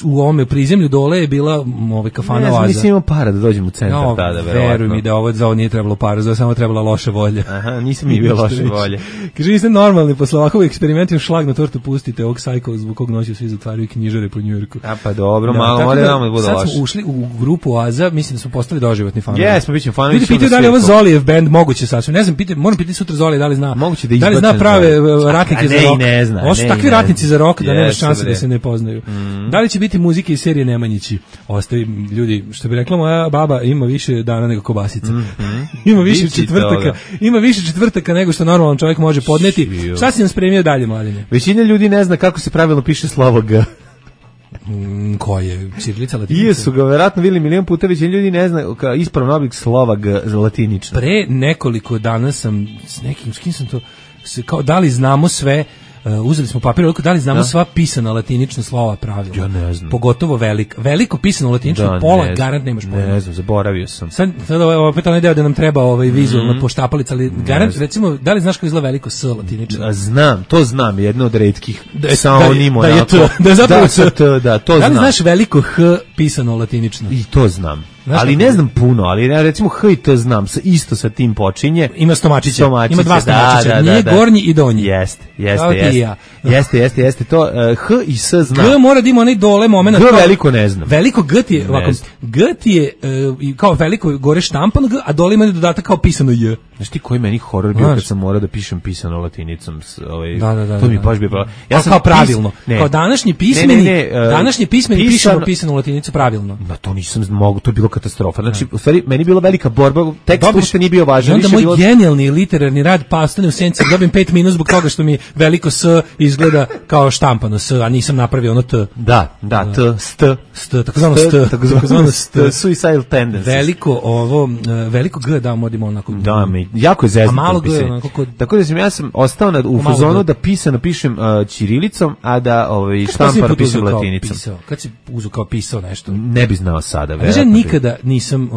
u ovome prizemlju dole je bila kafana Oaza. Nisam imao para da dođem u centar tada, verovatno. Veruj mi da ovo nije trebalo para, za samo trebala loša volja. Aha, nisam mi bio loše volje. Kaže, niste normalni, posle ovakvog eksperimentima šlag na tortu pustite ovog sajkova zbog kog noći svi zatvaraju knjižare po Njujorku. A pa dobro, malo mora da bude loše. Sad smo ušli u grupu Oaza, mislim da smo postali doživotni fanovi. Jesmo, bićemo fanovi. Ljudi pitaju da li je ovo Zolijev bend moguće sasvim. Ne znam, moram pitati sutra Zolije da li zna. Moguće da li zna prave ratnike za rock. Ne zna. Ovo su takvi ratnici za rock da nema šanse da se ne poznaju. Da li će biti muzike iz serije Nemanjići? Ostavi ljudi, što bi rekla moja baba, ima više dana nego kobasica. Ima više četvrtaka. Ima više četvrtaka nego što normalan čovjek može podneti. Šta si nam spremio dalje, Mladine? Većina ljudi ne zna kako se pravilno piše slovo G. Koje? Ćirilica, latinica? Jesu ga verovatno vidjeli milion puta, većina ljudi ne zna ispravan oblik slova G latinično. Pre nekoliko dana sam s kim sam to, kao da li znamo sve, uzeli smo papir, da li znamo sva pisana latinična slova pravilno? Ja ne znam. Pogotovo veliko pisano latinično, pola garant nemaš pojma. Ne znam, zaboravio sam. Sad opet onaj deo da nam treba vizualna poštapalica, ali garant, recimo, da li znaš kako izgleda veliko S latinično? Znam, to znam, jedno od retkih. Sa onim da je to, da je zapravo to znam. Da li znaš veliko H pisano latinično? I to znam. Ali ne znam puno, ali recimo H i T znam, isto sa tim počinje. Ima stomačića, ima dva stomačića, nije gornji i donji. Jeste, to H i S znam. G mora da ima onaj dole moment. G veliko ne znam. Veliko G ti je, ovako, G ti je kao veliko gore štampan G, a dole ima dodatak kao pisano J. Znaš ti koji meni horor bio kad sam morao da pišem pisano latinicom? To mi baš bio. Ja sam kao pravilno. Kao današnji pismeni pišemo pisanu latinicu pravilno. Na to nisam mogao, to je bilo katastrofa. Znači, u stvari, meni je bila velika borba, tekst uopšte nije bio važan. I onda moj genijalni literarni rad pastane u senci, dobijem 5 minus zbog toga što mi veliko S izgleda kao štampano S, a nisam napravio ono T. Da, takozvano st. Suicidal tendencies. Veliko G da modimo onako. Da, jako je zeznuto. A malo G, tako da ja sam ostao u fazonu da pisano pišem ćirilicom, a da štampano pišem latinicom. Kad si uzeo kao pisao nešto? Ne bi znao sada. Ja nikada nisam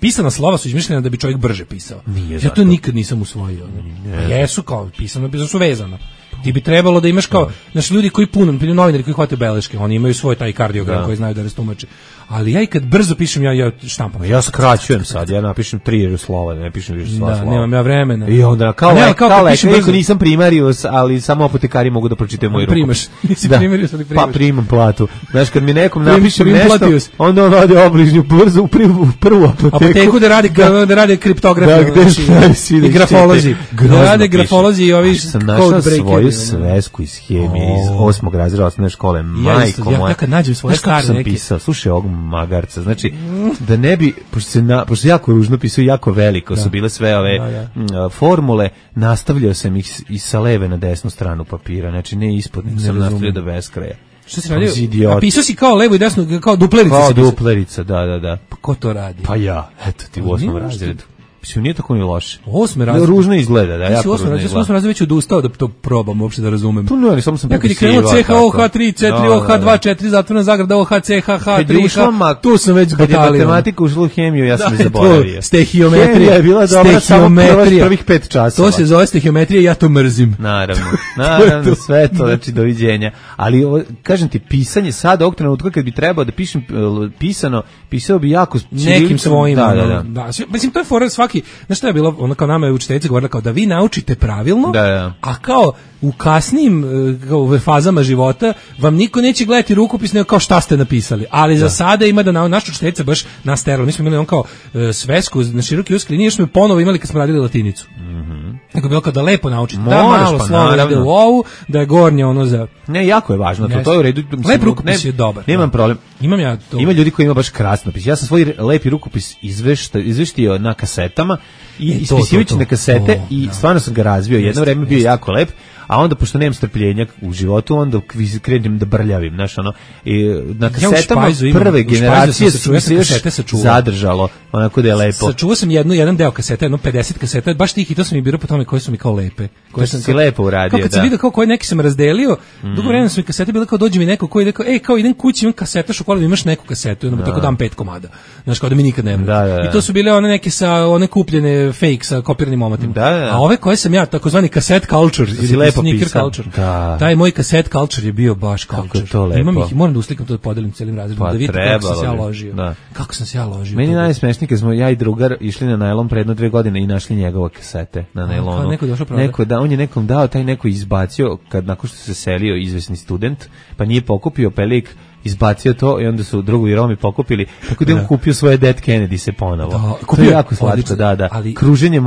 pisana slova su izmišljena da bi čovjek brže pisao. Ja to nikad nisam usvojio. Jesu kao pisano su vezano. Ti bi trebalo da imaš kao, znaš, ljudi koji novinari koji hvataju beleške, oni imaju svoj taj kardiogram koji znaju da rastumače. Ali ja i kad brzo pišem, ja štampam. Ja skraćujem sad, ja napišem 3 slova, ne pišem više slova. Da, nemam ja vremena. I onda, kao nisam primarius, ali samo apotekari mogu da pročitaju moju ruku. Primaš, nisi primarius, ali primaš. Pa primam platu. Znaš, kad mi nekom napišem nešto, onda on ode obližnju brzo u prvu apoteku da rade kriptografi i grafolozi. Da rade grafolozi i ovi code breakeri. Sam našao svoju svesku iz hemije, iz 8. razreda osnovne škole, majko moja. Ja kad nađem svoje stare neke. Slušaj ovog magarca, znači da ne bi, pošto jako ružno pisao, jako veliko su bile sve ove formule, nastavljao sam ih i sa leve na desnu stranu papira, znači ne ispod, sam nastavljao do beskraja. Što si radio? A pisao si kao levo i desno, kao duplerica? Kao duplerica, da. Pa ko to radi? Pa ja, eto ti u 8. razredu. Mislim, nije tako ni loše. 8. razred. Ružno izgleda, da, jako ružno izgleda. Ja sam 8. razred već odustao da to probam uopšte da razumem. To ne, samo sam prepisivao. Ja kad je krenuo CHOH3, C3, OH2, 4, zatvorena zagrada, OH, CH, H3, tu sam već batalio. Kad je matematika ušla u hemiju, ja sam zaboravio. Stehiometrija. Hemija je bila dobra samo prvih 5 časova. To se zove stehiometrija i ja to mrzim. Naravno, sve to, znači, doviđenja. Ali, kažem ti, pisanje sada, ovog trenutka kad bi trebao da pišem pisano, pisao bi jako nekim svojim. Da. Mislim, to je fora svaki. Znaš šta je bilo, ono kao nama je učiteljica govorila kao da vi naučite pravilno, a kao u kasnim fazama života vam niko neće gledati rukopis nego kao šta ste napisali, ali za sada ima da naš učiteljica baš nas terala. Mi smo imali on kao svesku na široki uskli, nije što smo ponovo imali kad smo radili latinicu. Nego bilo kao da lepo naučite, da malo slovo ide u ovu, da je gornje ono za... Ne, jako je važno, to je u redu. Lep rukopis je dobar. Nemam problem. Imam ja to. Ima ljudi koji ima baš krasno pis. Ja sam svoj lepi rukopis izveštio na kasetama, ispisivajući na kasete i stvarno sam ga razvio. Jedno vreme bio jako lep, a onda pošto nemam strpljenja u životu, onda krenem da brljavim, znaš, ono, i na kasetama prve generacije su se još zadržalo, onako da je lepo. Sačuvao sam jedan deo kaseta, 50 kaseta, baš tih i to sam i birao po tome koje su mi kao lepe. Koje sam si lepo uradio, kao kad sam vidio kao koje neki sam razdelio, dugo vremena su mi kasete bile kao dođe mi neko koji rekao, kao idem kući, imam kaseta šokolade, imaš neku kasetu, i onda tako dam 5 komada. Znaš, kao da mi nikad nema. I to su bile one neke sa one kupljene fake sa kopiranim omatima. A ove koje sam ja, takozvani cassette culture, ili sneaker culture. Taj moj cassette culture je bio baš culture. Imam ih, moram da uslikam to da podelim celim razredom, da vidite kako sam se ja ložio. Kako sam se ja ložio. Meni najsmešnije kad smo ja i drugar išli na najlon pre 2 godine i našli njegove kasete na najlonu. Neko da on je nekom dao, taj neko izbacio kad nakon što se selio izvesni student, pa nije pokupio pelik, izbacio to i onda su drugovi Romi pokupili, tako da je on kupio svoje Dead Kennedy se ponovo. To je jako slatko, da. Kruženje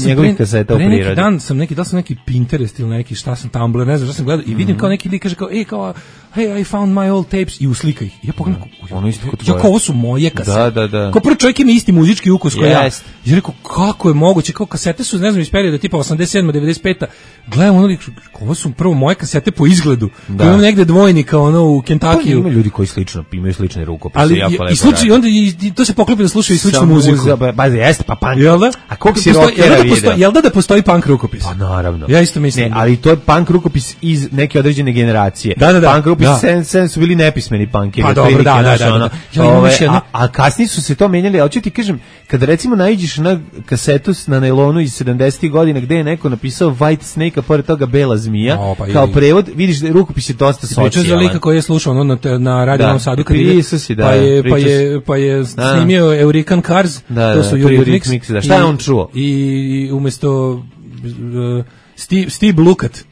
njegovih kaseta u prirodi. Dan sam neki Pinterest ili neki šta sam Tumblr, ne znam šta sam gledao i vidim kao neki lik kaže kao, hey, I found my old tapes i uslika ih. Ja pogledam, ovo su moje kasete. Kao prvi čovjek ima isti muzički ukus koji ja. Ja rekao, kako je moguće, kao kasete su, ne znam, iz perioda tipa 87. 95. Gledam ono, ovo su prvo moje kasete po izgledu. Imam negde dvojnika, ono, u Kentuckiju. Ljudi koji imaju slične rukopise, jako lepo. I slučaj, onda to se poklopi da slušaju i sličnu muziku. Jeste, pa punk. Jel da? A koliko si rockera vidio? Jel da postoji punk rukopis? Pa naravno. Ja isto mislim. Ne, ali to je punk rukopis iz neke određene generacije. Da. Punk rukopis su bili nepismeni punkeri. Pa dobro, da. A kasnije su se to menjali, ali ću ti kažem, kada recimo naiđeš na kasetu na nailonu iz 70. godina gde je neko napisao White Snake, a pored toga Bela zmija, kao prevod, vidiš da rukopis je dosta socijalan. Pričao za lika koji je slušao na Radio Novom Sadu, pa je snimio Eurican Cars, to su Eurythmics. Šta je on čuo? I umesto Steve Lukat.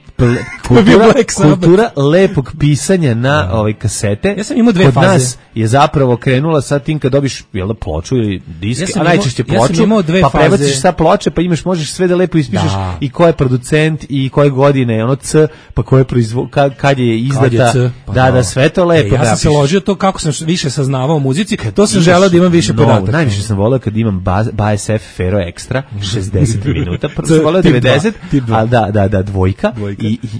Kultura lepog pisanja na kasete. Ja sam imao 2 faze. Kod nas je zapravo krenula sa tim kad dobiš ploču ili disk, a najčešće ploču, pa prebaciš sa ploče, pa možeš sve da lepo ispišeš i ko je producent i koje godine, ono C, pa ko je kad je izdata. Da, sve to lepo. Ja sam se ložio to kako sam više saznavao o muzici, to sam želeo da imam više podataka. Najviše sam voleo kad imam BASF Fero Extra 60 minuta, prvo sam voleo 90, ali da, dvojka.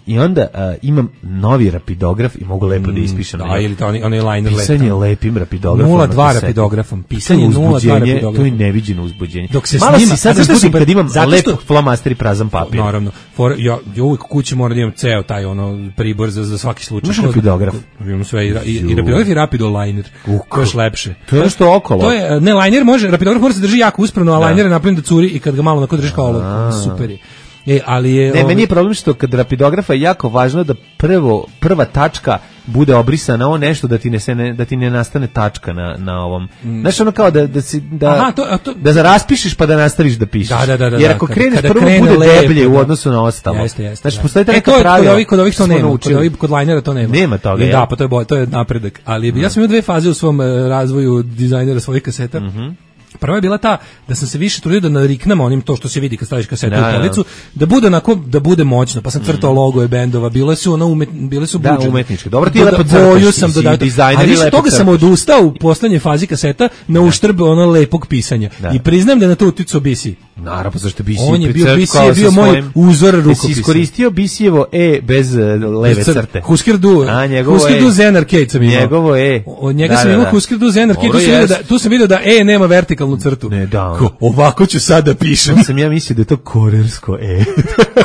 I onda imam novi rapidograf i mogu lepo da ispišem. Da, ili onaj liner lepo. Pisanje lepim rapidografom. 0,2 rapidografom. Pisanje 0,2 rapidografom. To je neviđeno uzbuđenje. Dok se malo si sad uzbudim kad imam lep flomaster i prazan papir. Naravno. Ja uvijek kući moram da imam ceo taj pribor za svaki slučaj. Imaš rapidograf? Imam sve i rapidograf i rapidoliner. To je još lepše. To je nešto okolo. To je, ne, liner može, rapidograf može se drži jako uspravno, a liner je napravljen da curi i kad ga malo držiš kao ovo. Super je. Ali je meni je problem što kad rapidografa je jako važno da prva tačka bude obrisana, ovo nešto da ti ne nastane tačka na ovom. Znaš, ono kao da raspišeš pa da nastaviš da pišeš. Da. Jer ako kreneš prvo bude deblje u odnosu na ostalo. Jeste. Znači, postoji neka pravila. Kod ovih to nema. Kod linera to nema. Nema toga. Da, pa to je napredak. Ali ja sam imao 2 faze u svom razvoju dizajnera svojih kaseta. Prva je bila ta da sam se više trudio da nariknem onim to što se vidi kad staviš kasetu u policu, da bude moćno, pa sam crtao logoje bendova, bile su budžet. Da, umetnički. Dobro, ti lepo crtaš, dizajner i lepo toga sam odustao u poslednjoj fazi kaseta na uštrb lepog pisanja. I priznajem da je na to uticao BC. Naravno, zašto BC? On je bio moj uzor rukopisa. Si iskoristio BC-evo bez leve crte. Husker Du Zen Arcade sam imao. Njegovo Od njega sam imao Husker Du Zen Arcade, tu sam vidio da nema vertikalnu crtu. Ne, da. Ovako ću sad da pišem. Ja mislio da je to korersko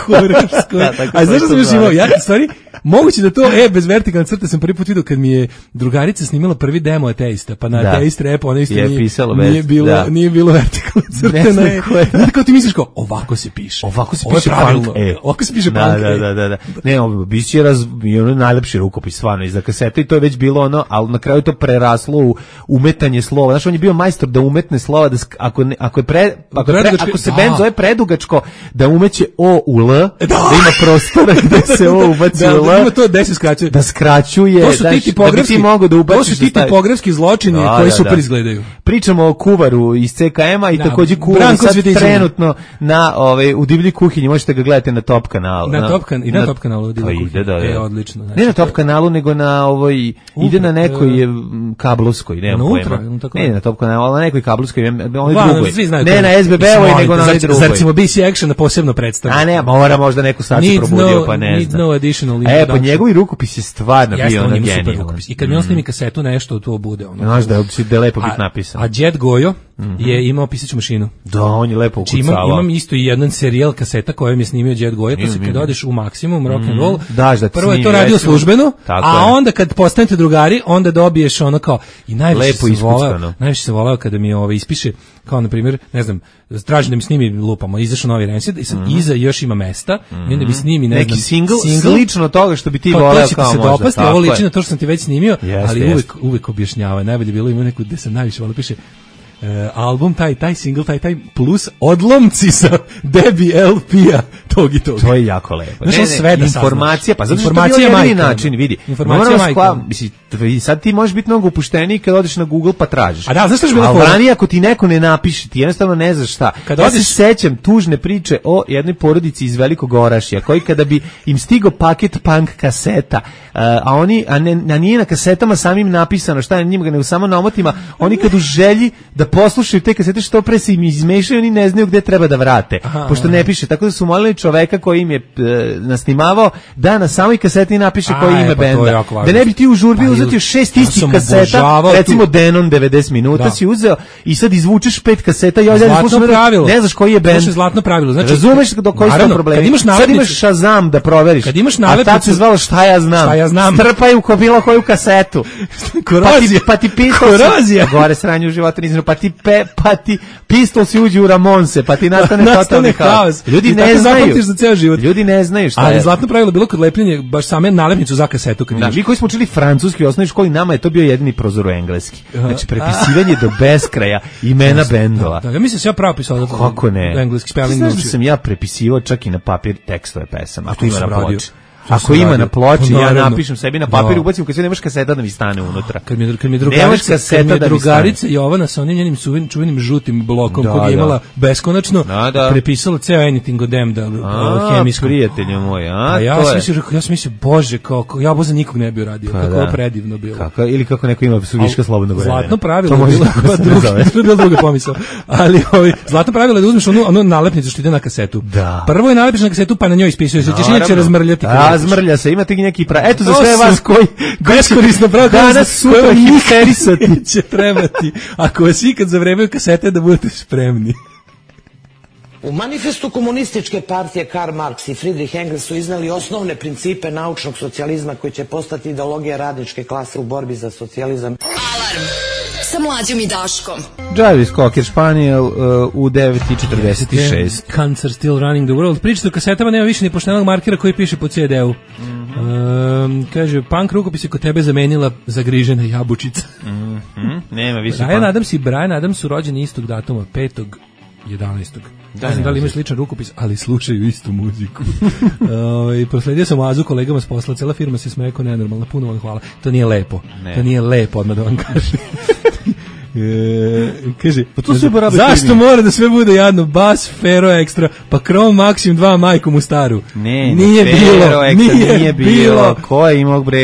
Korersko A znaš što sam još imao? Stvari, moguće da to bez vertikalne crte sam prvi put vidio kad mi je drugarica snimila prvi demo Ateista, pa na Ateist rap ona isto nije bilo vertikalne crte na kao ti misliš kao, ovako se piše. Ovako se piše punk. Ovako se piše punk. Da. Ne, biće najlepši rukopis stvarno iza kasete i to je već bilo ono, ali na kraju to preraslo u umetanje slova. Znaš, on je bio majstor da umetne slova, da ako se bend zove predugačko, da umeće O u L, da ima prostora gde se O ubaci u L. Da ima to gde se skraćuje. Da skraćuje. To su ti tipografski zločini koji super izgledaju. Pričamo o Kuvaru iz CKM-a i takođe Kuvar Branko Cvetićević. trenutno na u Divljoj kuhinji, možete ga gledati na Top kanalu. Na Top kanalu u Divljoj kuhinji. Odlično. Ne na Top kanalu, nego na ide na nekoj kablovskoj, nemam pojma. Ne na Top kanalu, ali na nekoj kablovskoj, ne na SBB-ovoj, nego na onoj drugoj. Zar ćemo BC Action posebno predstaviti? A ne, mora možda neku sad se probudio, pa ne znam. No additional. Pa njegovi rukopis je stvarno bio ono genijalan. I kad mi on snimi kasetu nešto, to bude ono. Znaš da je lepo biti napisano. A Jet Gojo je imao pisaću mašinu. Da, on je lepo ukucavao. Imam isto i jedan serijal kaseta kojom je snimio Jet Gojo, to se kad odeš u maksimum rock and roll. Prvo je to radio službeno, a onda kad postanete drugari, onda dobiješ ono kao i najviše se voleo kada mi ispiše kao na primjer, ne znam, traži da mi snimi lupamo, izašao novi Rancid i sad iza još ima mesta i onda bi snimi neki single slično toga što bi ti voleo kao možda. Dopasti, ovo liči na to što sam ti već snimio, ali uvek objašnjava. Najbolje bilo ima neku gde sam najviše voleo, piše album, taj single, taj plus odlomci sa Debbie LP-a tog i tog. To je jako lepo. Znaš, sve da informacija, pa zato što je jedini način, vidi. Informacija majka. Sad ti možeš biti mnogo upušteniji kad odeš na Google pa tražiš. A da, znaš što je bilo fora? A ranije ako ti neko ne napiše, ti jednostavno ne znaš šta. Ja se sećam tužne priče o jednoj porodici iz Velikog Orašja, koji kada bi im stigao paket punk kaseta, a nije na kasetama samim napisano šta je njima, nego samo na omotima, oni kad u želji da poslušaju te kasete što pre se im izmešaju, oni ne znaju gde treba da vrate, pošto ne piše. Tako da su molili čoveka koji im je nasnimavao da na samoj kaseti napiše koji ime benda. Da ne bi ti u žurbi uzeti 6 istih kaseta, recimo Denon 90 minuta si uzeo i sad izvučeš 5 kaseta i ne znaš koji je bend. Zlatno pravilo. Znači, razumeš do koji su problemi. Sad imaš Shazam da proveriš. Kad imaš nalepnicu, a tad se zvalo šta ja znam. Strpaj u bilo koju kasetu. Pa ti Korozija. Gore sranje u životu nisam, pa ti Pistols uđu u Ramonse, pa ti nastane totalni haos. Ljudi ne znaju. Za ceo život. Ljudi ne znaju šta je. Ali zlatno pravilo bilo kod lepljenja baš same nalepnicu za kasetu. Mi koji smo učili francuski u osnovnoj školi, nama je to bio jedini prozor u engleski. Znači prepisivanje do beskraja imena bendova. Ja mislim da ja pravo pisao kako ne. Engleski spelling. Znaš da sam ja prepisivao čak i na papir tekstove pesama. Ako ima na ploči. Ako ima na ploči, ja napišem sebi na papir, ubacim kad sve nemaš kaseta da mi stane unutra. Kad mi drugarica Jovana sa onim njenim čuvenim žutim blokom kog je imala beskonačno, prepisala ceo Anything of Them hemijsku. Prijatelju moj, ja sam mislio, bože, ja boza nikog ne bi uradio, kako je predivno bilo. Ili kako neko ima suviška slobodnog vremena. Zlatno pravilo je bilo druga pomisao. Ali zlatno pravilo je da uzmeš onu nalepnicu što ide na kasetu. Prvo je nalepniš na kasetu pa na njoj ispisuješ, ćeš inače razmrljati. Zmrlja se, imate neki eto za sve vas koji beskorisno danas sutra hipsterisati će trebati. Ako vas ikad zavremaju kasete da budete spremni. U manifestu komunističke partije Karl Marx i Friedrich Engels su iznali osnovne principe naučnog socijalizma koji će postati ideologija radničke klase u borbi za socijalizam. Alarm sa Mlađom i Daškom. Jarvis Cocker Spaniel u 9:46. Cancer still running the world. Pričate o kasetama, nema više ni poštenog markera koji piše po CD-u. Kaže, punk rukopis je kod tebe zamenila zagrižena jabučica. Nema više. Brian Adams su rođeni istog datuma, 5.11. Ne znam da li imaju sličan rukopis, ali slušaju istu muziku. Prosledio sam oazu kolegama s posla, cela firma se smeje ko nenormalna, puno vam hvala. To nije lepo, to nije lepo, odmah da vam kažem. Kaže, zašto mora da sve bude jadno? Bas, Fero Extra, pa Chrome Maxim 2 majkom u staru. Nije bilo. Ko je imao bre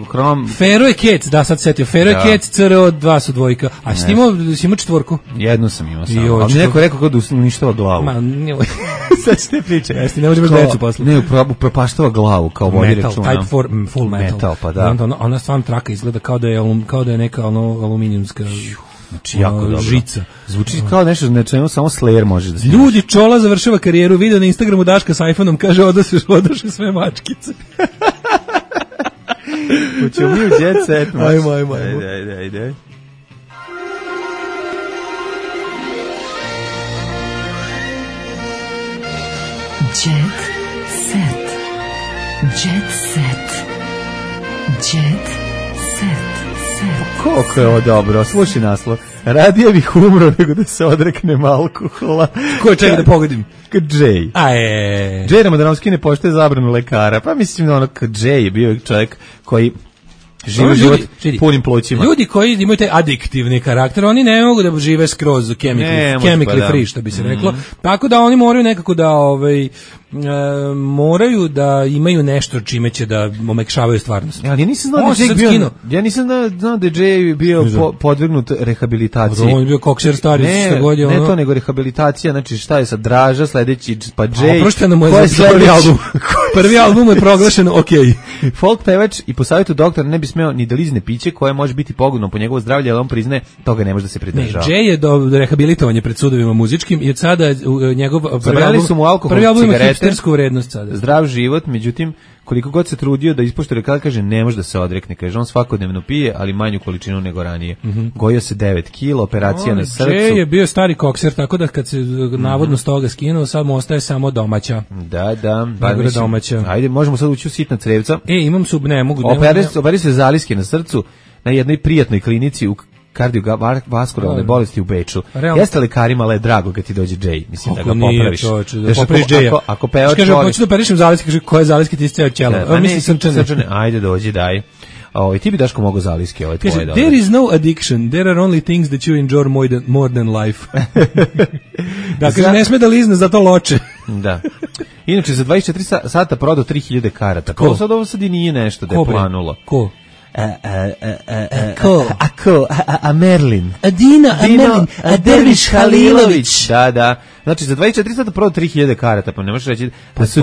Chrome? Fero je Kec, da sad setio. Fero je Kec, CRO 2 su dvojka. A si imao četvorku? Jednu sam imao samo. Ali neko je rekao kao da uništava glavu. Sad ste priče. Jeste, ne može bez decu posle. Ne, propaštava glavu, kao vodi računa. Type 4, full metal. Pa da. Ona stvarno traka izgleda kao da je neka aluminijumska jako dobro. Žica. Zvuči kao nešto na čemu samo Slayer može da snima. Ljudi, Čola završava karijeru, video na Instagramu Daška sa iPhone-om, kaže odaše sve mačkice. Hoćemo mi u jet set. Ajmo. Ajde. Jet set. Jet set. Jet set. Koliko je ovo dobro, slušaj naslov. Radije bih umro nego da se odreknem alkohola. Ko je čega da pogodim? Kad Jay. Jay Ramadanovski ne poštuje zabranu lekara. Pa mislim, Jay je bio čovjek koji žive život punim plućima. Ljudi koji imaju taj adiktivni karakter, oni ne mogu da žive skroz chemically free, što bi se reklo. Tako da oni moraju nekako da moraju da imaju nešto čime će da omekšavaju stvarnost. Ja nisam znao da je bio, ja nisam znao da je bio podvrgnut rehabilitaciji. On je bio kokser stari što godina. Ne to, nego rehabilitacija, znači šta je sad Draža, sledeći pa Jay. Oprošteno mu je za prvi album. Prvi album je proglašen okej. Folk pevač i po savjetu doktora ne bi smeo ni da lizne piće koje može biti pogodno po njegovo zdravlje, ali on priznaje toga ne može da se pridržava. Jay je do rehabilitovanja pred sudovima muzičkim i od sada njegov prvi album ima hipstersku vrednost sada. Zdrav život, međutim koliko god se trudio da ispoštuje rekao, kaže ne može da se odrekne, kaže on svakodnevno pije, ali manju količinu nego ranije. Gojio se 9 kg, operacija na srcu. Jay je bio stari kokser, tako da kad se navodno s toga skinuo, sad mu ostaje samo domaća. Da. Domaća. Ajde, možemo sad ući u sitna crevca. Imam ne mogu. Operi se zaliske na srcu na jednoj prijatnoj klinici u kardiovaskularne bolesti u Beču. Jeste lekarima ale drago kad ti dođe Jay, mislim da ga popraviš. Ako pevač kaže hoću da operišem zaliske, kaže koje zaliske ti ceo ćelo. Mislim srčane. Ajde dođi daj. Ti bi Daško mogao zaliske ove tvoje. There is no addiction, there are only things that you enjoy more than life. Da, kaže ne sme da lizne, zato loče. Da. Inače za 24 sata prodao 3000 karata. Ko sad ovo sad i nije nešto da je planulo. Ko? A Merlin. Merlin. A Derviš Halilović. Da. Znači za 24 sata prodao 3000 karata, pa ne možeš reći da su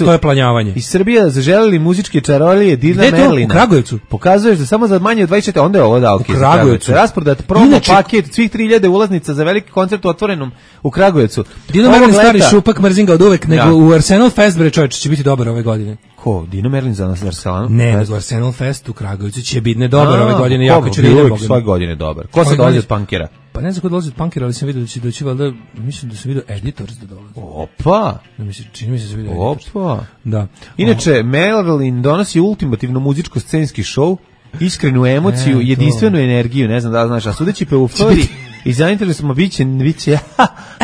to je planjavanje. Iz Srbije zaželeli muzičke čarolije Dina Merlina. U Kragujevcu. Pokazuješ da samo za manje od 24, onda je ovo dao. U Kragujevcu. Rasprodat promo paket svih 3000 ulaznica za veliki koncert u otvorenom u Kragujevcu. Dina Merlin stari šupak mrzim ga od uvek, nego u Arsenal Fest bre čovječe će biti dobar ove godine. Ko? Dino Merlin za nas Arsenal? Ne, nego Arsenal Fest u Kragujevcu će biti dobar ove godine, jako će biti svake godine dobar. Ko se dolazi od punkera? Pa ne znam ko dolazi od punkera, ali sam vidio da će doći valjda, mislim da sam vidio Editors da dolazi. Opa! Čini mi se da vidio Editors. Opa! Da. Inače, Merlin donosi ultimativno muzičko-scenski show, iskrenu emociju, jedinstvenu energiju, ne znam da li znaš, a sudeći po euforiji i zainteresujemo biće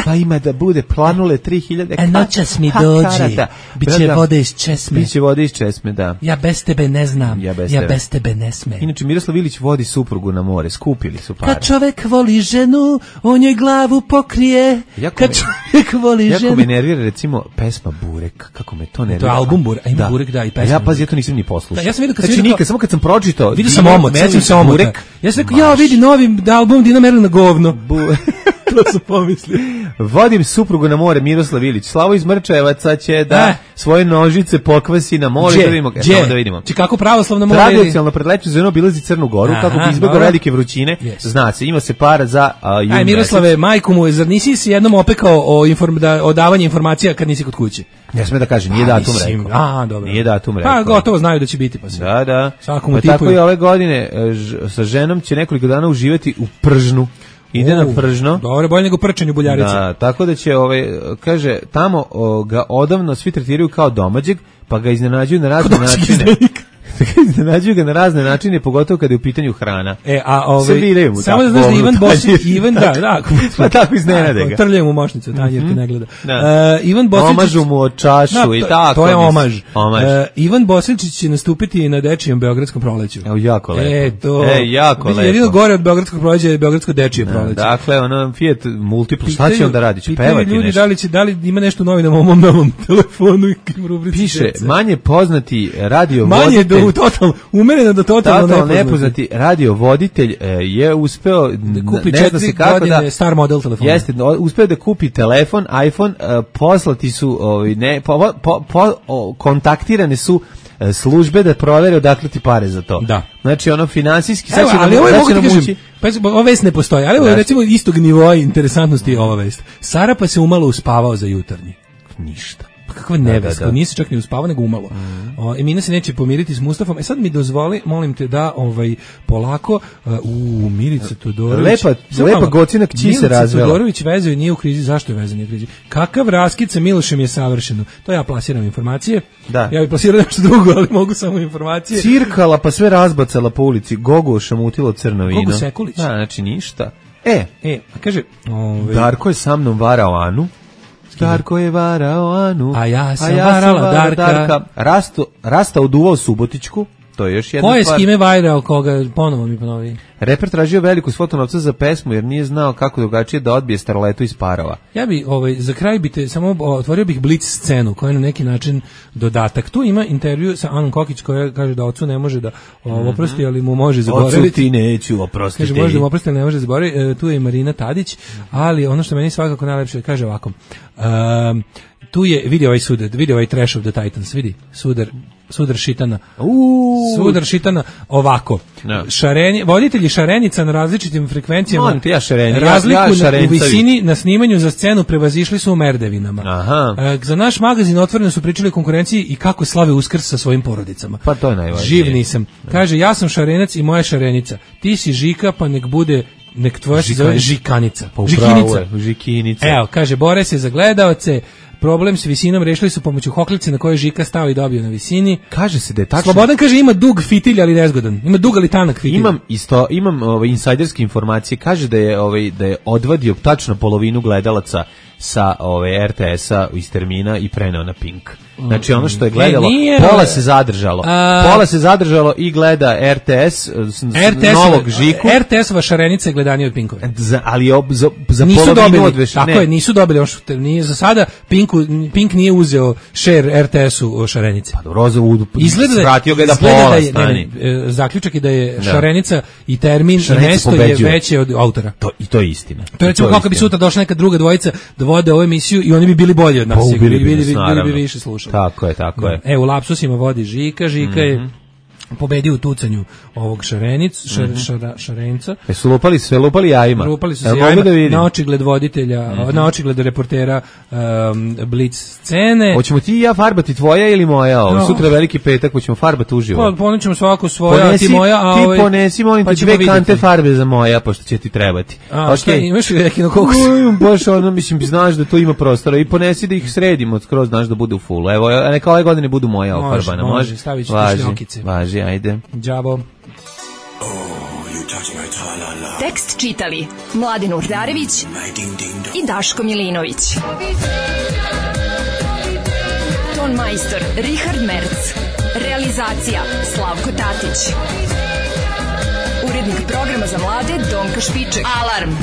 pa ima da bude planule 3000 noćas mi dođi, biće vode iz česme. Biće vode iz česme, da. Ja bez tebe ne znam, ja bez tebe ne sme. Inače, Miroslav Ilić vodi suprugu na more, skupili su pare. Kad čovek voli ženu, on joj glavu pokrije. Kad čovek voli ženu. Jako me nervira, recimo, pesma Burek, kako me to nervira. To je album Burek, a ima Burek, da, i pesma. Ja pazi, ja to nisam ni poslušao. Ja sam vidio znači, nikad, samo kad sam pročitao, vidio sam omot, sećam se omota. Ja sam rekao, vidi novi album Dina Merlina govno. To su pomisli. Vodim suprugu na more, Miroslav Ilić. Slavo iz Mrčevaca će da svoje nožice pokvasi na more. Da vidimo. Či kako pravoslavno more? Tradicionalno pred lepšom sezonom obilazi Crnu Goru, kako bi izbjegao velike vrućine. Zna se, ima se para za jun. Aj, Miroslave, majku mu, zar nisi si jednom opekao o davanju informacija kad nisi kod kuće? Ne sme da kaže, nije datum rekao. Dobro. Nije datum rekao. Pa gotovo znaju da će biti. Pa da. Pa tako i ove godine sa ženom će nekoliko dana uživati u Pržnu. Ide na Pržno. Dobro, bolje nego prčanju Buljarice. Da, tako da će, kaže, tamo ga odavno svi tretiraju kao domaćeg, pa ga iznenađuju na razne načine. Iznenađuju ga na razne načine, pogotovo kada je u pitanju hrana. Samo da znaš da Ivan Bosić, pa tako iznenade ga. Trljaju mu mošnicu, Tanjerka ne gleda. Ivan Bosić, omažu mu od čašu i tako. To je omaž. Ivan Bosić će nastupiti na dečijem Beogradskom proleću. Evo, jako lepo. Jako lepo. Jedino gore od Beogradskog proleća je Beogradsko dečije proleće. Dakle, ono Fiat Multipla, šta će on da radi? Će pevati nešto? Da li ima nešto novi na mom novom telefonu i rubrici? Piše, manje poznati radio umereno da totalno nepoznati radiovoditelj je uspeo da kupi ne zna se kako da star model telefona. Jeste, uspeo da kupi telefon, iPhone, poslati su kontaktirane su službe da provere odakle ti pare za to. Da. Znači ono finansijski ali ovo mogu ti kažem, ova vest ne postoji, ali ovo je recimo istog nivoa interesantnosti je ova vest. Sarapa se umalo uspavao za jutarnji. Ništa. Kakva neveska, nisi čak ni uspavao, nego umalo. Emina se neće pomiriti s Mustafom. Sad mi dozvoli, molim te da polako Milica Todorović. Lepa gocina kći se razvela. Milica Todorović vezuje, nije u krizi. Zašto je vezan, nije u krizi? Kakav raskid sa Milošem je savršeno. To ja plasiram informacije. Da. Ja bih plasirao nešto drugo, ali mogu samo informacije. Cirkala pa sve razbacala po ulici. Gogo šamutilo crno vino. Gogo Sekulić. Da, znači ništa. Kaže... Darko je sa mnom varao Anu. Darko je varao Anu, a ja sam varala Darka. Rasta oduvao Subotičku, To je još jedna Ko je stvar. s kime vajrao koga, ponovo mi ponovi. Reper tražio veliku svotu novca za pesmu jer nije znao kako drugačije da odbije starletu iz Parova. Ja bi za kraj samo otvorio bih blic scenu koja je na neki način dodatak. Tu ima intervju sa Anom Kokić koja kaže da ocu ne može da oprosti, ali mu može zaboraviti. Ocu ti neću oprostiti. Kaže može da mu oprosti, ali ne može zaboraviti. Tu je i Marina Tadić, ali ono što meni svakako najlepše kaže ovako. Tu je, vidi ovaj Trash of the Titans, vidi, sudar šitana. Sudar šitana ovako. No. Voditelji šarenica na različitim frekvencijama razliku u visini na snimanju za scenu prevazišli su u merdevinama. Za naš magazin otvoreno su pričali o konkurenciji i kako slave Uskrs sa svojim porodicama. Pa to je najvažnije. Živ nisam. Kaže, ja sam šarenac i moja šarenica. Ti si Žika, pa nek tvoja se zove Žikanica. Žikinica. Evo, kaže, bore se za gledaoce. Problem s visinom rešili su pomoću hoklice na kojoj Žika stao i dobio na visini. Kaže se da je tačno. Slobodan kaže ima dug fitilj ali nezgodan. Ima dug ali tanak fitilj. Imam insajderske informacije. Kaže da je odvadio tačno polovinu gledalaca sa RTS-a iz termina i preneo na Pink. Znači ono što je gledalo, pola se zadržalo i gleda RTS novog Žiku. RTS-ova šarenica je gledanija od Pinkove. Ali za polovinu odveš. Tako je, nisu dobili. Nije za sada, Pink nije uzeo share RTS-u šarenice. Pa dobro, vratio ga je da pola stani. Zaključak je da je šarenica i termin i mesto je veće od autora. To je istina. To je recimo kako bi sutra došla neka druga dvojica da vode ovu emisiju i oni bi bili bolji od nas. Bili bi više slušali. Tako je. U lapsusima vodi Žika je pobedio u tucanju ovog šarenca. Su lupali jajima. Lupali su se jajima na očigled voditelja, na očigled reportera Blitz scene. Hoćemo ti i ja farbati tvoja ili moja? Sutra veliki petak, hoćemo farbati uživo. Ponećemo svako svoja, a ti moja. Ti ponesi, molim te, 2 kante farbe za moja, pošto će ti trebati. Imaš li neki na kokus? Baš znaš da to ima prostora i ponesi da ih sredimo skroz, znaš da bude u fullu. Evo, neka ove godine budu moja ofarbana. Može, stavit ću šljokice. Važi, ajde. Đavo. Tekst čitali Mladin Urdarević i Daško Milinović. Ton majstor Richard Merc. Realizacija Slavko Tatić. Urednik programa za mlade Donka Špiček. Alarm!